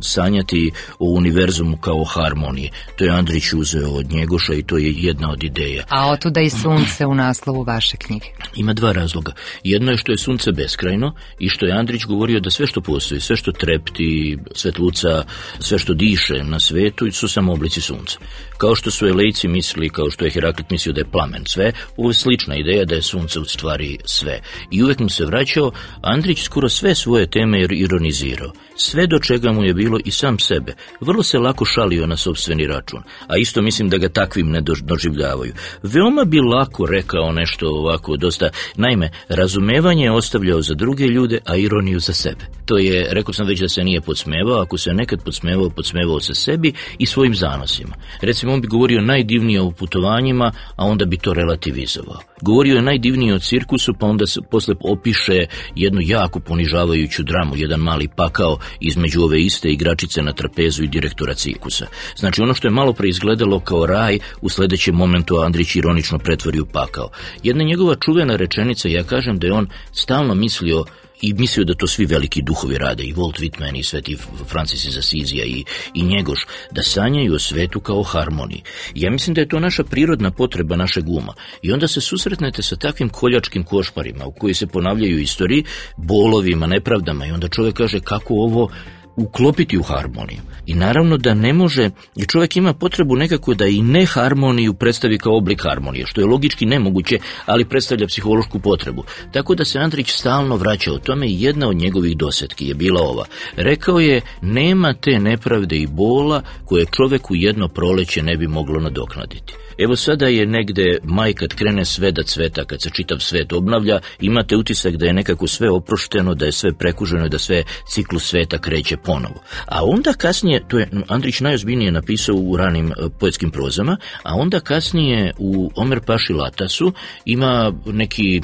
sanjati o univerzumu kao harmoniji. To je Andrić uzeo od Njegoša i to je jedna od ideja. A otuda i sunce u naslovu vaše knjige. Ima 2 razloga. Jedno je što je sunce beskrajno i što je Andrić govorio da sve što postoji, sve što trepti, svetluca, sve što diše na svetu su samo oblici sunca. Kao što su Elejci mislili, kao što je Heraklit mislio da je plamen sve, ovo je slična ideja da je sunce u stvari sve. I uvek mu se vraćao. Andrić skoro sve svoje teme je ironizirao. Sve do čega mu je bilo i sam sebe. Vrlo se lako šalio na sopstveni račun, a isto mislim da ga takvim ne doživljavaju. Veoma bi lako rekao nešto ovako dosta. Naime, razumevanje je ostavljao za druge ljude, a ironiju za sebe. To je, rekao sam već da se nije podsmevao, ako se nekad podsmevao se sebi i svojim zanosima. Recimo, on bi govorio najdivnije o putovanjima, a onda bi to relativizovao. Govorio je najdivnije o cirkusu, pa onda se posle opiše jednu jako ponižavajuću dramu, jedan mali pakao između ove iste igračice na trapezu i direktora cirkusa. Znači, ono što je malo pre izgledalo kao raj, u sledećem momentu Andrić ironično pretvori u pakao. Jedna njegova čuvena rečenica, ja kažem da je on stalno mislio da to svi veliki duhovi rade, i Walt Whitman i Sveti Francis iz Asizija i Njegoš, da sanjaju o svetu kao harmoniji. Ja mislim da je to naša prirodna potreba našeg uma. I onda se susretnete sa takvim koljačkim košmarima u koji se ponavljaju istoriji, bolovima, nepravdama, i onda čovjek kaže kako ovo uklopiti u harmoniju. I naravno da ne može, i čovjek ima potrebu nekako da i neharmoniju predstavi kao oblik harmonije, što je logički nemoguće, ali predstavlja psihološku potrebu. Tako da se Andrić stalno vraća o tome i jedna od njegovih dosetki je bila ova. Rekao je, nema te nepravde i bola koje čovjeku jedno proleće ne bi moglo nadoknaditi. Evo sada je negde maj kad krene sve da cveta, kad se čitav svet obnavlja, imate utisak da je nekako sve oprošteno, da je sve prekuženo i da sve ciklus sveta kreće ponovo. A onda kasnije, to je Andrić najozbiljnije napisao u ranim poetskim prozama, a onda kasnije u Omer Paši Latasu ima neki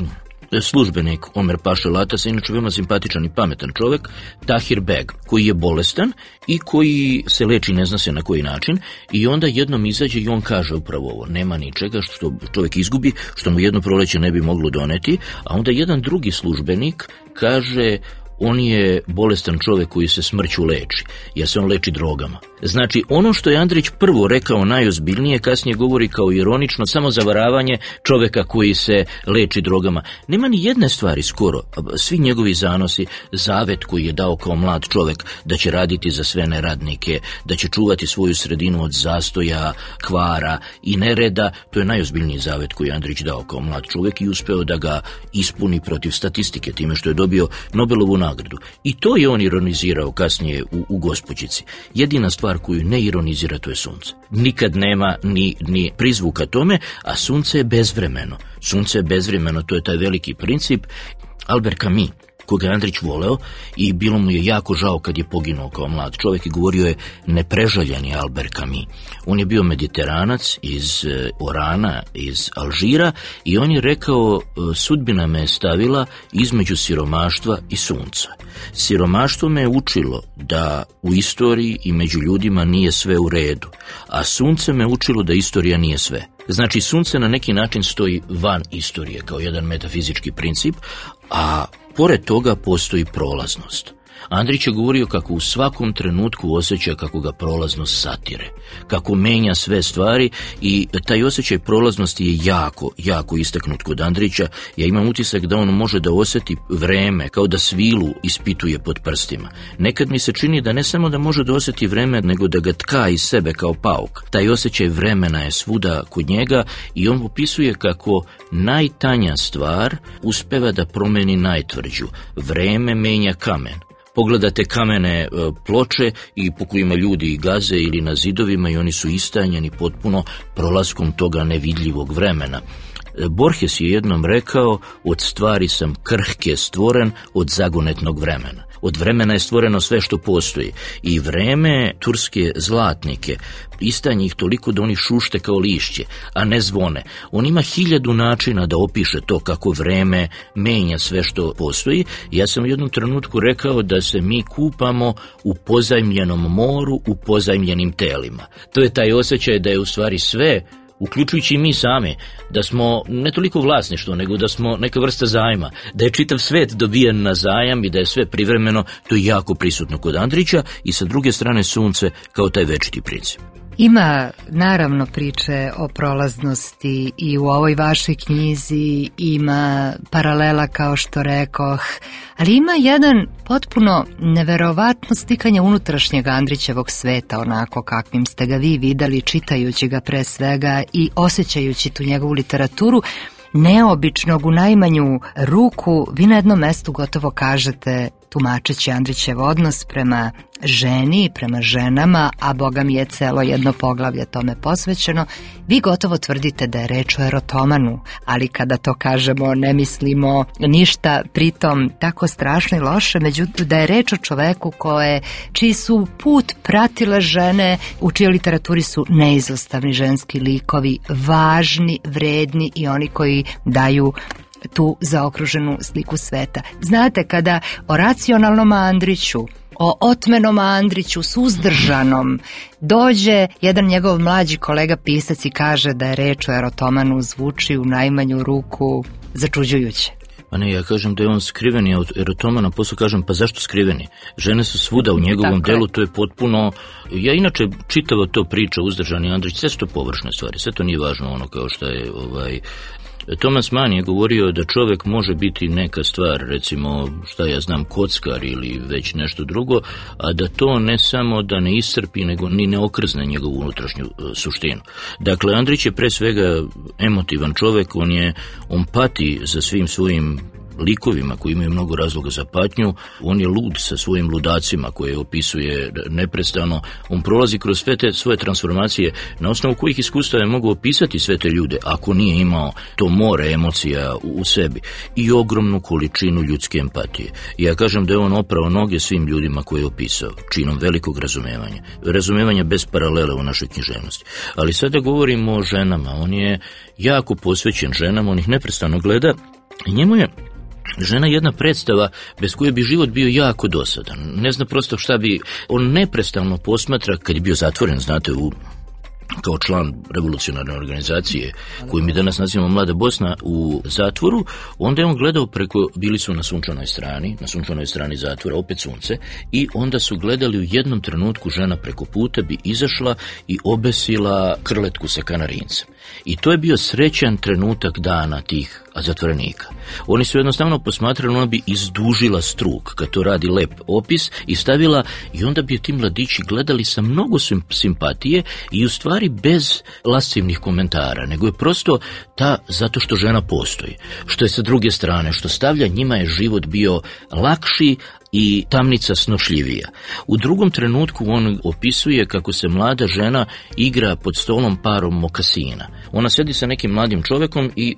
službenik Omer Paša Latasa, inače veoma simpatičan i pametan čovjek, Tahir Beg, koji je bolestan i koji se leči ne zna se na koji način, i onda jednom izađe i on kaže upravo ovo, nema ničega što čovjek izgubi, što mu jedno proleće ne bi moglo doneti, a onda jedan drugi službenik kaže, on je bolestan čovjek koji se smrću leči, jer se on leči drogama. Znači, ono što je Andrić prvo rekao najozbiljnije, kasnije govori kao ironično, samo zavaravanje čovjeka koji se leči drogama. Nema ni jedne stvari skoro, svi njegovi zanosi, zavet koji je dao kao mlad čovjek da će raditi za sve neradnike, da će čuvati svoju sredinu od zastoja, kvara i nereda, to je najozbiljniji zavet koji je Andrić dao kao mlad čovjek i uspeo da ga ispuni protiv statistike, time što je dobio Nobelovu nagradu. I to je on ironizirao kasnije u Gospođici. Jedina stvar koju ne ironizira, to je sunce. Nikad nema ni prizvuka tome, a sunce je bezvremeno. Sunce je bezvremeno, to je taj veliki princip. Albert Camus, koga je Andrić voleo, i bilo mu je jako žao kad je poginuo kao mlad čovjek, i govorio je neprežaljeni Albert Camus. On je bio mediteranac iz Orana, iz Alžira, i on je rekao, sudbina me je stavila između siromaštva i sunca. Siromaštvo me je učilo da u istoriji i među ljudima nije sve u redu, a sunce me učilo da istorija nije sve. Znači, sunce na neki način stoji van istorije kao jedan metafizički princip, a pored toga postoji prolaznost. Andrić je govorio kako u svakom trenutku osjeća kako ga prolaznost satire, kako menja sve stvari, i taj osjećaj prolaznosti je jako istaknut kod Andrića. Ja imam utisak da on može da osjeti vreme, kao da svilu ispituje pod prstima. Nekad mi se čini da ne samo da može da osjeti vreme, nego da ga tka iz sebe kao pauk. Taj osjećaj vremena je svuda kod njega, i on opisuje kako najtanja stvar uspeva da promeni najtvrđu. Vreme menja kamen. Pogledate kamene ploče i po kojima ljudi gaze ili na zidovima, i oni su istanjeni potpuno prolaskom toga nevidljivog vremena. Borges je jednom rekao, od stvari sam krhke stvoren, od zagonetnog vremena. Od vremena je stvoreno sve što postoji, i vreme turske zlatnike istanje ih toliko da oni šušte kao lišće, a ne zvone. On ima 1000 načina da opiše to kako vreme menja sve što postoji. Ja sam u jednom trenutku rekao da se mi kupamo u pozajmljenom moru, u pozajmljenim telima. To je taj osjećaj da je u stvari sve, uključujući i mi sami, da smo ne toliko vlasništvo, nego da smo neka vrsta zajma, da je čitav svet dobijen na zajam i da je sve privremeno, to je jako prisutno kod Andrića, i sa druge strane sunce kao taj večiti princip. Ima naravno priče o prolaznosti i u ovoj vašoj knjizi, ima paralela kao što rekoh, ali ima jedan potpuno neverovatno slikanje unutrašnjeg Andrićevog sveta, onako kakvim ste ga vi videli čitajući ga pre svega i osjećajući tu njegovu literaturu. neobičnog u najmanju ruku, vi na jednom mestu gotovo kažete, tumačeći Andrićev odnos prema ženi, prema ženama, a Boga mi je celo jedno poglavlje tome posvećeno, vi gotovo tvrdite da je reč o erotomanu, ali kada to kažemo ne mislimo ništa pritom tako strašno i loše, međutim da je reč o čoveku čiji su put pratile žene, u čijoj literaturi su neizostavni ženski likovi, važni, vredni i oni koji daju tu zaokruženu sliku sveta. Znate, kada o racionalnom Andriću, o otmenom Andriću, suzdržanom, dođe jedan njegov mlađi kolega pisac i kaže da je reč o erotomanu, zvuči u najmanju ruku začuđujuće. Pa ne, ja kažem da je on skriveni od erotomana, posle kažem pa zašto skriveni? Žene su svuda u njegovom delu, to je potpuno... Ja inače čitavo to priča uzdržani Andrić, sve su to površne stvari, sve to nije važno ono kao što je... Thomas Mann je govorio da čovjek može biti neka stvar, recimo, šta ja znam, kockar ili već nešto drugo, a da to ne samo da ne iscrpi, nego ni ne okrzne njegovu unutrašnju suštinu. Dakle, Andrić je pre svega emotivan čovjek, on pati za svim svojim likovima koji imaju mnogo razloga za patnju, on je lud sa svojim ludacima koje opisuje neprestano, on prolazi kroz sve te svoje transformacije na osnovu kojih iskustava je mogu opisati sve te ljude ako nije imao to more emocija u sebi i ogromnu količinu ljudske empatije. Ja kažem da je on oprao noge svim ljudima koje je opisao, činom velikog razumevanja bez paralele u našoj književnosti. Ali sada govorimo o ženama, on je jako posvećen ženama, on ih neprestano gleda i njemu je žena jedna predstava bez koje bi život bio jako dosadan. Ne zna prosto šta bi... On neprestano posmatra, kad je bio zatvoren, znate, kao član revolucionarne organizacije koju mi danas nazivamo Mlada Bosna u zatvoru, onda je on gledao bili su na sunčanoj strani zatvora, opet sunce, i onda su gledali u jednom trenutku žena preko puta bi izašla i obesila krletku sa kanarincem. I to je bio srećan trenutak dana tih zatvorenika. Oni su jednostavno posmatrali, ona bi izdužila struk, kad to radi lep opis, i stavila, i onda bi ti mladići gledali sa mnogo simpatije i u stvari bez lascivnih komentara, nego je prosto zato što žena postoji. Što je sa druge strane, što stavlja, njima je život bio lakši i tamnica snošljivija. U drugom trenutku on opisuje kako se mlada žena igra pod stolom parom mokasina. Ona sedi sa nekim mladim čovekom i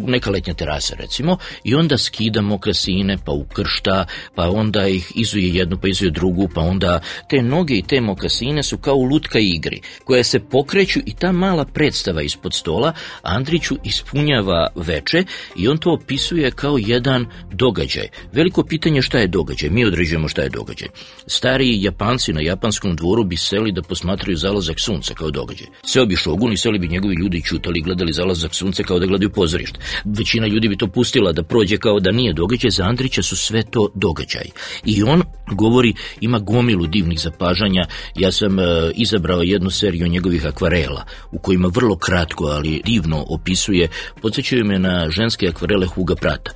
neka letnja terasa recimo, i onda skida mokasine, pa ukršta, pa onda ih izuje jednu, pa izuje drugu, pa onda te noge i te mokasine su kao u lutka igri, koje se pokreću i ta mala predstava ispod stola Andriću ispunjava veče i on to opisuje kao jedan događaj. Veliko pitanje šta je događaj, mi određujemo šta je događaj. Stari Japanci na japanskom dvoru bi seli da posmatraju zalazak sunca kao događaj. Seo bi šogun i seli bi njegovi ljudi čutali i gledali zalazak sunca kao da gledaju pozorište. Većina ljudi bi to pustila da prođe kao da nije događaj, za Andrića su sve to događaj. I on govori, ima gomilu divnih zapažanja. Ja sam izabrao jednu seriju njegovih akvarela u kojima vrlo kratko, ali divno opisuje, podsjećaju me na ženske akvarele Huga Prata.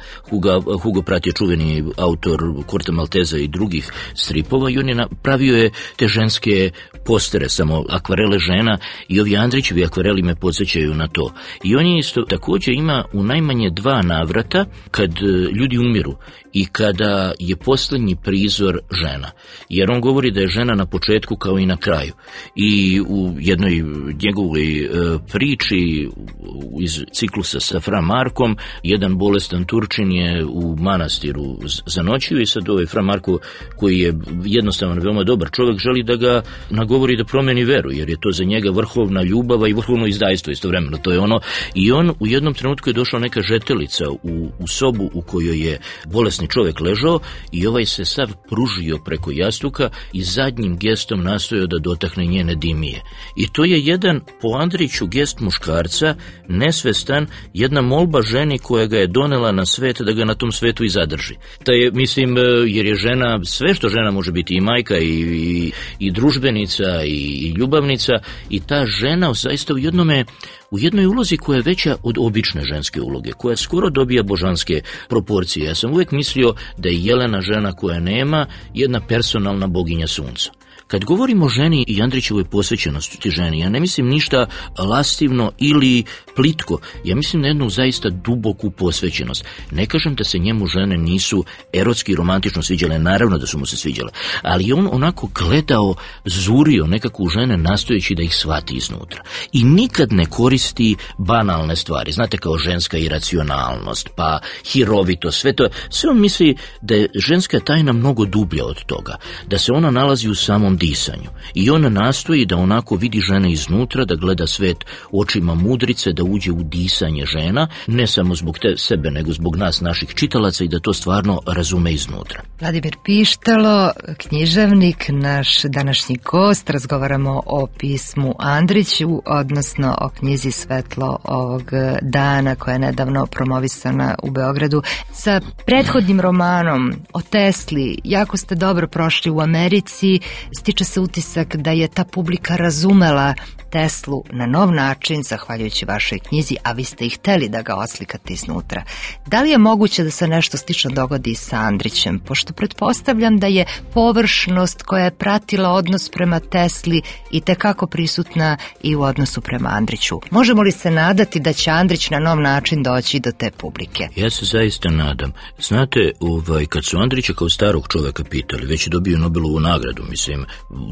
Hugo Pratt je čuveni autor Korta Malteza i drugih stripova i on je napravio je te ženske postere, samo akvarele žena, i ovi Andrićevi akvareli me podsjećaju na to. I on je isto također ima u najmanje 2 navrata kad ljudi umiru i kada je posljednji prizor žena. Jer on govori da je žena na početku kao i na kraju. I u jednoj njegovoj priči iz ciklusa sa Fra Markom, jedan bolestan Turčin je u manastiru zanoćio i sad ovaj Fra Marko, koji je jednostavno veoma dobar čovjek, želi da ga nagovori da promeni veru, jer je to za njega vrhovna ljubava i vrhovno izdajstvo istovremeno. To je ono. I on u jednom trenutku je došla neka žetelica u sobu u kojoj je bolesni čovjek ležao i ovaj se sav pružio preko jastuka i zadnjim gestom nastojao da dotakne njene dimije. I to je jedan po Andriću gest muškarca, nesvestan, jedna molba ženi koja ga je donela na svet da ga na tom svetu i zadrži. To je, mislim, jer je žena, sve što žena može biti, i majka i družbenica i ljubavnica, i ta žena zaista u jednoj ulozi koja je veća od obične ženske uloge, koja skoro dobija božanske proporcije. Ja sam uvijek mislio da je Jelena žena koja nema jedna personalna boginja sunca, Kad govorimo o ženi i Andrićevoj posvećenosti ženi, ja ne mislim ništa lastivno ili plitko, ja mislim na jednu zaista duboku posvećenost. Ne kažem da se njemu žene nisu erotski i romantično sviđale, naravno da su mu se sviđale, ali on onako gledao, zurio nekako u žene nastojeći da ih shvati iznutra. I nikad ne koristi banalne stvari, znate, kao ženska iracionalnost, pa hirovitost, sve to, sve on misli da je ženska tajna mnogo dublja od toga, da se ona nalazi u samom disanju. I on nastoji da onako vidi žene iznutra, da gleda svet očima mudrice, da uđe u disanje žena, ne samo zbog sebe, nego zbog nas, naših čitalaca, i da to stvarno razume iznutra. Vladimir Pištalo, književnik, naš današnji gost. Razgovaramo o pismu Andriću, odnosno o knjizi Svetlo ovog dana, koja je nedavno promovisana u Beogradu. Sa prethodnim romanom o Tesli jako ste dobro prošli u Americi. Stiče se utisak da je ta publika razumela Teslu na nov način, zahvaljujući vašoj knjizi, a vi ste ih hteli da ga oslikate iznutra. Da li je moguće da se nešto slično dogodi sa Andrićem, pošto pretpostavljam da je površnost koja je pratila odnos prema Tesli i tekako prisutna i u odnosu prema Andriću? Možemo li se nadati da će Andrić na nov način doći do te publike? Ja se zaista nadam. Znate, kad su Andrića kao starog čoveka pitali, već je dobio Nobelovu nagradu, mislim,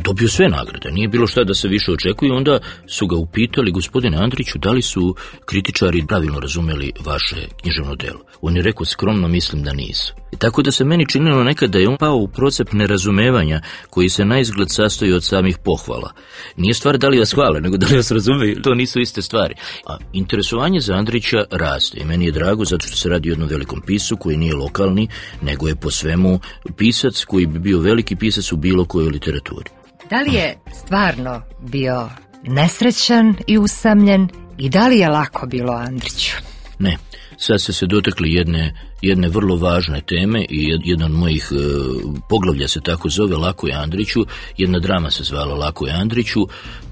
dobio sve nagrade, nije bilo šta da se više očekuje, onda su ga upitali: gospodine Andriću, da li su kritičari pravilno razumeli vaše književno delo? On je rekao: skromno mislim da nisu. I tako da se meni činilo nekad da je on pao u procep nerazumevanja koji se naizgled sastoji od samih pohvala. Nije stvar da li vas hvale, nego da li vas razumeju, to nisu iste stvari. A interesovanje za Andrića raste i meni je drago zato što se radi o jednom velikom pisu koji nije lokalni, nego je po svemu pisac koji bi bio veliki pisac u bilo kojoj literaturi. Da li je stvarno bio nesrećan i usamljen i da li je lako bilo Andriću? Ne, sad ste se dotakli jedne vrlo važne teme i jedan od mojih poglavlja se tako zove Lako je Andriću, jedna drama se zvala Lako je Andriću.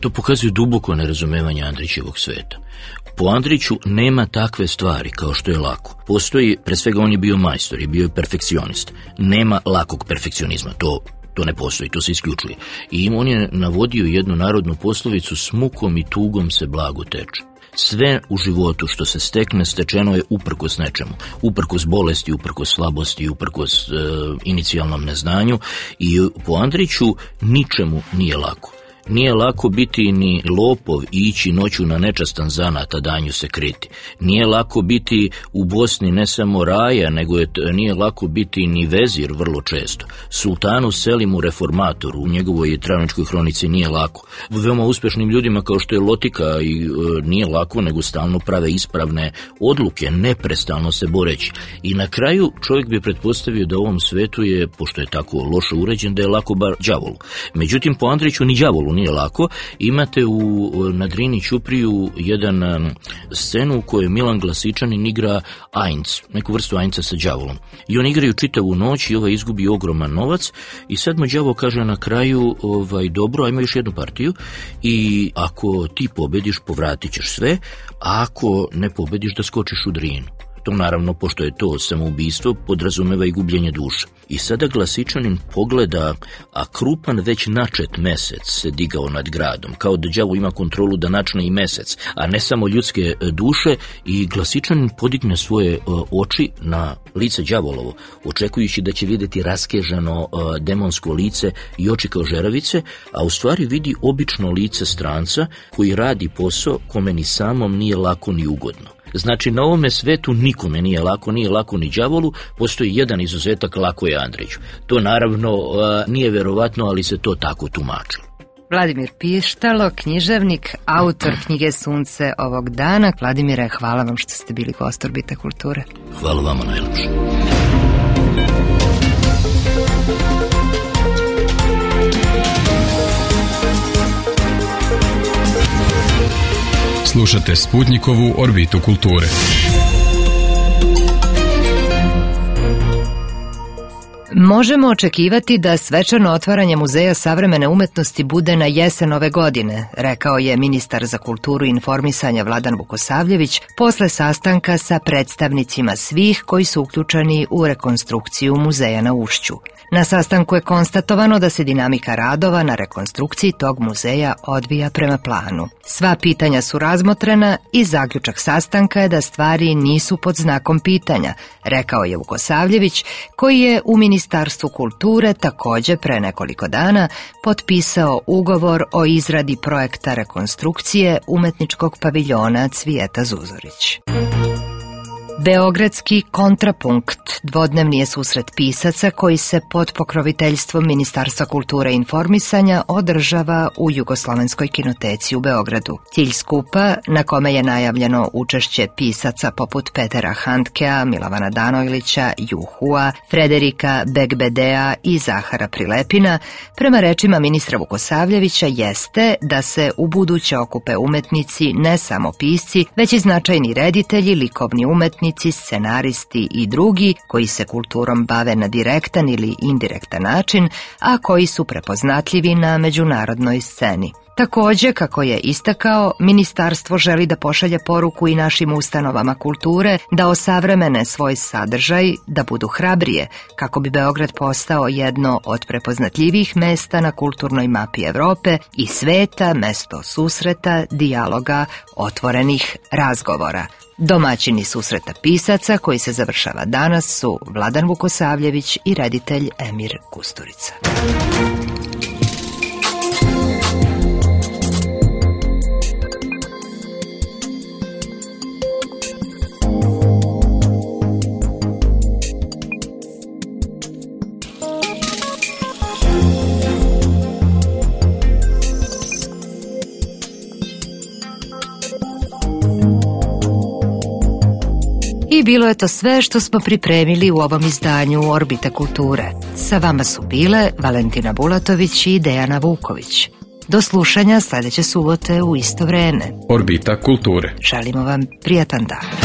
To pokazuje duboko nerazumevanje Andrićevog sveta. Po Andriću nema takve stvari kao što je lako. Postoji, pre svega on je bio majstor i bio je perfekcionist. Nema lakog perfekcionizma, to ne postoji, to se isključuje. I on je navodio jednu narodnu poslovicu: s mukom i tugom se blago teče. Sve u životu što se stekne, stečeno je uprkos nečemu. Uprkos bolesti, uprkos slabosti, uprkos inicijalnom neznanju. I po Andriću ničemu nije lako. Nije lako biti ni lopov i ići noću na nečastan zanat, a danju se kriti. Nije lako biti u Bosni ne samo raja, nego nije lako biti ni vezir vrlo često. Sultanu Selimu reformatoru u njegovoj Travničkoj hronici nije lako. Veoma uspešnim ljudima kao što je Lotika i nije lako, nego stalno prave ispravne odluke, neprestalno se boreći. I na kraju čovjek bi pretpostavio da u ovom svetu je, pošto je tako loše uređen, da je lako bar đavolu. Međutim, po Andriću ni đavolu nije lako. Imate na Drini Ćupriju jedan scenu u kojoj Milan Glasičanin igra ajnc, neku vrstu ajnca sa đavolom. I oni igraju čitavu noć i izgubi ogroman novac i sad mu đavo kaže na kraju: dobro, ajmo još jednu partiju i ako ti pobediš, povratit ćeš sve, a ako ne pobediš, da skočiš u Drinu. To naravno, pošto je to samoubistvo, podrazumeva i gubljenje duše. I sada Glasičanin pogleda, a krupan već načet mesec se digao nad gradom, kao da đavo ima kontrolu da načne i mesec, a ne samo ljudske duše, i Glasičanin podigne svoje oči na lice đavolovo, očekujući da će vidjeti raskežano demonsko lice i oči kao žeravice, a u stvari vidi obično lice stranca koji radi posao kome ni samom nije lako ni ugodno. Znači, na ovome svetu nikome nije lako ni đavolu, postoji jedan izuzetak: lako je Andriću. To naravno nije verovatno, ali se to tako tumači. Vladimir Pištalo, književnik, autor knjige Sunce ovog dana. Vladimire, hvala vam što ste bili gost Orbita kulture. Hvala vama najlepše. Slušate Sputnikovu Orbitu kulture. Možemo očekivati da svečano otvaranje Muzeja savremene umetnosti bude na jesen ove godine, rekao je ministar za kulturu i informisanja Vladan Vukosavljević posle sastanka sa predstavnicima svih koji su uključeni u rekonstrukciju muzeja na Ušću. Na sastanku je konstatovano da se dinamika radova na rekonstrukciji tog muzeja odvija prema planu. Sva pitanja su razmotrena i zaključak sastanka je da stvari nisu pod znakom pitanja, rekao je Vukosavljević, koji je u Ministarstvu kulture takođe pre nekoliko dana potpisao ugovor o izradi projekta rekonstrukcije umetničkog paviljona Cvijeta Zuzorić. Beogradski kontrapunkt dvodnevni je susret pisaca koji se pod pokroviteljstvom Ministarstva kulture i informisanja održava u Jugoslovenskoj kinoteci u Beogradu. Cilj skupa, na kome je najavljeno učešće pisaca poput Petera Handkea, Milovana Danojlića, Juhua, Frederika Begbedea i Zahara Prilepina, prema rečima ministra Vukosavljevića, jeste da se u buduće okupe umetnici, ne samo pisci, već i značajni reditelji, likovni umetnici, scenaristi i drugi koji se kulturom bave na direktan ili indirektan način, a koji su prepoznatljivi na međunarodnoj sceni. Takođe, kako je istakao, ministarstvo želi da pošalje poruku i našim ustanovama kulture da osavremene svoj sadržaj, da budu hrabrije, kako bi Beograd postao jedno od prepoznatljivih mesta na kulturnoj mapi Evrope i sveta, mesto susreta, dijaloga, otvorenih razgovora. Domaćini susreta pisaca koji se završava danas su Vladan Vukosavljević i reditelj Emir Kusturica. I bilo je to sve što smo pripremili u ovom izdanju Orbita kulture. Sa vama su bile Valentina Bulatović i Dejana Vuković. Do slušanja sledeće subote u isto vreme. Orbita kulture. Želimo vam prijatan dan.